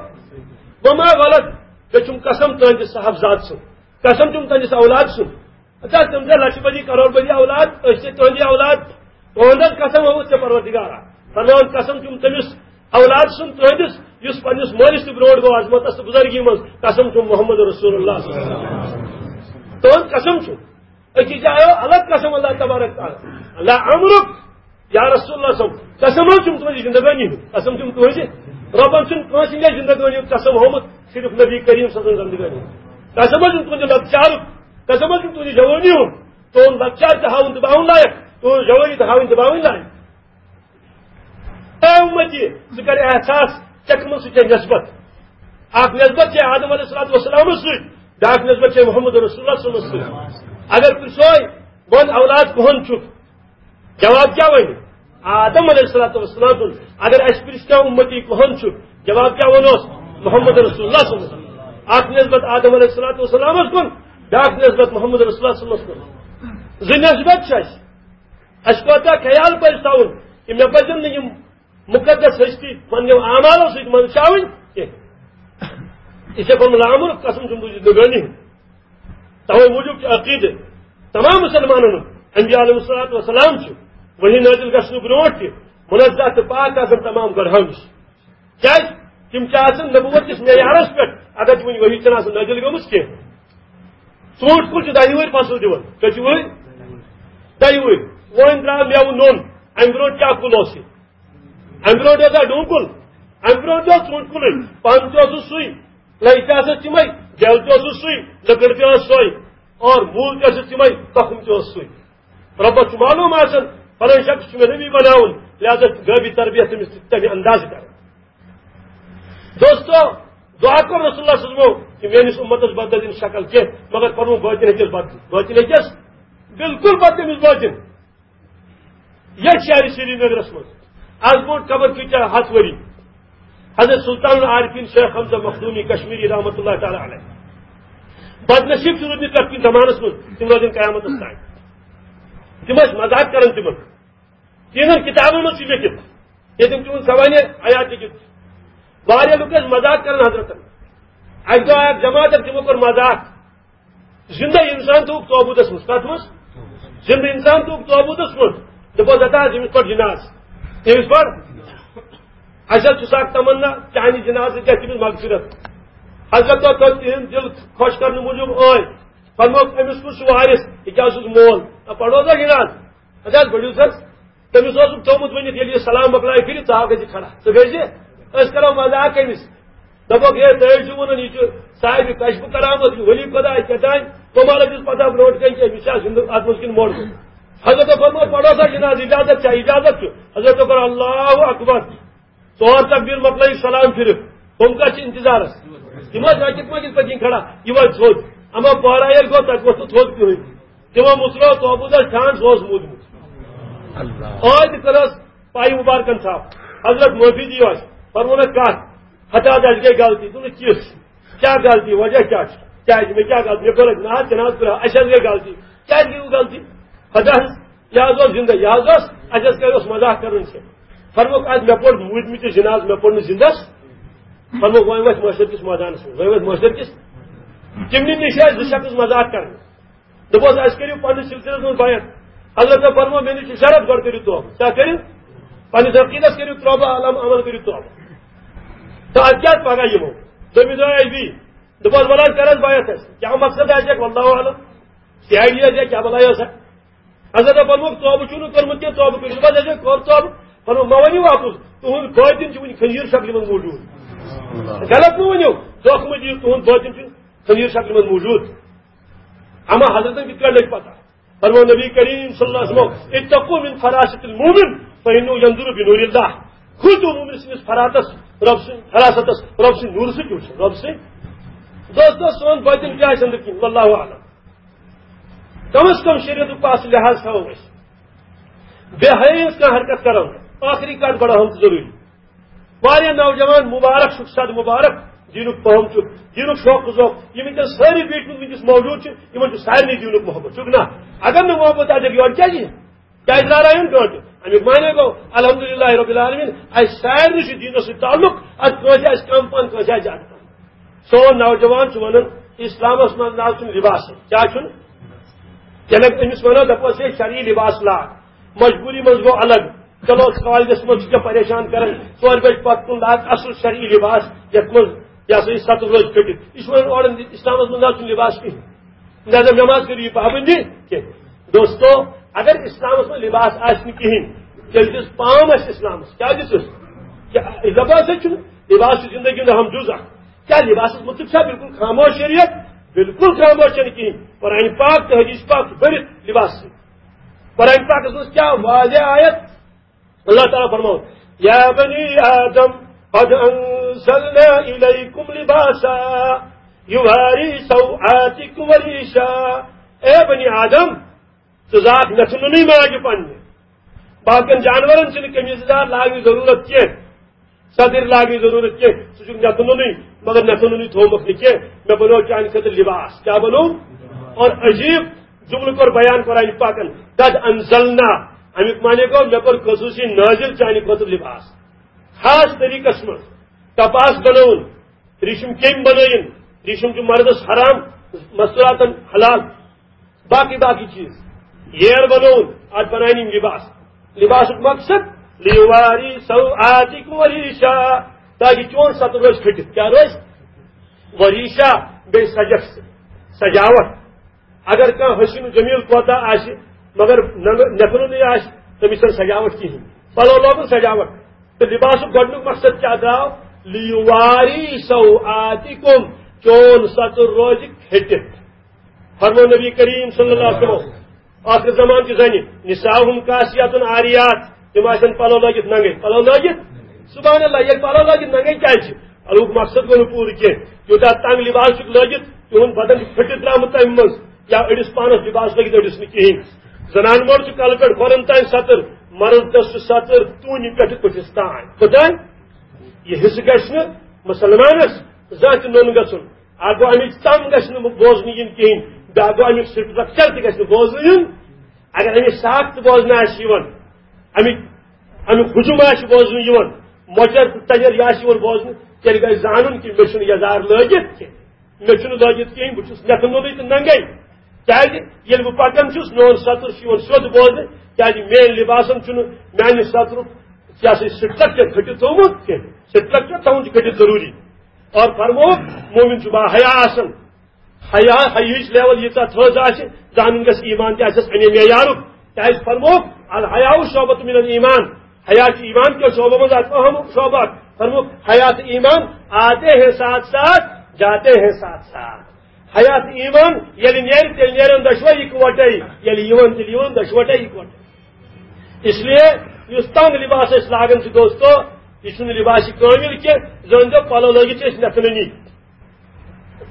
وما ولد، بیٚیہِ چھُم قسم تُہنٛدِس صاحبزاد سُنٛد، قسم چھُم تُہنٛدِس اولاد سُنٛد۔ اچھا، تِم چھا لچھ بٔدی، کرور بٔدی اولاد، أسۍ چھِ تُہنٛدی اولاد۔ تُہنٛد حظ قسم ہووُتھ ژےٚ پروردگارا۔ فرماوان، قسم چھُم تٔمِس اولاد سُنٛد تُہنٛدِس، یُس پننِس مٲلِس تہِ برونٛٹھ گوٚو عظمتس تہٕ بُزرگی منٛز، قسم چھُم محمد رسول اللہ صلی اللہ علیہ وسلم۔ تُہنٛد قسم چھُم۔ أکِس جایہِ آو الگ قسم اللہ تبارک تعالیٰ۔ اللہ امرک، یا رسول اللہ صلی اللہ علیہ وسلم، قسم حظ چھُم تُہنٛزِ زندگٲنی ہُنٛد، قسم چھُم تُہنٛزِ۔ رۄبن چھُنہٕ کٲنٛسہِ ہٕنٛدِ زندگٲنی ہُنٛد قسم ہوومُت، صرف نبی کریم صلی اللہ علیہ وسلم زندگٲنی ہُنٛد۔ قسم حظ چھُم تُہنٛزِ لۄکچارُک، قسم حظ چھُم تُہنٛزِ جوٲنی ہُنٛد۔ تُہُنٛد لۄکچار تہِ ہاوُن تہٕ باوُن لایق، تُہنٛز جوٲنی تہِ ہاوٕنۍ تہٕ باوٕنۍ لایق۔ اے اُمتی، ژٕ کر احساس، ژےٚ کٕمن سۭتۍ چھےٚ نسبت؟ اکھ نسبت چھےٚ آدم علیہ الصلوۃ والسلامس سۭتۍ، بیاکھ نسبت چھےٚ محمد رسول اللہ صلی اللہ علیہ وسلمس سۭتۍ۔ اگر پرژھوے، ون اولاد کُہُنٛد چھُکھ؟ جواب کیٛاہ ونہِ؟ آدم علیہ الصلوۃ والسلام سُنٛد۔ اگر اسہِ پرژھِ کانٛہہ اُمتی کُہُنٛد چھُ، جواب کیٛاہ ونوس؟ محمد رسول اللہ صلی اللہ علیہ وسلم۔ اکھ نسبت آدم علیہ الصلوۃ والسلامس کُن، بیاکھ نسبت محمد رسول اللہ صلی اللہ علیہ وسلم کُن۔ زٕ نسبت چھِ اسہِ۔ اسہِ کوتاہ خیال پزِ تھاوُن کہ مےٚ پزن نہٕ یِم مقدس ہستی پننیو اعمالو سۭتۍ منٛدچھاوٕنۍ کینٛہہ۔ یہِ چھےٚ فرموومُت، لامُر قسم چھُم تُہنٛزِ زندگٲنی ہُنٛد۔ توے موٗجوٗب چھُ عقیدٕ تمام مسلمانن ہُنٛد، انبیاء علیہ الصلوۃ والسلام چھِ وحی نٲزِل گژھنہٕ برونٛٹھ تہِ منزہ تہٕ پاک آسان تمام گۄنہو نِش۔ کیازِ؟ تِم چھِ آسان نبوت کِس معیارس پٮ۪ٹھ، اگر تِمن وحی چھنہٕ آسان نٲزِل گٔمٕژ کینٛہہ۔ ژوٗنٛٹھ کُل چھُ دَہہِ وٕہٕرۍ فصل دِوان، کٔژِ وٕہٕرۍ؟ دَہہِ وٕہٕرۍ۔ وۄنۍ درٛاو مٮ۪وٕ نوٚن، امہِ برونٛٹھ کیٛاہ کُل اوس یہِ؟ امہِ برونٛٹھ اوسا ڈوٗنۍ کُل؟ امہِ برونٛہہ تہِ اوس ژوٗنٛٹھۍ کُلُے، پن تہِ اوسُس سُے، لٔنٛگۍ تہِ آسس تِمے، بیل تہِ اوسُس سُے، لٔکٕر تہِ ٲس سۄے، اور موٗل تہِ ٲسِس تِمے، تُخُم تہِ اوس سُے۔ رۄبس چھُ معلوٗم آسان، فلٲنۍ شخص چھُ مےٚ نبی بناوُن، لہذا چھُ غٲبی تربیت تٔمِس تمہِ اندازٕ کرٕنۍ۔ دوستو، دعا کوٚر رسول اللہ صلی اللہ علیہ وسلمو کہِ میٲنِس اُمتس بدلہِ نہٕ شکل کینٛہہ، مگر پنُن باطن ہیٚکٮ۪س بدلِتھ۔ باطن ہیٚکٮ۪س بالکل بدلہِ أمِس باطن۔ یتھ شہر سرینگرس منٛز از برونٛٹھ خبر کۭتیاہ ہتھ ؤری حضرت سلطان العارفین شیخ حمزہ مخدومی کشمیری رحمۃ اللہ تعالی علیہ، بدنصیب چھِ روٗدمٕتۍ پرٛٮ۪تھ کُنہِ زمانس منٛز، تِم روزن قیامتس تام۔ تِم ٲسۍ مذاق کران تِمن، تِہنٛدٮ۪ن کِتابن منٛز چھُ لیکھِتھ، ییٚتٮ۪ن تِہُنٛد سوانح حیات لیکھِتھ۔ واریاہ لُکھ ٲسۍ مذاق کران حضرتن۔ اکہِ دۄہ آیہِ اکھ جماعت، تِمو کوٚر مذاق۔ زندہ انسان تھوٚوُکھ تابوٗتس منٛز۔ کتھ منٛز؟ زندہ انسان تھوٚوُکھ تابوٗتس منٛز۔ دوٚپُکھ، "ہتا حظ، ییٚمِس پٮ۪ٹھ جناز، ییٚمِس پٮ۪ٹھ اَسہِ حظ چھُ سا اکھ تمنا، چانہِ جنازٕ گژھِ تٔمِس مغفرت۔" حضرت تھوٚو تِہُنٛد دِل خۄش کرنہٕ موٗجوٗب ٲے۔ فرمووُکھ، "أمِس کُس چھُ وارث؟ یہِ کیٛاہ چھُس مول؟ نہ پرو سا جناز، اَتہِ حظ بٔڑِو سا۔" تٔمِس اوسُکھ تھوٚومُت ؤنِتھ، ییٚلہِ یہِ سلام مۄکلایہِ پھِرِ، ژٕ آو گژھِ کھڑا، ژٕ گٔے زِ، أسۍ کرو مذاق أمِس۔ دَپوکھ، "ہے، تُہۍ حظ چھِو وَنان، یہِ چھُ صاحبِ کشف و کرامت، یہِ ولی خدا، یہِ کیٛاہ تام، کمال حظ چھُس پتہ برونٛٹھ کَنہِ کہِ أمِس چھا زِندٕ اَتھ منٛز کِنہٕ مۄردٕ؟" حضرت فرموو، "پَرو سا جنازٕ، اجازت چھا، اجازت چھُ؟" حضرت کوٚر، "اللہ اکبر۔" ژور تکبیر مۄکلٲیِکھ سلام پھِرِتھ، ہُم کَتھ چھِ انتظارس؟ یِم ٲسۍ رٔٹِتھ مٲنٛگِتھ پٔتۍ کِنۍ کھڑا، یہِ وۄتھِ تھوٚد۔ اما پورا ییٚلہِ گوٚو، تَتہِ ووٚتھ نہٕ تھوٚد کِہیٖنۍ۔ تِمو مُژروو تابوٗتس ٹھانٛڈ، سُہ اوس موٗدمُت۔ اللہ۔ ٲدۍ کٔرٕس پایہِ مُبارکن صاحب، حضرت معٲفی دِیِو اَسہِ، فرموونکھ کَتھ، ہتا حظ اَسہِ گٔے غلطی۔ دوٚپُن، "کِژھ؟ کیٛاہ غلطی؟ وجہ کیٛاہ چھُ؟ کیٛازِ مےٚ کیٛاہ غلطی؟ مےٚ کوٚر نہ حظ، تہِ نہ حظ کوٚر، اَسہِ حظ گٔے غلطی۔" کیٛازِ گٔیوٕ غلطی؟ ہتا حظ، یہِ حظ اوس زِندٕ، یہِ حظ اوس، اَسہِ حظ کَرِ اوس مذاق کَرُن ژےٚ۔ فرمووُکھ، "اَدٕ مےٚ پوٚر موٗدمٕتِس جِنازٕ، مےٚ پوٚر نہٕ زِندَس۔" فرمووُکھ، "وۄنۍ وَتھ محشر کِس مٲدانَس منٛز، وۄنۍ وَتھ محشر کِس۔" تِمنٕے نِش ٲسۍ زٕ شخص مذاق کَران۔ دوٚپُس، "اَسہِ کٔرِو پننِس سلسلس منٛز بیعت۔" حضرت فرمو، "مےٚ نِش چھُ شرط، گۄڈٕ کٔرِو توبہٕ۔" کیٛاہ کٔرِو؟ پننِس عقیدس کٔرِو توبہٕ، عمل، عمل کٔرِو توبہٕ۔ تہٕ اَدٕ کیٛاہ پگاہ یِمو؟ دوٚیمہِ دۄہ آیہِ بیٚیہِ۔ دوٚپُس، "وَلہٕ حظ، کر حظ بیعت اَسہِ۔ کیٛاہ مقصد آسہِ اَتہِ؟ واللہ اعلم۔ سی آئی ڈی آسہِ یا کیٛاہ بلاے ٲس اَتہِ؟" حضرت فرمووُکھ، "توبہٕ چھُو نہٕ کوٚرمُت کینٛہہ، توبہٕ کٔرِو۔" دوٚپُس، "اَسہِ ہے کوٚر توبہٕ۔" فرمووُکھ، "مہ ؤنِو واپس، تُہُنٛد باطن چھُ وُنہِ خنزیر شکلہِ منٛز موٗجوٗد۔" غلط مہ ؤنِو، دھوکہٕ مہ دِیِو، تُہُنٛد باطن چھُ خنزیر شکلہِ منٛز موٗجوٗد۔ اما حضرتن کِتھ کٔنۍ لٔج پتہ؟ فرموو نبی کریم صلی اللہ علیہ وسلم، "اتقوا من فراست المومن فانه ينظر بنور اللہ۔" کھوٗژِو مومن سٕنٛدِس فراتس، رۄب سٕنٛدِ فراستس، رۄب سٕنٛدِ نوٗرٕ سۭتۍ وٕچھِو، رۄب سٕنٛدِ۔ دوستو، سون باطن کیٛاہ آسہِ أنٛدرۍ کِنۍ، واللہ اعلم۔ کم از کم شریعتُک پاس لحاظ تھاوو أسۍ۔ بے حیٲیی ہٕنٛز کانٛہہ حرکت کرو نہٕ۔ ٲخری کتھ بڑاوہم تہٕ ضروٗری۔ واریاہ نوجوان مبارک چھُکھ، صد مبارک، دیٖنُک پہم چھُکھ، دیٖنُک شوق و ذوق، یِم وٕنکیٚس سٲری بیٖٹھۍ وٕنکیٚس موجود چھِ، یِمن چھُ سارنٕے دیٖنُک محبت، چھُکھ نا؟ اگر نہٕ محبت آسہِ، یورٕ کیٛازِ یِن؟ کیٛازِ راے راے ہُنٛد گٲنٛٹہٕ؟ اَمیُک معنی گوٚو، الحمدللہ رب العالمین، اَسہِ سارنٕے چھُ دیٖنَس سۭتۍ تعلق، اَتھ کٲنٛسہِ آسہِ کم پہن، کٲنٛسہِ آسہِ زیادٕ پہن۔ سون نوجوان چھُ وَنان، اسلامس منٛز نہ حظ چھُنہٕ لباسٕے۔ کیٛاہ چھُنہٕ؟ ییٚلہِ أمِس وَنو، دَپوس، "ہے، شرعی لباس لاگ، مجبوٗری منٛز گوٚو الگ، چلو، کالجس منٛز چھُ ژےٚ پریشان کران، ژورِ بجہِ پتہٕ کُن لاگ اصل شرعی لباس، یَتھ منٛز، یہِ ہسا یہِ ستہٕ روزِ کھٔٹِتھ۔" یہِ چھُ وَنان، اورٕ اسلامس منٛز نہ حظ چھُنہٕ لباس کِہیٖنۍ۔ لہذا نماز کٔرِو یہِ پابندی کینٛہہ۔ دوستو، اگر اسلامس منٛز لباس آسہِ نہٕ کِہیٖنۍ، تیٚلہِ دِژ پام اَسہِ اسلامس۔ کیٛاہ دِژٕس؟ کیٛاہ لباس ہے چھُنہٕ، لباس چھُ زندگی ہُنٛد اہم جُز اکھ۔ کیٛاہ لباسس مُتعلق چھا بالکل خاموش شریعت؟ بالکل خاموش چھَنہٕ کِہیٖنۍ۔ قرآن پاک تہٕ حدیث پاک چھُ بٔرِتھ لباس سۭتۍ۔ قرآن پاکس منٛز کیٛاہ واضح آیت؟ اللہ تعالیٰ فرماوان، "یا بنی آدم قد انزلنا الیکم لباسا یواری سوآتکم وریشا۔" اے بنی آدم، ژٕ زاکھ مےٚ ژھٕنُنٕے ماجہِ پننہِ۔ باقین جانورن چھِنہٕ قمیٖض یَزار لاگنٕچ ضروٗرت کینٛہہ، صدٕرۍ لاگنٕچ ضروٗرت کینٛہہ، ژٕ چھُکھ مےٚ ژھٕنُنٕے، مگر مےٚ ژھٕنُنٕے تھوومُت نہٕ کینٛہہ، مےٚ بنوو چانہِ خٲطرٕ لباس۔ کیٛاہ بنوو؟ اور عجیب جملہٕ کوٚر بیان قرآن پاکن، "قد انزلنا"، اَمیُک معنی گوٚو، مےٚ کوٚر خصوٗصی نٲزِل چانہِ خٲطرٕ لباس۔ خاص طریٖقس منٛز کپاس بنووُن، ریٖشم کیٚمۍ بنٲیِن، ریٖشم چھُ مردس حرام، مستوراتن حلال، باقٕے باقٕے چیٖز، ییر بنووُن، اتھ بناونہٕ یِم لباس۔ لباسُک مقصد، "لیواری سوآتکم وریشا"، تاکہِ چون ستر روزِ پھٔٹِتھ۔ کیٛاہ روزِ؟ وریشا، بیٚیہِ سجکھ سۭتۍ، سجاوٹ۔ اگر کانٛہہ حسین و جمیل کوتاہ آسہِ، مگر ننگ-، نٮ۪کُنُے آسہِ، تٔمِس چھَنہٕ سجاوٹ کِہیٖنۍ۔ پلو لوگُن سجاوٹ، لباسُک گۄڈٕنیُک مقصد کیٛاہ درٛاو؟ لیواری سوآتکم، چون ستر روزِ پھٔٹِتھ۔ فرمو نبی کریم صلی اللہ علیہ وسلم، آخر زمان چہِ زنہِ، نساؤہم کاسیات عاریات، تِم آسن پلو لٲگِتھ ننگے، پلو لٲگِتھ۔ سبحان اللہ، ییٚلہِ پلو لٲگِتھ ننگے کیٛازِ چھِ؟ پلوُک مقصد گوٚو نہٕ پوٗرٕ کینٛہہ، یوٗتاہ تنگ لباس چھُکھ لٲگِتھ، تِہُنٛد بدن چھُ پھٔٹِتھ درٛامُت تمہِ منٛز، یا أڑِس پانس لباس لٲگِتھ أڑِس نہٕ کِہیٖنۍ۔ زنان مۄہر چھُ کلہٕ پٮ۪ٹھ کھۄرن تام ستٕر، مرد دٔسۍ چھُ ستٕر توٗنہِ پٮ۪ٹھٕ کُٹھِس تام۔ خۄداے، یہِ حصہٕ گژھِ نہٕ مُسلمانس زانٛہہ تہِ نوٚن گژھُن۔ اکھ گوٚو، اَمِچ تَم گژھِ نہٕ بوزنہٕ یِنۍ کِہیٖنۍ، بیٛاکھ گوٚو، اَمیُک سٹرکچر تہِ گژھِ نہٕ بوزنہٕ یُن۔ اگر اَمِچ ساکھ تہِ بوزنہٕ آسہِ یِوان، اَمِچ اَمیُک ہجوم آسہِ بوزنہٕ یِوان، مۄچر تہٕ تجر یہِ آسہِ یِوان بوزنہٕ، تیٚلہِ گژھِ زانُن کہِ مےٚ چھُنہٕ یَزار لٲگِتھ کینٛہہ، مےٚ چھُنہٕ لٲگِتھ کِہیٖنۍ، بہٕ چھُس نٮ۪تھٕ نوٚنُے تہٕ ننگے۔ کیٛازِ ییٚلہِ بہٕ پکان چھُس، میون ستُر چھُ یِوان سیوٚد بوزنہٕ، کیٛازِ میٲنۍ لباسن چھُنہٕ میانہِ سترُک، یہِ ہسا یہِ سٹرکچر کھٔٹِتھ تھوٚومُت کینٛہہ، سٹرکچر تھاوُن چھُ کھٔٹِتھ ضروٗری۔ اور فرمووُکھ، مومن چھُ با حیا آسان، حیا، حیاہٕچ لیول ییٖژاہ تھٔز آسہِ، زانُن گژھِ ایمان تہِ آسٮ۪س اَمے معیارُک۔ کیٛازِ فرمووُکھ، الحیاء شعبۃ من الایمان، حیا چھُ ایمان کیو شعبو منٛز اکھ اہم شعبہٕ اکھ۔ فرمووُکھ، حیا تہٕ ایمان آتے ہیں ساتھ ساتھ، جاتے ہیں ساتھ ساتھ۔ حیا تہٕ ایمان ییٚلہِ نیرِ، تیٚلہِ نیرن دۄشوے اِکوٹے، ییٚلہِ یِوان، تیٚلہِ یِوان دۄشوٹے اِکوٹے۔ اس لیے یُس تنگ لباس أسۍ لاگان چھِ دوستو، یہِ چھُنہٕ لباس کٲمِل کینٛہہ، زٲنۍزیو پلو لٲگِتھ چھِ أسۍ نٮ۪تھٕ نٔنی۔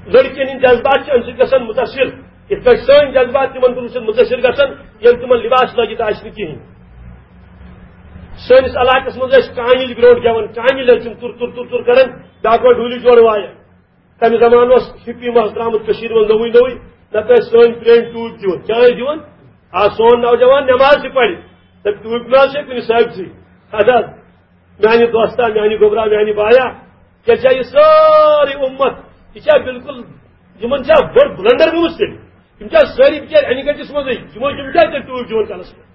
لڑکین ہٕنٛدۍ جذبات چھِ اَمہِ سۭتۍ گژھان مُتٲثِر، یِتھ پٲٹھۍ سٲنۍ جذبات تِمن کُن چھِ مُتٲثِر گژھان، ییٚلہِ تِمن لباس لٲگِتھ آسہِ نہٕ کِہیٖنۍ۔ سٲنِس علاقس منٛز ٲسۍ کانِلۍ برونٛٹھ گٮ۪وان، کانِلۍ ٲسۍ تِم تُر تُر تُر تُر کران، بیٛاکھ اوس ڈُولہِ جوڑٕ وایان۔ تَمہِ زمانہٕ اوس ہِپی مس درٛامُت کٔشیٖرِ منٛز نوٚوُے نوٚوُے، نتہٕ ٲسۍ سٲنۍ پرٛٲنۍ ٹوٗپۍ دِوان۔ کیٛاہ ٲسۍ دِوان؟ آ، سون نوجوان نٮ۪ماز تہِ پرِ، تہٕ ٹوٗپۍ مہ حظ چھِ کُنہِ ثٲبتٕے۔ اَدٕ حظ، میانہِ دوستا، میانہِ گوٚبرا، میانہِ بایا، ژےٚ چھا یہِ سٲرٕے اُمت، یہِ چھا بالکل، یِمن چھا بٔڑ بلنڈر گٔمٕژ تیٚلہِ؟ یِم چھا سٲری بِچٲرۍ انہِ گٔٹِس منٛزٕے؟ یِمو، یِم کیٛازِ تیٚلہِ ٹوٗپۍ دِوان کلس پٮ۪ٹھ؟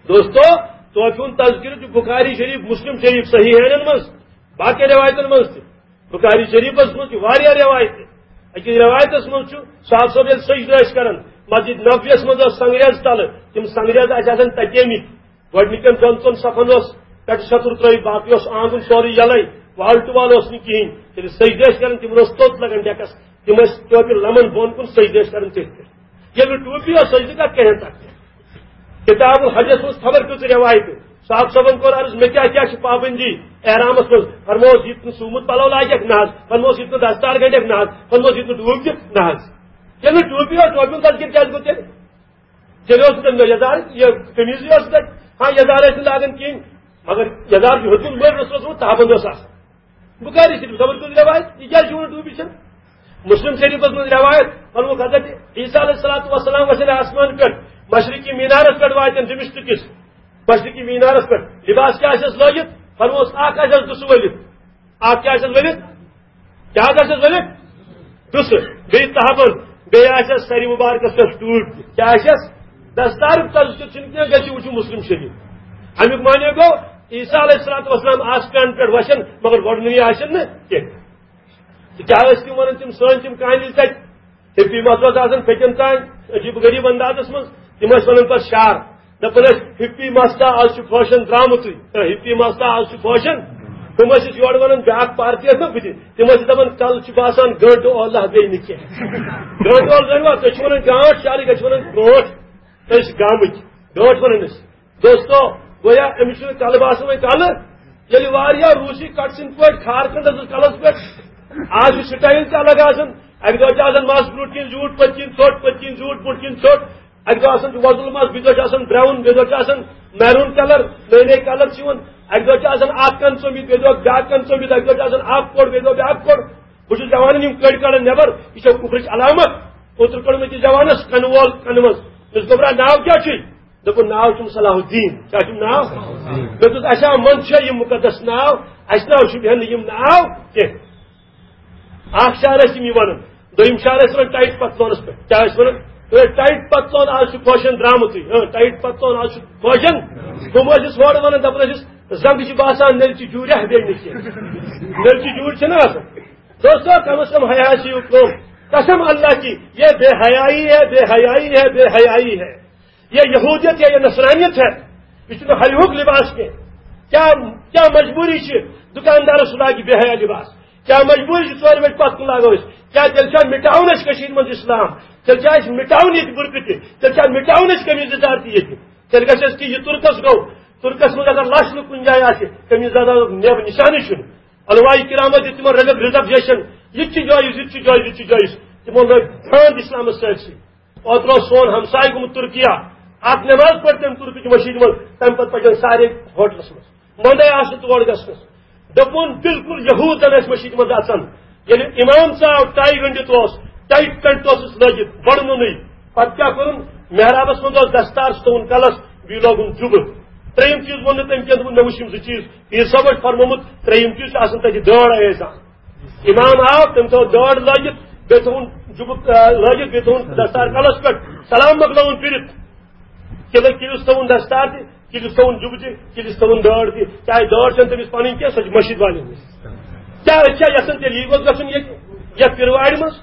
دوستو، ٹوپہِ ہُنٛد تذکرٕ چھُ بخاری شریف، مسلم شریف، صحیحینن منٛز، باقین رٮ۪وایتن منٛز تہِ۔ بخاری شریفس منٛز چھِ واریاہ رٮ۪وایتہٕ۔ أکِس رٮ۪وایتس منٛز چھُ صاحب صٲب ییٚلہِ سجدٕ ٲسۍ کران، مسجد نبویس منٛز ٲس سنگریز تلہٕ، تِم سنگریز ٲسۍ آسان تتیمٕتۍ۔ گۄڈٕنِکٮ۪ن دۄن ژۄن صفن اوس پٮ۪ٹھٕ شتُر ترٲوِتھ، باقٕے اوس آنگُن سورُے یَلَے، wall to wall اوس نہٕ کِہیٖنۍ۔ ییٚلہِ سجدٕ ٲسۍ کران، تِمن اوس توٚت لگان ڈیکس، تِم ٲسۍ ٹوپہِ لمن بۄن کُن سجدٕ ٲسۍ کران تٔتھۍ پٮ۪ٹھ۔ ییٚلہِ نہٕ ٹوپی ٲس، سجدٕ کتھ کَرِہن تتھ پٮ۪ٹھ؟ کتاب الحجس منٛز خبر کۭژٕ رٮ۪وایتہٕ۔ صاحب صٲبن کوٚر عرض، مےٚ کیٛاہ کیٛاہ چھِ پابندی احرامس منٛز؟ فرموس، یہِ تہِ نہٕ سُومُت پلو لاگکھ نہ حظ، فرموس، یہِ تہِ نہٕ دستار گنڈکھ نہ حظ، فرموس، یہِ تہِ نہٕ ڈوٗب دِکھ نہ حظ۔ ییٚلہِ نہٕ ٹوپی ٲس، ٹوپی ہُنٛد تذکر کیٛازِ گوٚو تیٚلہِ؟ تیٚلہِ اوس نہٕ تَمہِ دۄہ یَزار، یہِ قمیٖضٕے اوس نہٕ تَتہِ۔ ہاں، یَزار ٲسۍ نہٕ لاگان کِہیٖنۍ، مگر یَزار چھُ ہیوٚتمُت مٲلۍ رسول صٲبَس منٛز تابَن اوس آسان۔ بُخاری شریٖف، خبر کُس رٮ۪وایت، یہِ کیٛازِ چھُ وَنان ٹوٗپی چھَنہٕ؟ مُسلِم شریٖفَس منٛز رٮ۪وایت، ووٚنمُت حضرت عیسیٰ علیہ الصلوۃ والسلام وَسیٚلہِ آسمان پٮ۪ٹھ، مشرقی مینارَس پٮ۪ٹھ واتن دمشق کِس مشرقی مینارَس پٮ۪ٹھ۔ لباس کیٛاہ آسٮ۪س لٲگِتھ؟ فرموس، اَکھ آسٮ۪س دُسہٕ ؤلِتھ۔ اَکھ کیٛاہ آسٮ۪س ؤلِتھ؟ کیٛاہ حظ آسٮ۪س ؤلِتھ؟ دُسہٕ، بیٚیہِ تہبند، بیٚیہِ آسٮ۪س سرِ مُبارکس پٮ۪ٹھ ٹوٗپۍ۔ کیٛاہ آسٮ۪س؟ دستارُک تذکر چھُنہٕ کینٛہہ، گژھِ وٕچھِو مُسلِم شریٖف۔ اَمیُک معنی گوٚو، عیسیٰ علیہ الصلوۃ والسلام آسمان پٮ۪ٹھ وَسن، مگر وۄڈنٕے آسن نہٕ کینٛہہ۔ تہٕ کیٛاہ ٲسۍ تِم وَنان، تِم سٲنۍ تِم کانِلۍ تَتہِ؟ ہِپی مَس اوس آسان پھیٚکٮ۪ن تام، عجیٖب غریٖب اندازس منٛز۔ تِم ٲسۍ وَنان پَتہٕ شعر، دَپان ٲسۍ، "ہِپی مَس تا آز چھُ فیشن درٛامُتٕے، ہِپی مَس تا آز چھُ فیشن۔" تِم ٲسۍ أسۍ یورٕ وَنان، بیٛاکھ پارٹی ٲس نہ بٕتھِ، تِم ٲسۍ دَپان، "کَلہٕ چھُ باسان گٲنٛٹہٕ اولہ بیٚیہِ نہٕ کینٛہہ۔" گٲنٛٹہٕ اولہ زٲنِوا، تُہۍ چھِو وَنان گانٛٹھ، شعرٕے گٔے چھِ وَنان گرٛونٛٹھ، أسۍ چھِ گامٕکۍ، گٲنٛٹھ وَنان أسۍ۔ دوستو، گویا أمِس چھُنہٕ کَلہٕ باسان وۄنۍ کَلہٕ۔ ییٚلہِ واریاہ روٗسی کَٹہٕ سٕنٛدۍ پٲٹھۍ کھار کھنٛڈَس اوس کَلَس پٮ۪ٹھ، آز چھُ سٹایل تہِ الگ آسان۔ اَکہِ دۄہ چھِ آسان مَس برٛونٛٹھ کِنۍ زیوٗٹھ، پَتہٕ کِنۍ ژھوٚٹ، پَتہٕ کِنۍ زیوٗٹھ، برٛونٛٹھ کِنۍ ژھوٚٹ۔ اَکہِ دۄہ آسان چھُ وۄزُل مَس، بیٚیہِ دۄہ چھُ آسان براوُن، بیٚیہِ دۄہ چھُ آسان میروٗن کَلَر، نٔے نٔے کَلَر چھِ یِوان۔ اَکہِ دۄہ چھُ آسان اَکھ کَن ژوٚمِتھ، بیٚیہِ دۄہ بیٛاکھ کَن ژوٚمِتھ، اَکہِ دۄہ چھُ آسان اَکھ کوٚڑ، بیٚیہِ دۄہ بیٛاکھ کوٚڑ۔ بہٕ چھُس جوانَن یِم کٔڑۍ کَڑان نٮ۪بَر، یہِ چھےٚ کُفرٕچ علامت۔ اوترٕ کوٚڑ مےٚ أکِس جوانَس کَنہٕ وول کَنہٕ منٛز۔ مےٚ دوٚپُس، "گوٚبرا، ناو کیٛاہ چھُے؟" دوٚپُن، "ناو چھُم صلاح الدین۔" کیٛاہ چھُم ناو؟ مےٚ دوٚپُس، "اچھا، منٛز چھا یہِ مُقدس ناو؟ اَسہِ ناو چھُ بیٚہن نہٕ یِم ناو کینٛہہ۔" اکھ شعر ٲسۍ یِم یہِ وَنان، دوٚیِم شعر ٲسۍ وَنان ٹایٹ پَتلونَس پٮ۪ٹھ۔ کیٛاہ ٲسۍ وَنان؟ "ہے، ٹایٹ پَتلون آز چھُ فیشن درٛامُتٕے، ہاں، ٹایٹ پَتلون آز چھُ فیشن۔" ہُم ٲسِس ہورٕ وَنان، دَپان ٲسِس، "زَنٛگہٕ چھِ باسان نٔلچہِ جوٗرِ ہا بیٚیہِ نہٕ کینٛہہ۔" نٔلچہِ جوٗرِ چھِنہ آسان۔ دوستو، کم از کم حیا چھِ یہِ کٲم۔ قسم اللہ کی، یہ بے حیائی ہے، بے حیائی ہے، بے حیائی ہے۔ یہ یہودیت یا یہ نصرانیت ہے۔ یہ چھُنہٕ حیاہُک لباس کینٛہہ۔ کیا، کیا مجبوری چھ دکاندارس لاگہِ بے حیا لباس؟ کیا مجبوری چھ ژورِ بجہِ پتھ کُن لاگو أسۍ؟ کیا تیٚلہِ چھا مٹاوُن اَسہِ کٔشیٖرِ منٛز اسلام؟ تیٚلہِ چھا اَسہِ مٹاوُن ییٚتہِ بُرقعہٕ تہِ؟ تیٚلہِ چھا مٹاوُن اَسہِ قمیٖض یزار تہِ ییٚتہِ؟ تیٚلہِ گژھِ اَسہِ کہِ یہِ تُرکس گوٚو، تُرکس منٛز اگر لچھ لُکھ کُنہِ جایہِ آسہِ، قمیٖض یزارُک نیب نشانٕے چھُنہٕ۔ علماء کرامو دیُت تِمن رٔلِتھ ریزرویشن، یہِ تہِ چھُ جٲیز، یہِ تہِ چھُ جٲیز، یہِ تہِ چھُ جٲیز۔ تِمو لٲگۍ دھاند اسلامس سۭتۍ سۭتۍ۔ اوترٕ اوس سون ہمسایہِ گوٚمُت ترکیہ، اکھ نماز پٔر تٔمۍ ترکٕچ مٔشیٖد منٛز، تَمہِ پتہٕ پَکن سارے ہوٹلس منٛز۔ منٛدے آسہٕ نہٕ تور گژھنس۔ دوٚپُن، بالکل یہوٗد زن ٲسۍ مٔشیٖد منٛز اژان۔ ییٚلہِ امام صاحب ٹاے گٔنڈِتھ اوس، ٹایٹ پینٹ اوسُس لٲگِتھ، بڑنُنٕے۔ پتہٕ کیٛاہ کوٚرُن؟ محرابس منٛز اوس دستار، سُہ تھوٚوُن کلس، بیٚیہِ لوگُن جُبہٕ۔ ترٛیٚیِم چیٖز ووٚن نہٕ تٔمۍ کینٛہہ، دوٚپُن، مےٚ وٕچھ یِم زٕ چیٖز، پیٖر صٲب اوس فرمومُت، ترٛیٚیِم چیٖز چھُ آسان تَتہِ دٲڑ ٲسۍ آسان۔ امام آو، تٔمۍ تھٲو دٲڑ لٲگِتھ، بیٚیہِ تھوٚوُن جُبہٕ، آ، لٲگِتھ، بیٚیہِ تھوٚوُن دستار کلس پٮ۪ٹھ، سلام مۄکلٲوُن پٔرِتھ۔ کِلہٕ، کِلِس تھوٚوُن دستار تہِ، کِلِس تھوٚوُن جُبہٕ تہِ، کِلِس تھوٚوُن دٲڑ تہِ۔ چاہے دٲڑ چھَنہٕ تٔمِس پَنٕنۍ کینٛہہ، سۄ چھِ مٔشیٖد والٮ۪ن ہٕنٛز۔ کیٛاہ أسۍ چھا یَژھان تیٚلہِ یی گوٚژھ گژھُن ییٚتہِ، یَتھ پِروارِ منٛز؟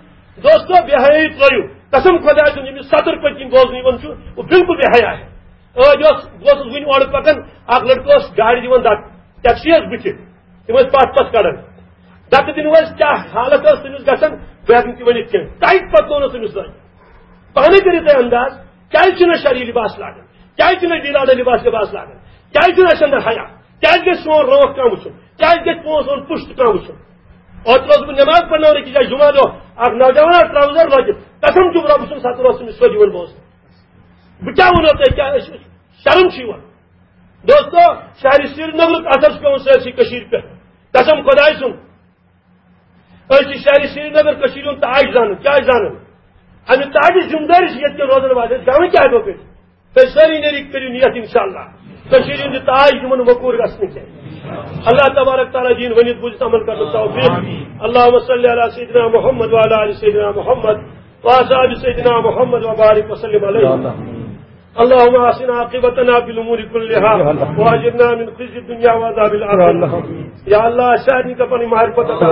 دوستو، بے حیٲیی ترٛٲیِو۔ قسم خۄداے سُنٛد، ییٚمِس ستر پٔتۍ کِنۍ بوزنہٕ یِوان چھُ، وہ بالکل بے حیا ہے۔ أدۍ اوس، بہٕ اوسُس وٕنہِ اورٕ پَکان، اَکھ لٔڑکہٕ اوس گاڑِ دِوان دَکہٕ، ٹیکسی ٲس بٕتھِ، تِم ٲسۍ پَتھ پَتھ کَڑان۔ دَکہٕ دِنہٕ وٲلۍ کیٛاہ حالت ٲس تٔمِس گژھان، بہٕ ہٮ۪کہٕ نہٕ تہِ ؤنِتھ کینٛہہ۔ ٹایٹ پَتہٕ کوٚرُس تٔمِس لٲگِتھ۔ پانَے کٔرِو تُہۍ انداز، کیٛازِ چھِنہٕ أسۍ شرعی لِباس لاگان؟ کیٛازِ چھِنہٕ أسۍ دیٖن آلہ لِباس، لِباس لاگان؟ کیٛازِ چھُنہٕ اَسہِ اندر حیا؟ کیٛازِ گژھِ سون رٲتھ کانٛہہ وٕچھُن؟ کیٛازِ گژھِ سون، سون پُشت کانٛہہ وٕچھُن؟ اوترٕ اوسُس بہٕ نٮ۪ماز پرناوان أکِس جایہِ، جُمعہ دۄہ، اَکھ نوجوان آو ٹراوزر لٲگِتھ، قسم چھُم رۄبہٕ سُنٛد، ستر اوس تٔمِس سیوٚد یِوان بوزنہٕ۔ بہٕ کیٛاہ وَنو تۄہہِ، کیٛاہ أسۍ، شرم چھُ یِوان۔ دوستو، شہرِ سرینگرُک اثر چھُ پٮ۪وان سٲرسٕے کٔشیٖرِ پٮ۪ٹھ۔ قسم خۄداے سُنٛد، أسۍ چھِ شہرِ سرینگر کٔشیٖرِ ہُنٛد تاج زانان۔ کیٛازِ زانان؟ اَمہِ تاجِچ ذِمہٕ دٲری چھِ ییٚتہِ کٮ۪ن روزن والٮ۪ن۔ زانان کیٛاہ ہیٚکو کٔرِتھ؟ تُہۍ سٲری نیرِو، کٔرِو نیت، انشاءاللہ۔ کٔشیٖرِ ہُنٛد یہِ تاج یِمن وقوٗر گژھنہٕ کینٛہہ۔ اللہ تبارک تعالیٰ دِیِن ؤنِتھ بوٗزِتھ عمل کرنُک توفیٖق۔ اللہم صلی علی سیدنا محمد وعلی آل سیدنا محمد وأصحاب سيدنا محمد وبارك وسلم عليه. اللهم أحسن عاقبتنا في الأمور كلها وأجرنا من خزي الدنيا وعذاب الآخرة. یا اللہ، اَسہِ سارنٕے کر پنٕنۍ معرفت عطا۔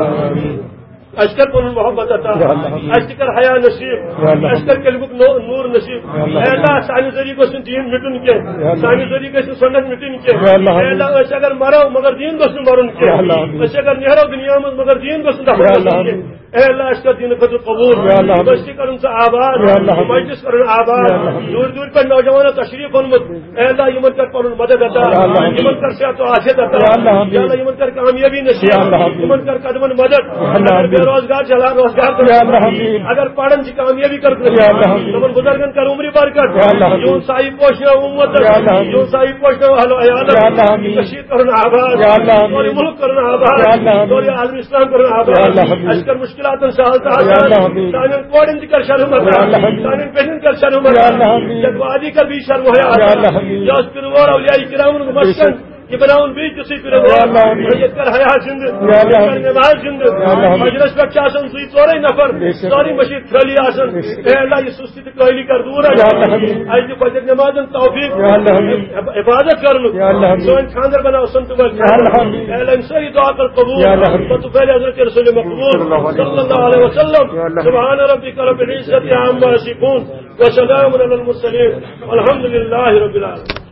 اَسہِ کر پنُن محبت عطا۔ اَسہِ تہِ کر حیا نصیب۔ اَسہِ کر کلمُک نو-، نور نصیب۔ اے اللہ، سانہِ ذٔریعہٕ گوٚژھ نہٕ دیٖن مِٹُن کینٛہہ۔ سانہِ ذٔریعہٕ گژھِ نہٕ سنت مِٹٕنۍ کینٛہہ۔ اے اللہ، أسۍ اگر مرو مگر دیٖن گوٚژھ نہٕ مرُن کینٛہہ۔ أسۍ اگر نیرو دُنیا منٛز مگر دیٖن گوٚژھ نہٕ دفن گژھُن کینٛہہ۔ اے اللہ، اَسہِ کر دیٖنہٕ خٲطرٕ قبول۔ یا اللہ۔ بٔستی کرُن ژٕ آباد۔ یا اللہ۔ مجلس کرُن آباد۔ یا اللہ۔ دوٗرِ دوٗرِ پٮ۪ٹھ نوجوانو تشریف اوٚنمُت۔ اے اللہ، یِمن کر پنُن مدد عطا۔ یا اللہ۔ یِمن کر صحت و عافیت عطا۔ یا اللہ۔ یا اللہ، یِمن کر کامیٲبی نصیب۔ یا اللہ۔ یِمن کر قدمن مدد۔ یا اللہ۔ اگر بے روزگار چھِ، اللہ روزگار کر۔ یا اللہ۔ اگر پران چھِ، کامیٲبی کر۔ یا اللہ۔ تِمن بزرگن کر عمرِ برکت۔ یا اللہ۔ یِہُنٛد سایہِ پوشناو اُمت۔ یا اللہ۔ یِہُنٛد سایہِ پوشناو اہل و عیال۔ یا اللہ۔ کٔشیٖر کرُن آباد۔ یا اللہ۔ سورُے مُلک کرُن آباد۔ یا اللہ۔ سورُے عالم اسلام کرُن آباد۔ یا اللہ۔ اَسہِ کر مشکلاتن سہل تہٕ یا اللہ آسان۔ آمین۔ سانٮ۪ن کورٮ۪ن تہِ کر شرم یا اللہ آباد۔ آمین۔ سانٮ۪ن بیٚنٮ۪ن کر شرم یا آباد۔ اللہ آمین۔ یَتھ وادی کر بیٚیہِ شرم حیا یا اللہ آباد۔ آمین۔ یہِ اوس پِروٲر اولیاء کرامن ہُنٛد مسکن۔ یہِ بناوُن بیٚیہِ تِژھٕے پِروٲر۔ یا اللہ آمین۔ ییٚتہِ کر حیا زِندٕ۔ یا اللہ یَتہِ کر آمین۔ نماز زِندٕ۔ یا اللہ آمین۔ مجلس پٮ۪ٹھ چھِ آسان زٕے ژورے نفر۔ بے شک۔ سٲرٕے مٔشیٖد خٲلی آسان۔ بے شک۔ اے اللہ، یہِ سُستی تہٕ کٲہلی کر دوٗر اَسہِ۔ یا اللہ آمین۔ اَسہِ دِ فجر نمازن توفیق۔ یا اللہ آمین۔ عب-، عبادت کرنُک۔ یا اللہ آمین۔ سٲنۍ خانٛدر بناو سنتہٕ وٲلۍ۔ یا اللہ آمین۔ اے اللہ، یِم سٲری دعا کر قبول۔ یا اللہ آمین۔ پتہٕ پھیرِ حضرت رسول مقبول صلی اللہ علیہ وسلم۔ صلی اللہ علیہ وسلم۔ یا اللہ۔ سبحان ربك رب العزة عما يصفون وسلام على المرسلين والحمد لله رب العالمين۔